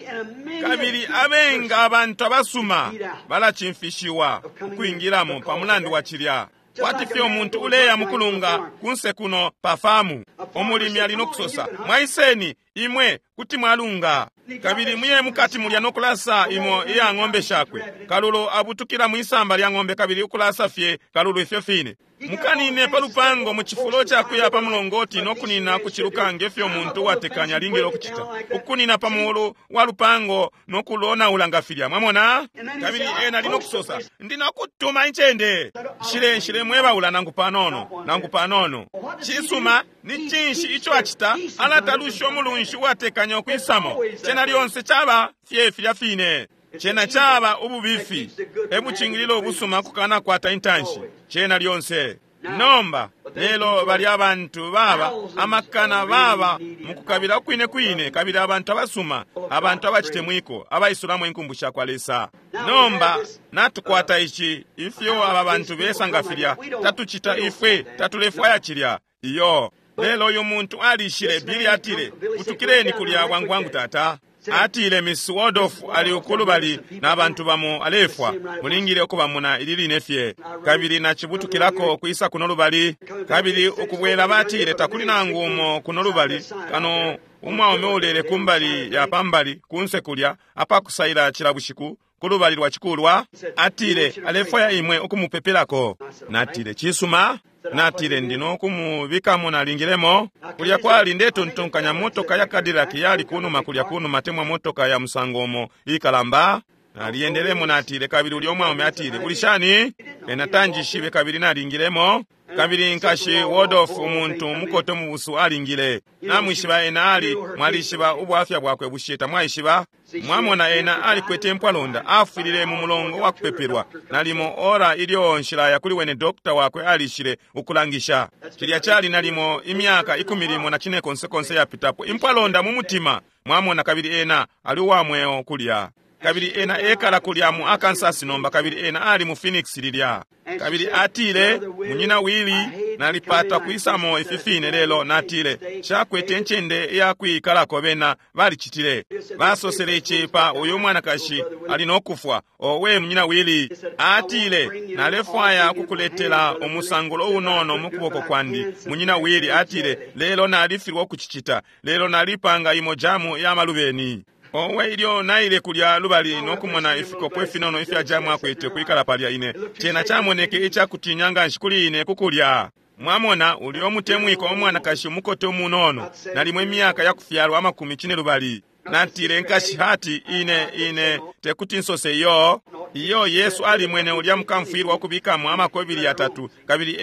Kabili abenga abantu abasuma balacimfishiwa ukwingilamo pa mulandu wa cilya. Kwati fye umuntu uleya mukulunga kunse kuno pa famu, umulimi ali no kusosa, mwaiseni imwe kuti mwalunga. Kabili muye mukati mulya no kulasa imo iya ng'ombe shakwe. Kalulo abutukila mwisamba lya ng'ombe kabili ukulasa fye kalulo ifyo fine. Mukanine pa lupango mu cifulo ca kuya pa mulongoti no kunina kuciluka nge fyo umuntu uwatekanya alingile ukucita. Ukunina pa mulu wa lupango no kulonaula nga filya, mwamona. Kabili ena ali no kusosa, ndi no kutuma incende. Nshile nshile mwebaula nangu panono, nangu panono. Cisuma, ni cinshi ico acita? Alatalusha umulunshi uwatekanya ukwisamo. Cena lyonse caba fye filya fine. Cena caba ububifi. Ebucingilila ubusuma kukana kwata intanshi. Cena lyonse. Nomba, lelo bali abantu baba, amakana baba mukukabila ukwine kwine, kabili abantu abasuma, abantu abacitemwiko, abaisulamo inkumbu sha kwa Lesa. Nomba, natukwata ici, ifyo aba bantu besa nga filya, tatucita ifwe, tatulefwaya cilya. Iyo. Lelo uyu muntu alishile, Billy atile, butukileni kulya bwangu bwangu tata. Atile Miss Waldorf ali ukulubali na bantu bamo alefwa, mulingile ukubamona ili line fye. Kabili nacibutukilako kwisa kuno lubali, kabili ukubwela batile takuli nangu umo kuno lubali, kano umwaume ulele kumbali ya pambali kunse kulya apakusaila cila bushiku kulubali lwa cikulwa. Atile alefwaya imwe ukumupepelako. Natile cisuma. Natile ndino kumubikamo nalingilemo. Kulya kwali ndetontonkanya motoka ya Cadillac yali kunuma kulya kunuma temwa motoka ya musango umo ikalamba. Naliendelemo natile kabili ulya umwaume atile uli shani? Ena tanjishibe kabili nalingilemo. Kabili nkashi Waldorf umuntu mukoto mubusu alingile. Namwishiba ena ali mwalishiba ubwafya bwakwe bushe tamwaishiba? Mwamona ena alikwete impwalonda, afwilile mu mulongo wa kupepelwa. Nalimo ora ilyo nshilaya kuli wene dokta wakwe alishile ukulangisha. Cilya cali nalimo imyaka 14 konse konse yapitapo. Impwalonda mu mutima. Mwamona kabili ena ali uwa mweo kulya. Kabili ena ekala kulya mu Arkansas nomba kabili ena ali mu Phoenix lilya. Kabili atile, munyina Willie, Nalipata kwisamo ifi fine, lelo natile nshakwete incende iyakwikalako. Bena balicitile, basosele ici pa uyu mwanakashi ali no kufwa. Owe, munyina Willie, atile, nalefwaya kukuletela umusangulo unono mu kuboko kwandi, munyina Willie. Atile, lelo nalifilwa ukucicita, lelo nalipanga imo jamu ya malubeni. Owe, ilyo naile kulya lubali no kumona ifikopo ifinono ifya jamu akwete kwikala palya, ine cena camoneke icakutinya nganshi kuli ine kukulya. Mwamona, ulyo mutemwiko umwanakashi umukote umunono, nalimo imyaka yakufyalwa 50. Natile, Nkashi Hati, ine tekuti nsose iyo. Iyo, Yesu alimwene ulya mukamfwilwa ukubikamo amakobili yatatu, kabili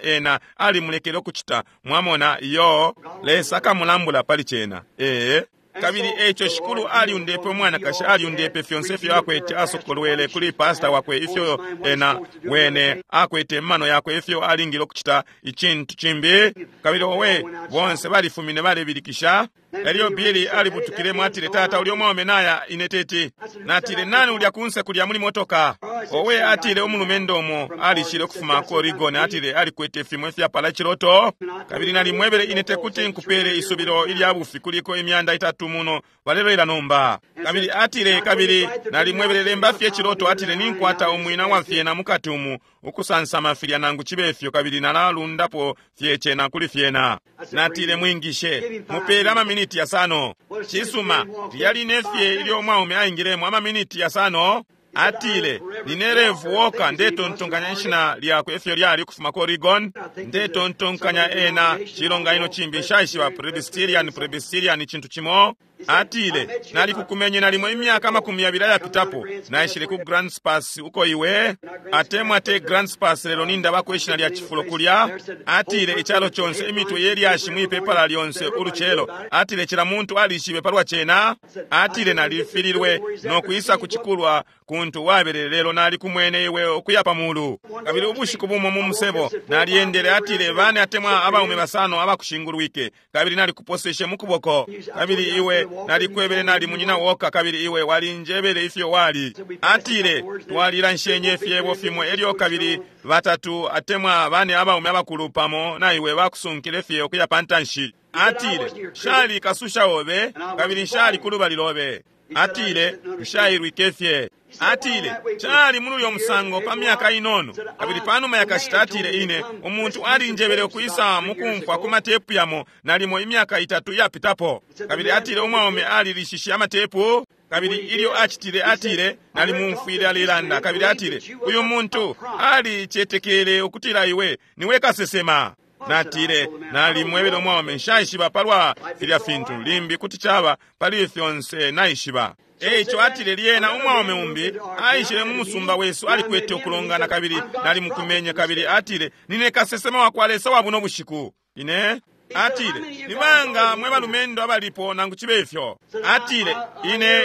ena alimulekele ukucita. Mwamona, iyo, Lesa akamulambula pali cena. Ee. Kabili eco Shikulu aliundepe umwanakashi, aliundepe fyonse ifyo akwete, asokolwele kuli pasta wakwe ifyo ena wene akwete mumano yakwe, ifyo alingile ukucita icintu cimbi. Kabili owe, bonse balifumine balebilikisha. Elyo Billy alibutukilemo, atile, Tata, ulyo mwaume naya, ine teti. Natile, nani ulya kunse kulya muli motoka? Owe, atile, umulumendo umo alishile ukufuma ku Oregon, atile alikwete fimo ifyapala ciloto. Kabili nalimwebele ine tekuti nkupele isubilo ilya bufi, kuliko 300 muno balelolela nomba. Kabili atile, kabili nalimwebele lemba fye ciloto, atile ninkwata umwina wa fyena mukati umu ukusansama filya nangu chibe fyo, kabili nalalundapo fye cena kuli fyena. Natile, mwingishe, mupele amaminiti yasano. Cisuma, lyali nefye ilyo umwaume aingilemo amaminiti yasano. Atile, nine Rev Walker, ndetontonkanya ishina lyakwe efyo lyali ukufuma ku Oregon. Ndetontonkanya ena cilonganino cimbi nshaishiba, Presbyterian icintu cimo. Atile, nalikukumenye nalimo imyaka 20 ayapitapo, naishile ku Grants Pass uko iwe atemwa te Grants Pass, lelo nindabako ishina lya cifulo kulya. Atile, icalo conse imitwe yelyashi mwipepala lyonse ulucelo. Atile, cila muntu alishibe palwa cena. Atile, nalifililwe no kwisa kucikulwa kuntu wabelele, lelo nalikumwene iwe ukuya pa mulu. Kabili ubushiku bumo mu musebo naliendele, atile bane atemwa abaume basano abakushingulwike, kabili nalikuposeshe mu kuboko. Kabili iwe nalikwebele nali munyina Walker, kabili iwe walinjebele ifyo wali. Atile, twalilanshenye fyebo fimo, elyo kabili batatu atemwa bane abaume abakulu pamo na iwe bakusunkile fye ukuya pantanshi. Atile, nshali kasusha obe, kabili nshali kulubali lobe. Atile, nshailwike fye. Atile, cali muli uyo musango pa myaka inono. Kabili panuma yakashita atile ine, umuntu alinjebele ukwisa mukumfwa ku matepu yamo nalimo imyaka 3 yapitapo. Kabili atile umwaume alilishishe amatepu. Kabili ilyo acitile, atile nalimumfwile alelanda. Kabili atile, uyu muntu alicetekele ukutila iwe niwe kasesema. Natile, nalimwebele umwaume nshaishiba palwa filya fintu, limbi kuti caba pali fyonse naishiba. Eico atile lyena umwaume umbi aishile mu musumba wesu, alikwete ukulongana, kabili nalimukumenye. Kabili atile, nine kasesema wa kwa Lesa wa buno bushiku. Ine atile, nibanga mwe balumendo abalipo nangu chibe ifyo. Atile,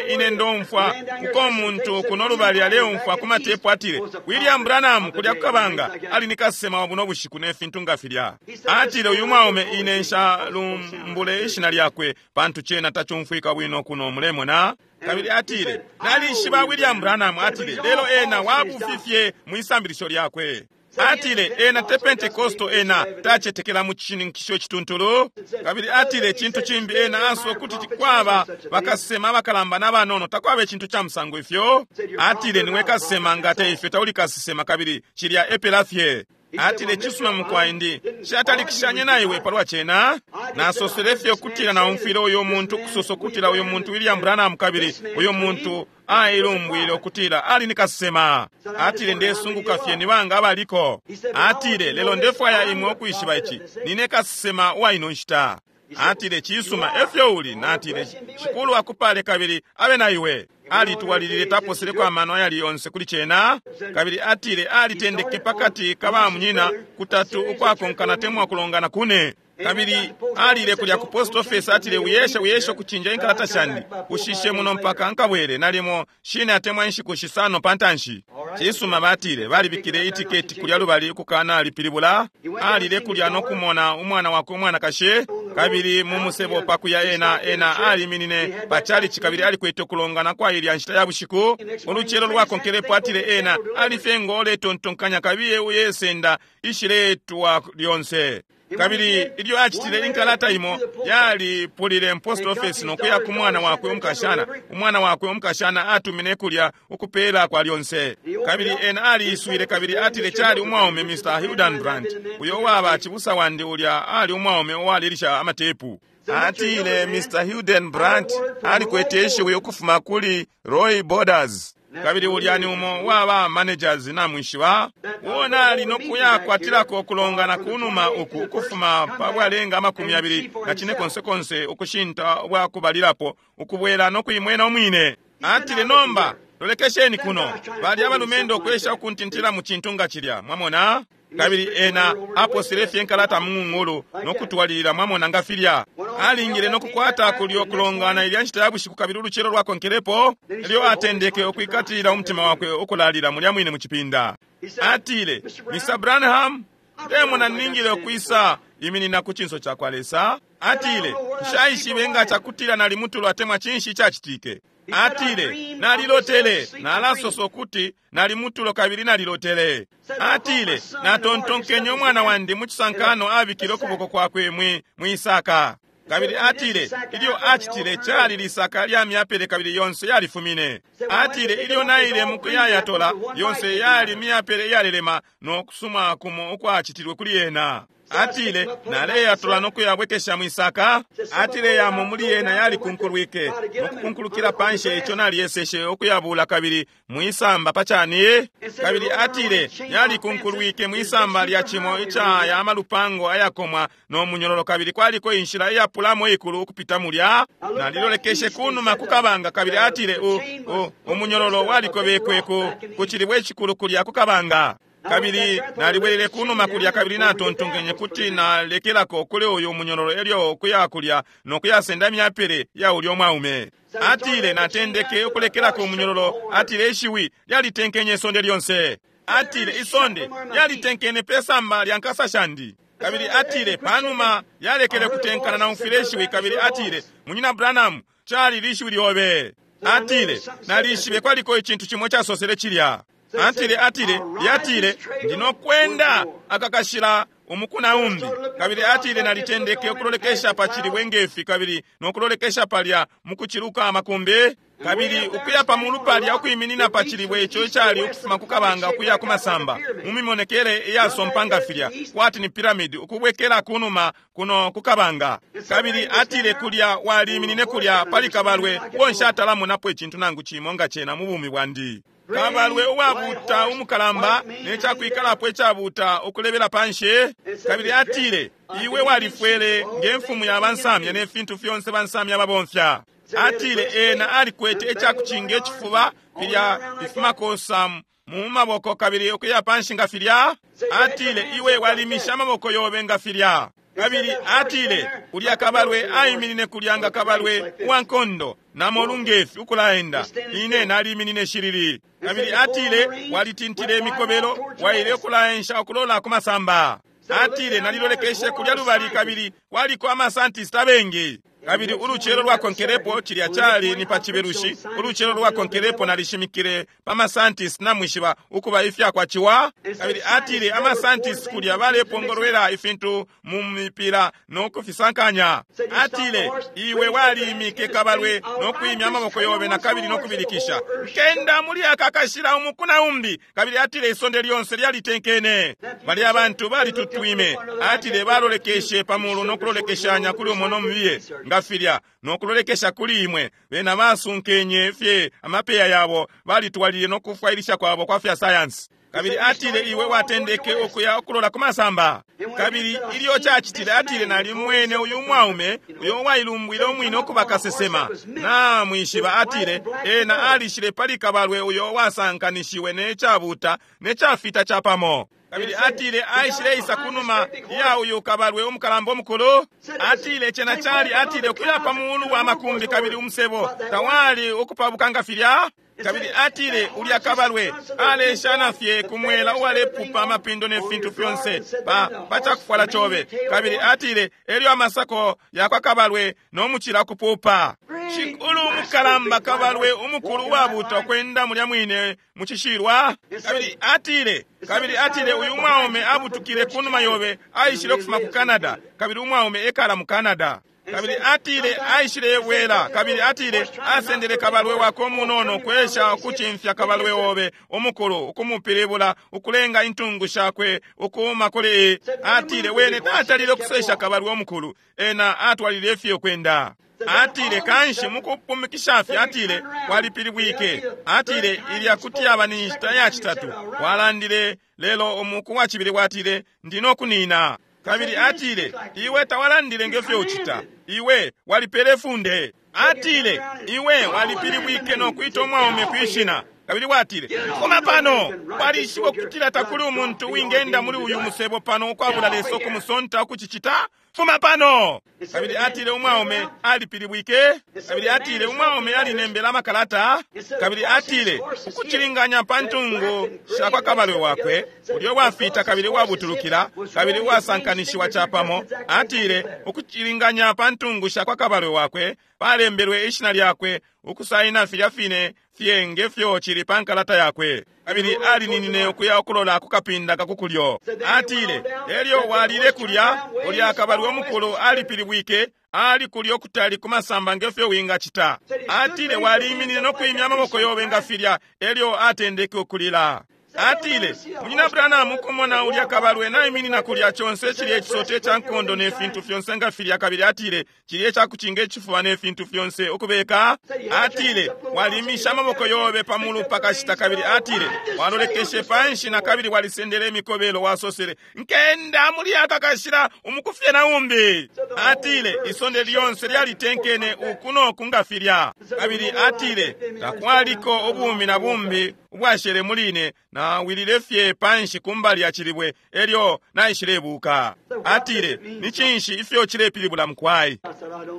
ine ndomfwa uko muntu kuno lubali aleumfwa ku matepu. Atile, William Branham kulya kukabanga ali ni kasesema wa buno bushiku ne fintu nga filya. Atile, uyu mwaume ine nshalumbule ishina lyakwe pantu cena tacumfwika bwino kuno, mulemona. Kabili atile, nalishiba William Branham. Atile, lelo ena wabufifye mwisambilisho lyakwe. Atile, ena te Pentecosto, ena tacetekela mu cishininkisho cituntulu. Kabili atile, cintu cimbi ena aswe kuti kwaba bakasema abakalamba n'abanono, takwaba icintu ca musango ifyo. Atile, niwe kasema nga te ifyo tauli kasesema, kabili cilya epela fye. Atile, cisuma mukwai ndi shatalikishanye na iwe palwa cena. Nasosele fye ukutila naumfwile uyo muntu kusosa ukutila uyo muntu William Branham, kabili uyo muntu ailumbwile ukutila ali ni kasesema. Atile, ndesunguka fye nibanga abaliko. Atile, lelo ndefwaya imwe ukwishiba ici, nine kasesema uwa ino nshita. Atile, cisuma efyo uli. Natile, Shikulu akupale kabili abe na iwe. Alitwalilile taposeleko amano ayali yonse kuli cena. Kabili atile alitendeke pakati ka ba munyina kutatu ukwakonkana temwa kulongana kune. Kabili alile kulya ku post office. Atile, uyeshe ukucinja inkalata shandi, ushishe muno mpaka nkabwere nalimo shine atemwa inshiku 5 pantanshi. Cisuma, batile balibikile itiketi kulya lubali ukukana alipilibula. Alile kulya no kumona umwana wakwe umwanakashi. Kabili mu musebo pakuya ena, ena aliminine pa chalichi kabili alikwete ukulongana kwa ilya nshita ya bushiku. Ulucelo lwakonkelepo atile ena alifye ngo uletontonkanya kabiye uyesenda ishiletwa lyonse. Kabili ilyo acitile, inkalata imo yalipulile post office nokuya ku mwana wakwe umukashana. Umwana wakwe umukashana atumine kulya ukupela kwa lyonse. Kabili ena aliiswile kabili atile cali umwaume Mr. Hildenbrand, uyo waba cibusa wandi, ulya ali umwaume uwalilisha amatepu. Atile Mr. Hildenbrand alikwete ishiwi ukufuma kuli Roy Borders. Kabili ulya ni umo waba managers namwishiba, uwona ali nokuya kwatilako ukulongana kunuma uku ukufuma pa bwalenga 25 ukushinta ubwakubalilapo ukubwela nokuimwena umwine. Atile nomba lolekesheni kuno, bali abalumendo ukwesha ukuntintila mu cintu nga cilya, mwamona. Kabili ena aposele fye nkalata mung'ung'ulu nokutwalilila, mwamona nga filya. Alingile nokukwata kulyo kulongana ilya nshita ya bushiku kabili ulucelo lwakonkelepo elyo atendeke ukwikatilila umutima wakwe ukulalila mulya mwine mu cipinda. Atile, Mr. Branham, ndemona ningile ukwisa iminina ku cinso cakwa Lesa. Atile, nshaishibe nga cakutila nali mutulo atemwa cinshi cacitike. Atile, nalilotele, nalasosa ukuti nali mutulo kabili nalilotele. Atile, natontonkenye umwana wandi mu cisankano abikile ukuboko kwakwe mwisaka. Kabili atile, ilyo acitile cali lisaka lya myapele kabili yonse yalifumine. Atile, ilyo naile mukuyayatola, yonse yali myapele iyalelema no kusuma kumo ukwacitilwe kuli yena. Atile, naleyatola nokuyabwekesha mwisaka. Atile yamo muli yena yalikunkulwike nokukunkulukila panshi, ico naliyeseshe ukuyabula kabili mwisamba pacani. Kabili atile yalikunkulwike mwisamba lya cimo ica ya malupango ayakomwa no munyololo, kabili kwaliko inshila iyapulamo ikulu ukupita mulya. Nalilolekeshe kunuma kukabanga kabili atile umunyololo walikobekwe ku cilibwe icikulu kulya kukabanga. Kabili nalibwelele kunuma kulya kabili natontonkenye kuti nalekelako kuli uyu munyololo elyo ukuya kulya nokuyasenda myapele ya ulya umwaume. Atile natendeke ukulekelako umunyololo. Atile ishiwi lyalitenkenye isonde lyonse. Atile isonde lyalitenkene pe samba lya nkasa shandi. Kabili atile panuma yalekele kutenkana naumfwile ishiwi kabili atile, Munyina Branham, cali lishiwi lyobe. Atile nalishibe kwaliko icintu cimo casosele cilya. Atile, atile, lyatile, ndinokwenda akakashila umukuna umbi. Kabili atile nalitendeke ukulolekesha pa cilibwe ngefi kabili nokulolekesha palya mukuciluka amakumbi. Kabili ukuya pa mulu palya ukwiminina pa cilibwe ico icali ukufuma ku kabanga ukuya ku masamba mu mimonekele iyasompa nga filya kwati ni piramidi ukubwekela kunuma kuno ku kabanga. Kabili atile kulya waliminine kulya pali kabalwe uo nshatalamonapo icintu nangu cimo nga cena mu bumi bwandi. Kabalwe uwabuta umukalamba ne cakwikalapo icabuta ukulebela panshi. Kabili atile iwe walifwele nge mfumu ya bansamya ne fintu fyonse bansamya babomfya. Atile ena alikwete icakucinga icifuba filya ifimakosa mu maboko kabili ukuya panshi nga filya. Atile iwe walimisha amaboko yobe nga filya. Kabili atile ulya kabalwe aiminine kulya nga kabalwe uwankondo namolu ngefi ukulaenda. Ine naliminine shilili. Kabili atile walitintile imikobelo waile ukulaensha ukulola ku masamba. Atile nalilolekeshe kulya lubali kabili kwaliko amasantista abengi. Kabili ulucelo lwakonkelepo cilya cali ni pa Cibelushi. Ulucelo lwakonkelepo nalishimikile pa masantist namwishiba ukuba ifyakwaciwa. Kabili atile amasantist kulya balepongolwela ifintu mu mipila no kufisankanya. Atile iwe walimike kabalwe no kwimya amaboko yobe na kabili no kubilikisha, nkenda muli aka kashila umukuna umbi. Kabili atile isonde lyonse lyalitenkene. Bali abantu balitutwime. Atile balolekeshe pamulu no kulolekeshanya kuli umo no mubiye nga filya nokulolekesha kuli imwe. Bena basunkenye fye amapeya yabo, balitwalile no kufwailisha kwabo kwa fya sayansi. Kabili atile iwe watendeke ukuya ukulola ku masamba. Kabili ilyo cacitile, atile nalimwene uyu mwaume uyo wailumbwile umwine ukuba kasesema. Namwishiba, atile ena alishile pali kabalwe uyo wasankanishiwe ne cabuta ne cafita capamo. Kabili atile aishile isa kunuma ya uyu kabalwe umukalamba umukulu. Atile cena cali, atile ukuya pa mulu wa makumbi kabili umusebo tawali ukupabuka nga filya. Kabili atile ulya kabalwe aleshana fye kumwela uwalepupa amapindo ne fintu fyonse pa pacakufwala cobe. Kabili atile elyo amasako yakwa kabalwe no mucila kupupa. Shikulu umukalamba kabalwe umukulu uwabuta ukwenda mulya mwine mucishilwa. Kabili atile, kabili atile uyu mwaume abutukile kunuma yobe, aishile ukufuma ku Canada, kabili umwaume ekala mu Canada. Kabili atile aishile bwela, kabili atile asendele kabalwe wako munono kwesha ukucimfya kabalwe obe umukulu, ukumupilibula ukulenga intungu shakwe ukuuma kuli. Atile wene tatalile ukusesha kabalwe omukulu, ena atwalile fye ukwenda. Atile kanshi mukupumikisha fye, atile walipilibwike. Atile ilya kuti yaba ni nshita ya citatu walandile, lelo umuku wa cibili watile ndi no kunina. Kabili atile iwe tawalandile ngefyo ucita, iwe walipele funde. Atile iwe walipilibwike no kwita umwaume kwishina. Kabili watile fuma pano, walishiba ukutila takuli umuntu wingenda muli uyu musebo pano ukwabula Lesa ukumusonta ukucicita. Fuma pano. Kabili atile umwaume alipilibwike. Kabili atile umwaume alinembela amakalata. Kabili atile ukucilinganya pa ntungu shakwa kabalwe wakwe ulyo wafita kabili wabutulukila kabili wasankanishiwa capamo. Atile ukucilinganya pa ntungu shakwa kabalwe wakwe palembelwe ishina lyakwe ukusaina filya fine fye ngefyo cili pa nkalata yakwe. Kabili alininine ukuya ukulola ku kapinda kakukulyo. Atile elyo walile kulya, ulya kabalwe omukulu alipilibwike, ali kulya okutali kumasamba ngefyo wingacita. Atile waliminine no kwimya amaboko yobe nga filya, elyo atendeke ukulila. Atile munyina Branham, ukumona ulya kabalwe naiminina kulya conse cilya icisote ca nkondo ne fintu fyonse nga filya. Kabili atile cilya icakucinga icifuba ne fintu fyonse ukubeka. Atile walimisha amaboko yobe pamulu pakashita. Kabili atile walolekeshe panshi na kabili walisendele imikobelo, wasosele nkenda muli aka kashila umukufye na umbi. Atile isonde lyonse lyalitenkene uku noku nga filya. Kabili atile takwaliko ubumi na bumbi ubwashele muline, nawilile fye panshi kumbali ya cilibwe, elyo naishilebuka. Atile ni cinshi ifyo cilepilibula mukwai?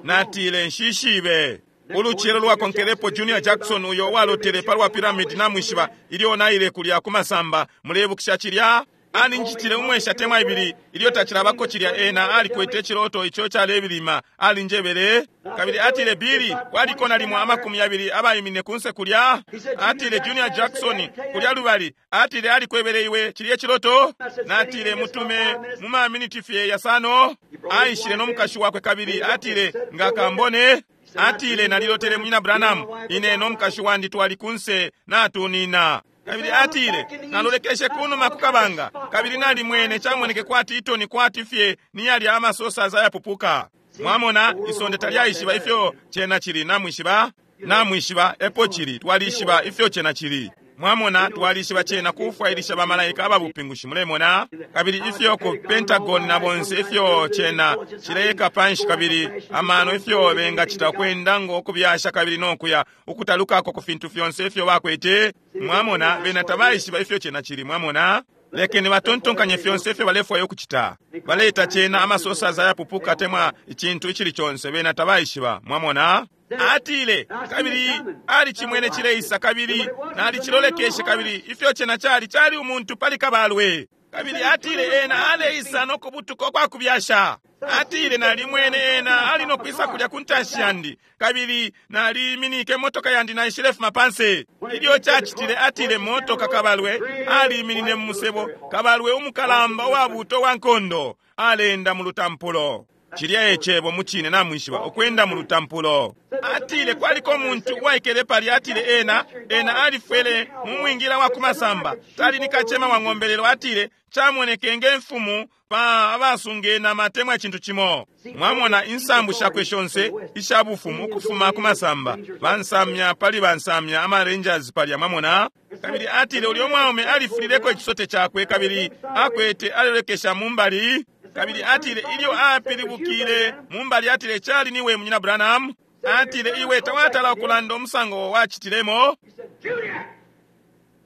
Natile nshishibe. Ulucelo lwakonkelepo Junior Jackson uyo walotele palwa pyramid namwishiba, ilyo naile kulya kumasamba, mulebukisha cilya? Alinjitile umwesha temwa ibili ilyo tacilabako cilya, ena alikwete ciloto ico calebilima, alinjebele. Kabili atile Billy, kwaliko nalimo 20 abaimine kunse kulya. Atile Junior Jackson kulya lubali, atile alikwebele iwe cilye ciloto. Natile mutume mu maminiti fye yasano. Aishile no mukashi wakwe kabili atile nga kambone. Atile nalilotele munyina Branham, ine no mukashi wandi twali kunse natunina. Kabili atile nalolekeshe kunuma kukabanga, kabili nalimwene camoneke kwati itoni kwati fye niyali amasosa zayapupuka. Mwamona isonde talyaishiba ifyo cena cili, namwishiba, namwishiba epo cili, twalishiba ifyo cena cili. Mwamona twalishiba cena kufwailisha bamalaika ababupingushi, mulemona. Kabili ifyo ku Pentagon na bonse ifyo cena cileka panshi, kabili amano ifyo bengacita kwenda ngo kubyasha kabili nokuya ukutalukako ku fintu fyonse ifyo bakwete. Mwamona bena tabaishiba ifyo cena cili, mwamona. Lekeni batontonkanye fyonse ifyo balefwaya ukucita. Baleta cena amasosa zayapupuka temwa icintu icili conse, bena tabaishiba, mwamona. Atile kabili alicimwene cileisa, kabili nalicilolekeshe, kabili ifyo cena cali cali umuntu pali kabalwe. Kabili atile ena aleisa no kubutuka kwa kubyasha. Atile nalimwene ena ali no kwisa kulya ku ntanshi yandi, kabili naliminike motoka yandi naishilefuma panse. Ilyo cacitile, atile motoka kabalwe aliminine mu musebo, kabalwe umukalamba uwabuto wa nkondo alenda mu lutampulo. Cilya ecebo mucine namwishiba, ukwenda mu lutampulo. Atile kwaliko umuntu uwaikele palya, atile ena ena alifwele mu mwingila wa kumasamba, tali ni kacema wa ng'ombe, lelo atile camoneke nge mfumu pa abasunge na matemwa icintu cimo. Mwamona insambu shakwe shonse isha bufumu ukufuma kumasamba, bansamya pali bansamya ama rangers palya, mwamona. Kabili atile ulyo mwaume alifulileko icisote cakwe, kabili akwete alelekesha mumbali. Kabili atile ilyo apilibukile mumbali, atile cali niwe munyina Branham. Atile iwe tawatala ukulanda umusango wacitilemo.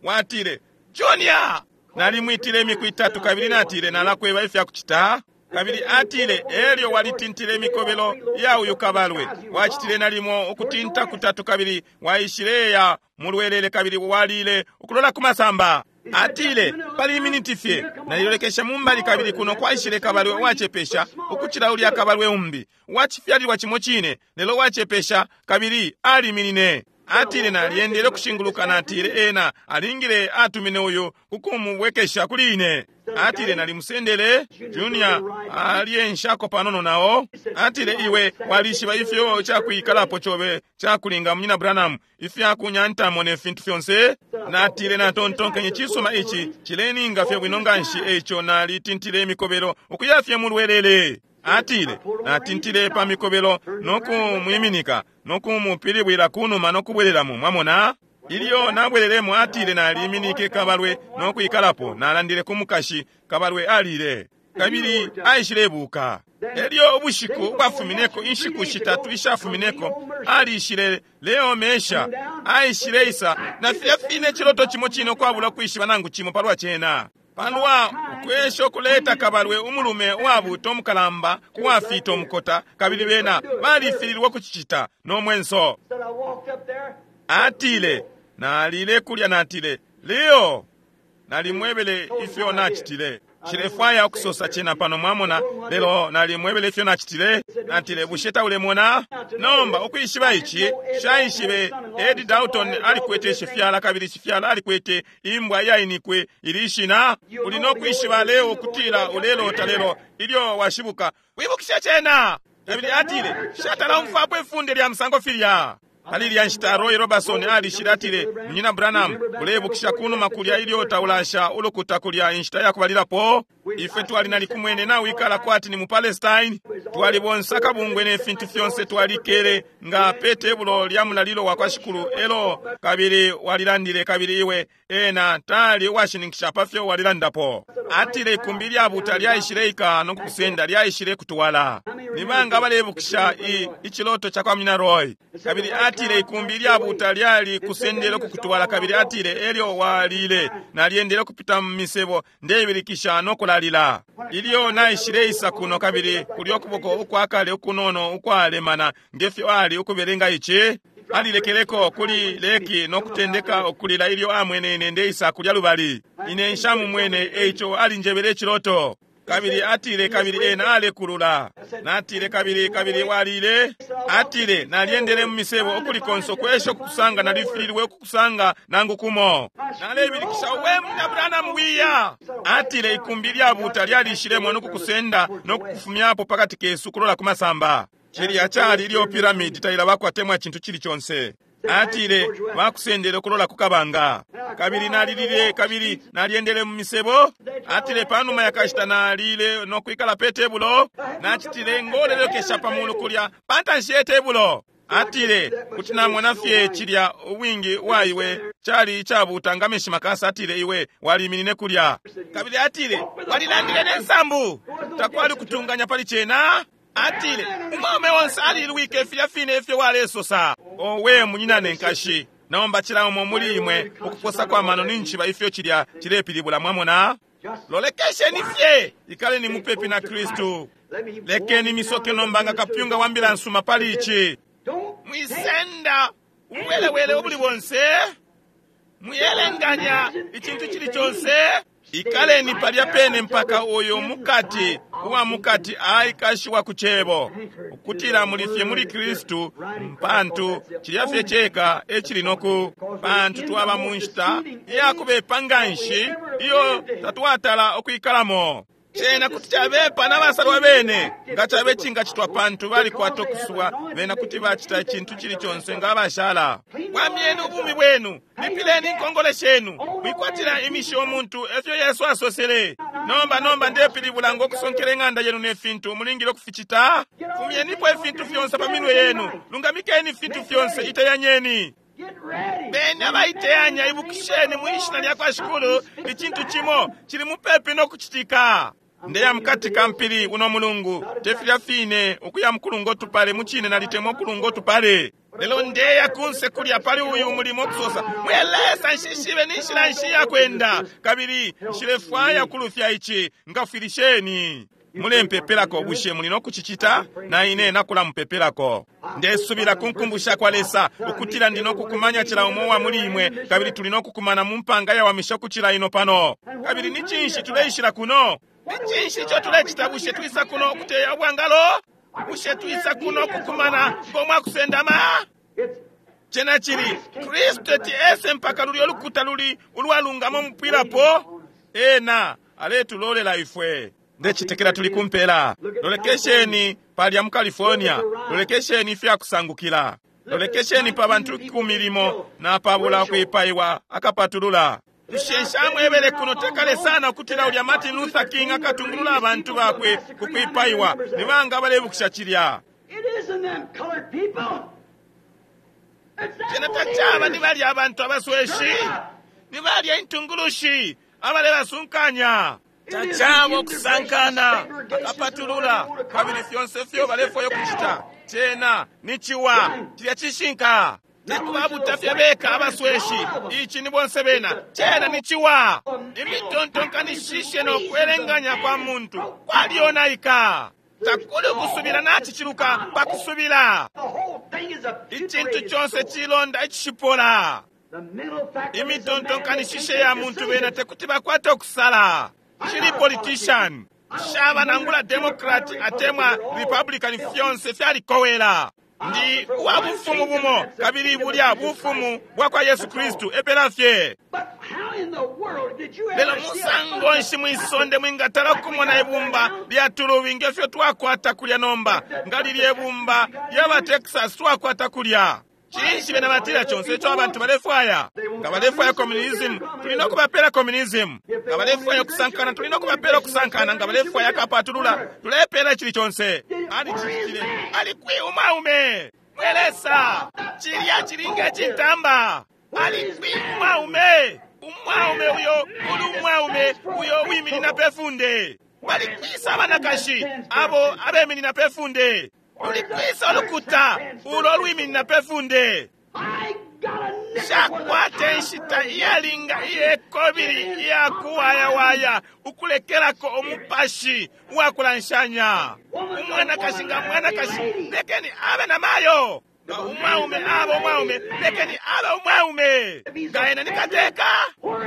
Watile Junior, nalimwitile imiku itatu, kabili natile nalakweba ifya kucita. Kabili atile, elyo walitintile imikobelo ya uyu kabalwe, wacitile nalimo ukutinta kutatu, kabili waishileya mulwelele, kabili walile ukulola ku masamba. Atile, pali miniti fye nalilolekesha mumbali, kabili kuno kwaishile kabalwe uwacepesha ukucila ulya kabalwe umbi, uwacifyalilwa cimo cine, lelo uwacepesha, kabili aliminine. Atile, nalyendele ukushinguluka, natile, ena alingile atumine uyu kukumubwekesha kuli ine. Atile, nalimusendele Junior alyenshako panono nao. Atile, iwe walishiba ifyo cakwikalapo cobe cakulinga munyina Branham, ifyakunyantamo ne fintu fyonse. Natile, natontonkenye, cisuma, ici cileninga fye bwino nganshi. Eico nalitintile imikobelo ukuya fye mulwelele. Atile, natintile pa mikobelo nokumwiminika nokumupilibwila kunuma nokubwelelamo. Mwamona? Ilyo nabwelelemo, atile, naliminike kabalwe nokwikalapo. Nalandile ku mukashi, kabalwe alile, kabili aishilebuka. Elyo ubushiku ubwafumineko, inshiku shitatu ishafumineko, alishile Leo Mesha aishileisa na filya fine ciloto cimo cine, ukwabula kwishiba nangu cimo palwa cena, palwa ukwesha ukuleta kabalwe umulume uwabuta umukalamba kuwafita umukota, kabili bena balifililwe ukucicita no mwenso. Atile, nalile kulya, natile, Leo, nalimwebele ifyo nacitile. Nshilefwaya ukusosa cena pano, mwamona, lelo nalimwebele ifyo nacitile. Natile, bushe taulemona? Nomba ukwishiba ici, shaishibe Ed Dalton alikwete shifyala, kabili shifyala alikwete imbwa iyainikwe ili shina. Uli no kwishiba leo ukutila ulelota, lelo ilyo washibuka wibukishe cena. Kabili atile, shatala umfwapo ifunde lya musango filya. Pali ilya nshita Roy Robertson alishile, atile, munyina Branham, ulebukisha kunuma kulya ilyo taulasha ulukuta kulya inshita yakubalilapo? Ifwe twali nalikumwene nawikala kwati ni mu Palestine. Twali bonse akabungwe ne fintu fyonse, twalikele nga pe tebulo lya mulalilo wa kwa Shikulu. Elo kabili walilandile, kabili iwe ena tali uwashininkisha pafyo walilandapo. Atile, ikumbi lyabuta lyaishileika no kukusenda, lyaishile kutwala. Ni banga balebukisha iciloto ca kwa munyina Roy? Kabili atile, ikumbi lyabuta lyali kusendele kukutwala. Kabili atile, elyo walile, nalyendele kupita mu misebo ndebilikisha no kulalila. Ilyo naishileisa kuno, kabili kulyo ukuboko ukwakale ukunono ukwalemana ngefyo ali ukubelenga ici, alilekeleko kuli leki no kutendeka ukulila ilyo amwene ine ndeisa kulya lubali. Ine nshamumwene, eico alinjebele iciloto. Kabili atile, kabili ena alekulula. Natile, kabili kabili walile. Atile, nalyendele mu misebo ukulikonso kwesha ukukusanga, nalifililwe ukukusanga nangu kumo. Nalebilikisha, we munyina Branham, wiya. Atile, ikumbi lyabuta lyalishilemo nokukusenda nokukufumyapo pakati kesu kulola ku masamba. Cilya cali ilyo piramidi tailabakwa temwa cintu cili conse. Atile, bakusendele ukulola ku kabanga. Kabili nalilile, kabili nalyendele mu misebo. Atile, panuma yakashita nalile no kwikala pe tebulo. Nacitile ngolelekesha pa mulu kulya pantanshi ye tebulo. Atile, kuti namona fye cilya ubwingi waiwe cali icabuta nga menshi makasa. Atile, iwe waliminine kulya. Kabili atile, walilandile ne nsambu, takwali kutunganya pali cena. Atile, umwaume onse alilwike filya fine ifyo walesosa. Owe munyinane nkashi, nomba cila umo muli imwe ukuposa kwa mano ninchiba ifyo cilya cilepilibula. Mwamona? Lolekesheni fye, ikaleni mupepi na Kristu. Lekeni misoke nomba nga kapyunga wa mbila nsuma pali ici. Mwisenda ubuwelewele ubuli bonse, mwiyelenganya icintu cili conse. Ikaleni palya pene mpaka uyu mukati uwa mukati aikashiwa ku cebo, ukutila muli fye muli Kristu, mpantu cilya fye ceka ecili noku, pantu twaba mu nshita iyakubepa nganshi iyo tatwatala ukwikalamo. Cena kuti cabepa n'abasalwa bene nga cabe cingacitwa, pantu balikwata ukusubwa bena kuti bacita icintu cili conse nga abashala. Wamyeni ubumi bwenu, lipileni inkongole shenu, mwikwatila imishi umuntu, efyo Yesu asosele. Nomba nomba ndepilibula ngo kusonkela ing'anda yenu ne fintu mulingile ukuficita. Fumyenipo ifintu fyonse pa minwe yenu, lungamikeni ifintu fyonse, iteyanyeni. Beni abaiteyanya, ibukisheni mu ishina lya kwa Shikulu, icintu cimo cili mupepi no kucitika. Ndeya mukati ka mpili uno mulungu, te filya fine ukuya mukulunga utupale, mucine nalitemwa ukulunga utupale. Lelo ndeya kunse kulya pali uyu mulimo okusosa, mwe Lesa, nshishibe ni nshila nshi yakwenda, kabili nshilefwaya kulufya ici, ngafwilisheni. Mulempepelako, bushe muli no kucicita? Na ine nakulamupepelako. Ndesubila ku nkumbu sha kwa Lesa ukutila ndi no kukumanya cila umo wa muli imwe, kabili tuli no kukumana mu mpanga yawamisha ukucila ino pano. Kabili ni cinshi tuleishila kuno? Ni cinshi ico tulecita? Bushe twisa kuno ukuteya ubwangalo? Bushe twisa kuno kukumana ngomwakusendama? Cena cili Kristu eti ese mpaka lulyo lukuta luli ulwalungama umupwilapo. Ena aletulolela ifwe. Ndecitekela tuli kumpela. Lolekesheni palya mu California, lolekesheni ifyakusangukila, lolekesheni pa bantu 10 na pabula kwipaiwa akapatulula. Bushe nshamwebele kuno tekale sana ukutila ulya Martin Luther King akatungulula abantu bakwe ku kwipaiwa? Ni banga balebukisha cilya? It isn't them colored people. It's them Cena tacaba ni leaders. balya abantu abasweshi, ni balya intungulushi abalebasunkanya. Tacaba ukusankana akapatulula, kabili fyonse fyo balefwaya ukucita cena ni ciwa. Cilya cishinka. Tekubabuta fye beka abasweshi, ici ni bonse bena. Cena ni ciwa. Imitontonkanishishe no kwelenganya kwa muntu kwalyonaika. Takuli ukusubila naciciluka pa kusubila. The whole thing is a Icintu putrid conse soul. cilonda icishipola. The mental faculties of man, Imitontonkanishishe they ya can't muntu make bena decisions. tekuti bakwate okusala. Shili politician, shaba nangula Democrat atemwa Republican, fyonse fyalikowela. Ndi wa bufumu bumo, kabili bulya bufumu bwa kwa Yesu Kristu epela fye. But how in the world did you Lelo ever see a musango nshi mwisonde mwingatala kumona ibumba lya tulubi ngefyo twakwata kulya nomba, nga lilye bumba lyaba Texas twakwata kulya? Cinshi bena batila conse ico abantu balefwaya? Nga balefwaya communism, tuli no kubapela communism. Nga balefwaya ukusankana, tuli no kubapela ukusankana. Nga balefwaya akapatulula, tulepela icili conse. Alicicitile. Ali kwi umwaume? Mwe Lesa, cilya cilinga cintamba. Ali kwi umwaume? Umwaume uyo uli umwaume uyo wiminina pe funde. Bali kwisa abanakashi abo abeminina pe funde. Luli kwisa ulukuta ulo lwiminina pe funde. I got a nickel for the Shakwata inshita iyalinga iyekobili iyakuwayawaya ukulekelako umupashi uwakulanshanya. Umwanakashi nga mwanakashi, lekeni abe na mayo. Nga umwaume abe umwaume, lekeni abe umwaume. Nga ena ni kateka,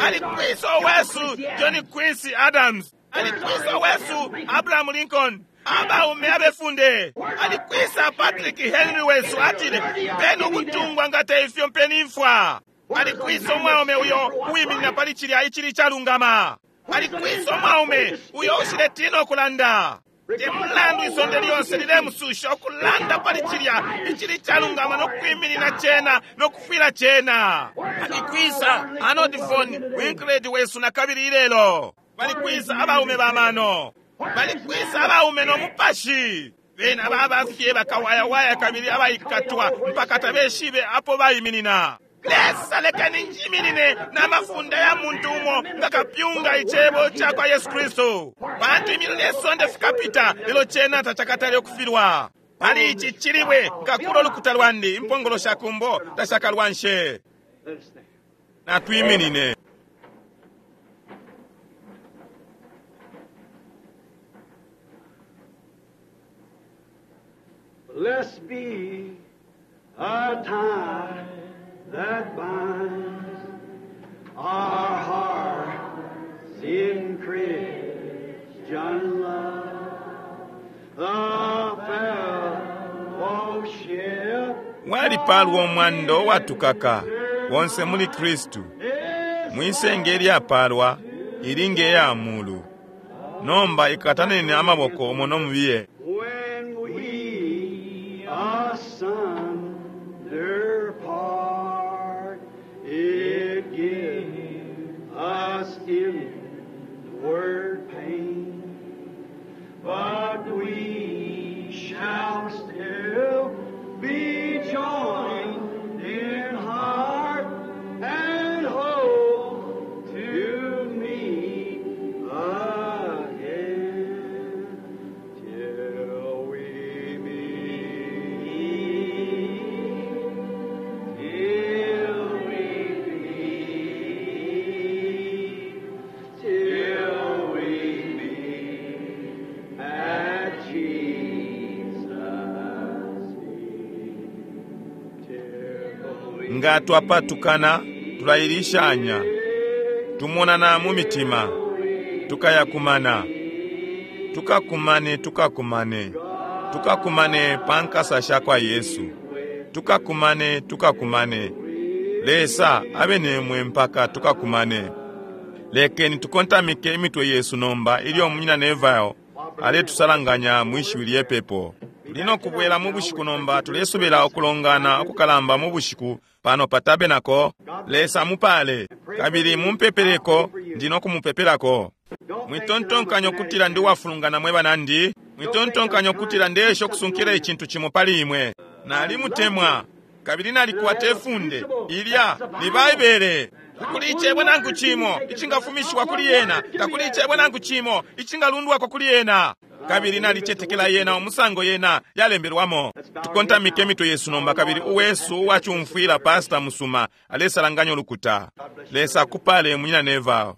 ali kwisa wesu John Quincy Adams, ali kwisa wesu Abraham Lincoln, abaume abefunde, ali kwisa Patrick Henry wesu atile mpeni ubutungwa nga teifyo mpeni imfwa. Ali kwisa umwaume uyo uwiminina pali cilya icili calungama. Ali kwisa umwaume uyo ushiletina ukulanda. Te mulandu isonde lyonse lilemususha ukulanda pali cilya icili calungama no kwiminina cena no kufwila cena. Ali kwisa Arnold von Winkelried wesu na kabili ilelo. Bali kwisa abaume ba mano. Bali kwisa abaume no mupashi. Bena babafye bakawayawaya kabili abaikatwa mpaka tabeshibe apo baiminina. Lesa lekeni njiminine n'amafunda ya muntu umo nga kapyunga icebo ca kwa Yesu Kristu. Pantu imililo ne sonde fikapita, lelo cena tacakatale okufilwa. Pali ici cilibwe nkakula ulukuta lwandi, impongolo sha kumbo tashakalwanshe. Let us stand. Natwiminine. Blessed be a tie that binds our hearts in Christian love. The fellowship Walipalwa omwando watukaka wonse muli Kristu. is Mwisenge ilyapalwa ili nge mulu. Nomba ikataneni amaboko umo nomubiye. when we asunder part. It gives us inward pain, but we shall still be joined in heart and hope to meet again. Nga twapatukana, tulailishanya. Tumonana mu mitima. Tukayakumana. Tukakumane, tukakumane. Tukakumane pa nkasa shakwa Yesu. Tukakumane, tukakumane. Lesa abe nemwe mpaka tukakumane. Lekeni tukontamike imitwe yesu nomba ilyo Munyina Neville aletusalanganya mwishiwi lye pepo. Tuli no kubwela mu bushiku nomba, tulesubila ukulongana ukukalamba mu bushiku pano pa tabernacle. Lesa amupale, kabili mumpepeleko, ndi no kumupepelako. Mwitontonkanya ukutila ndi uwafulungana mwe banandi. Mwitontonkanya ukutila ndeesha ukusunkila icintu cimo pali imwe. Nalimutemwa, kabili nalikwata ifunde ilya ni Baibele. Takuli icebo nangu cimo icingafumishiwa kuli yena, takuli icebo nangu cimo icingalundwako kuli yena. Kabili nalicetekela yena umusango yena yalembelwamo. Tukontamike imitwe yesu nomba, kabili uwesu uwacumfwila pastor musuma alesalanganya ulukuta. Lesa akupale, Munyina Neville.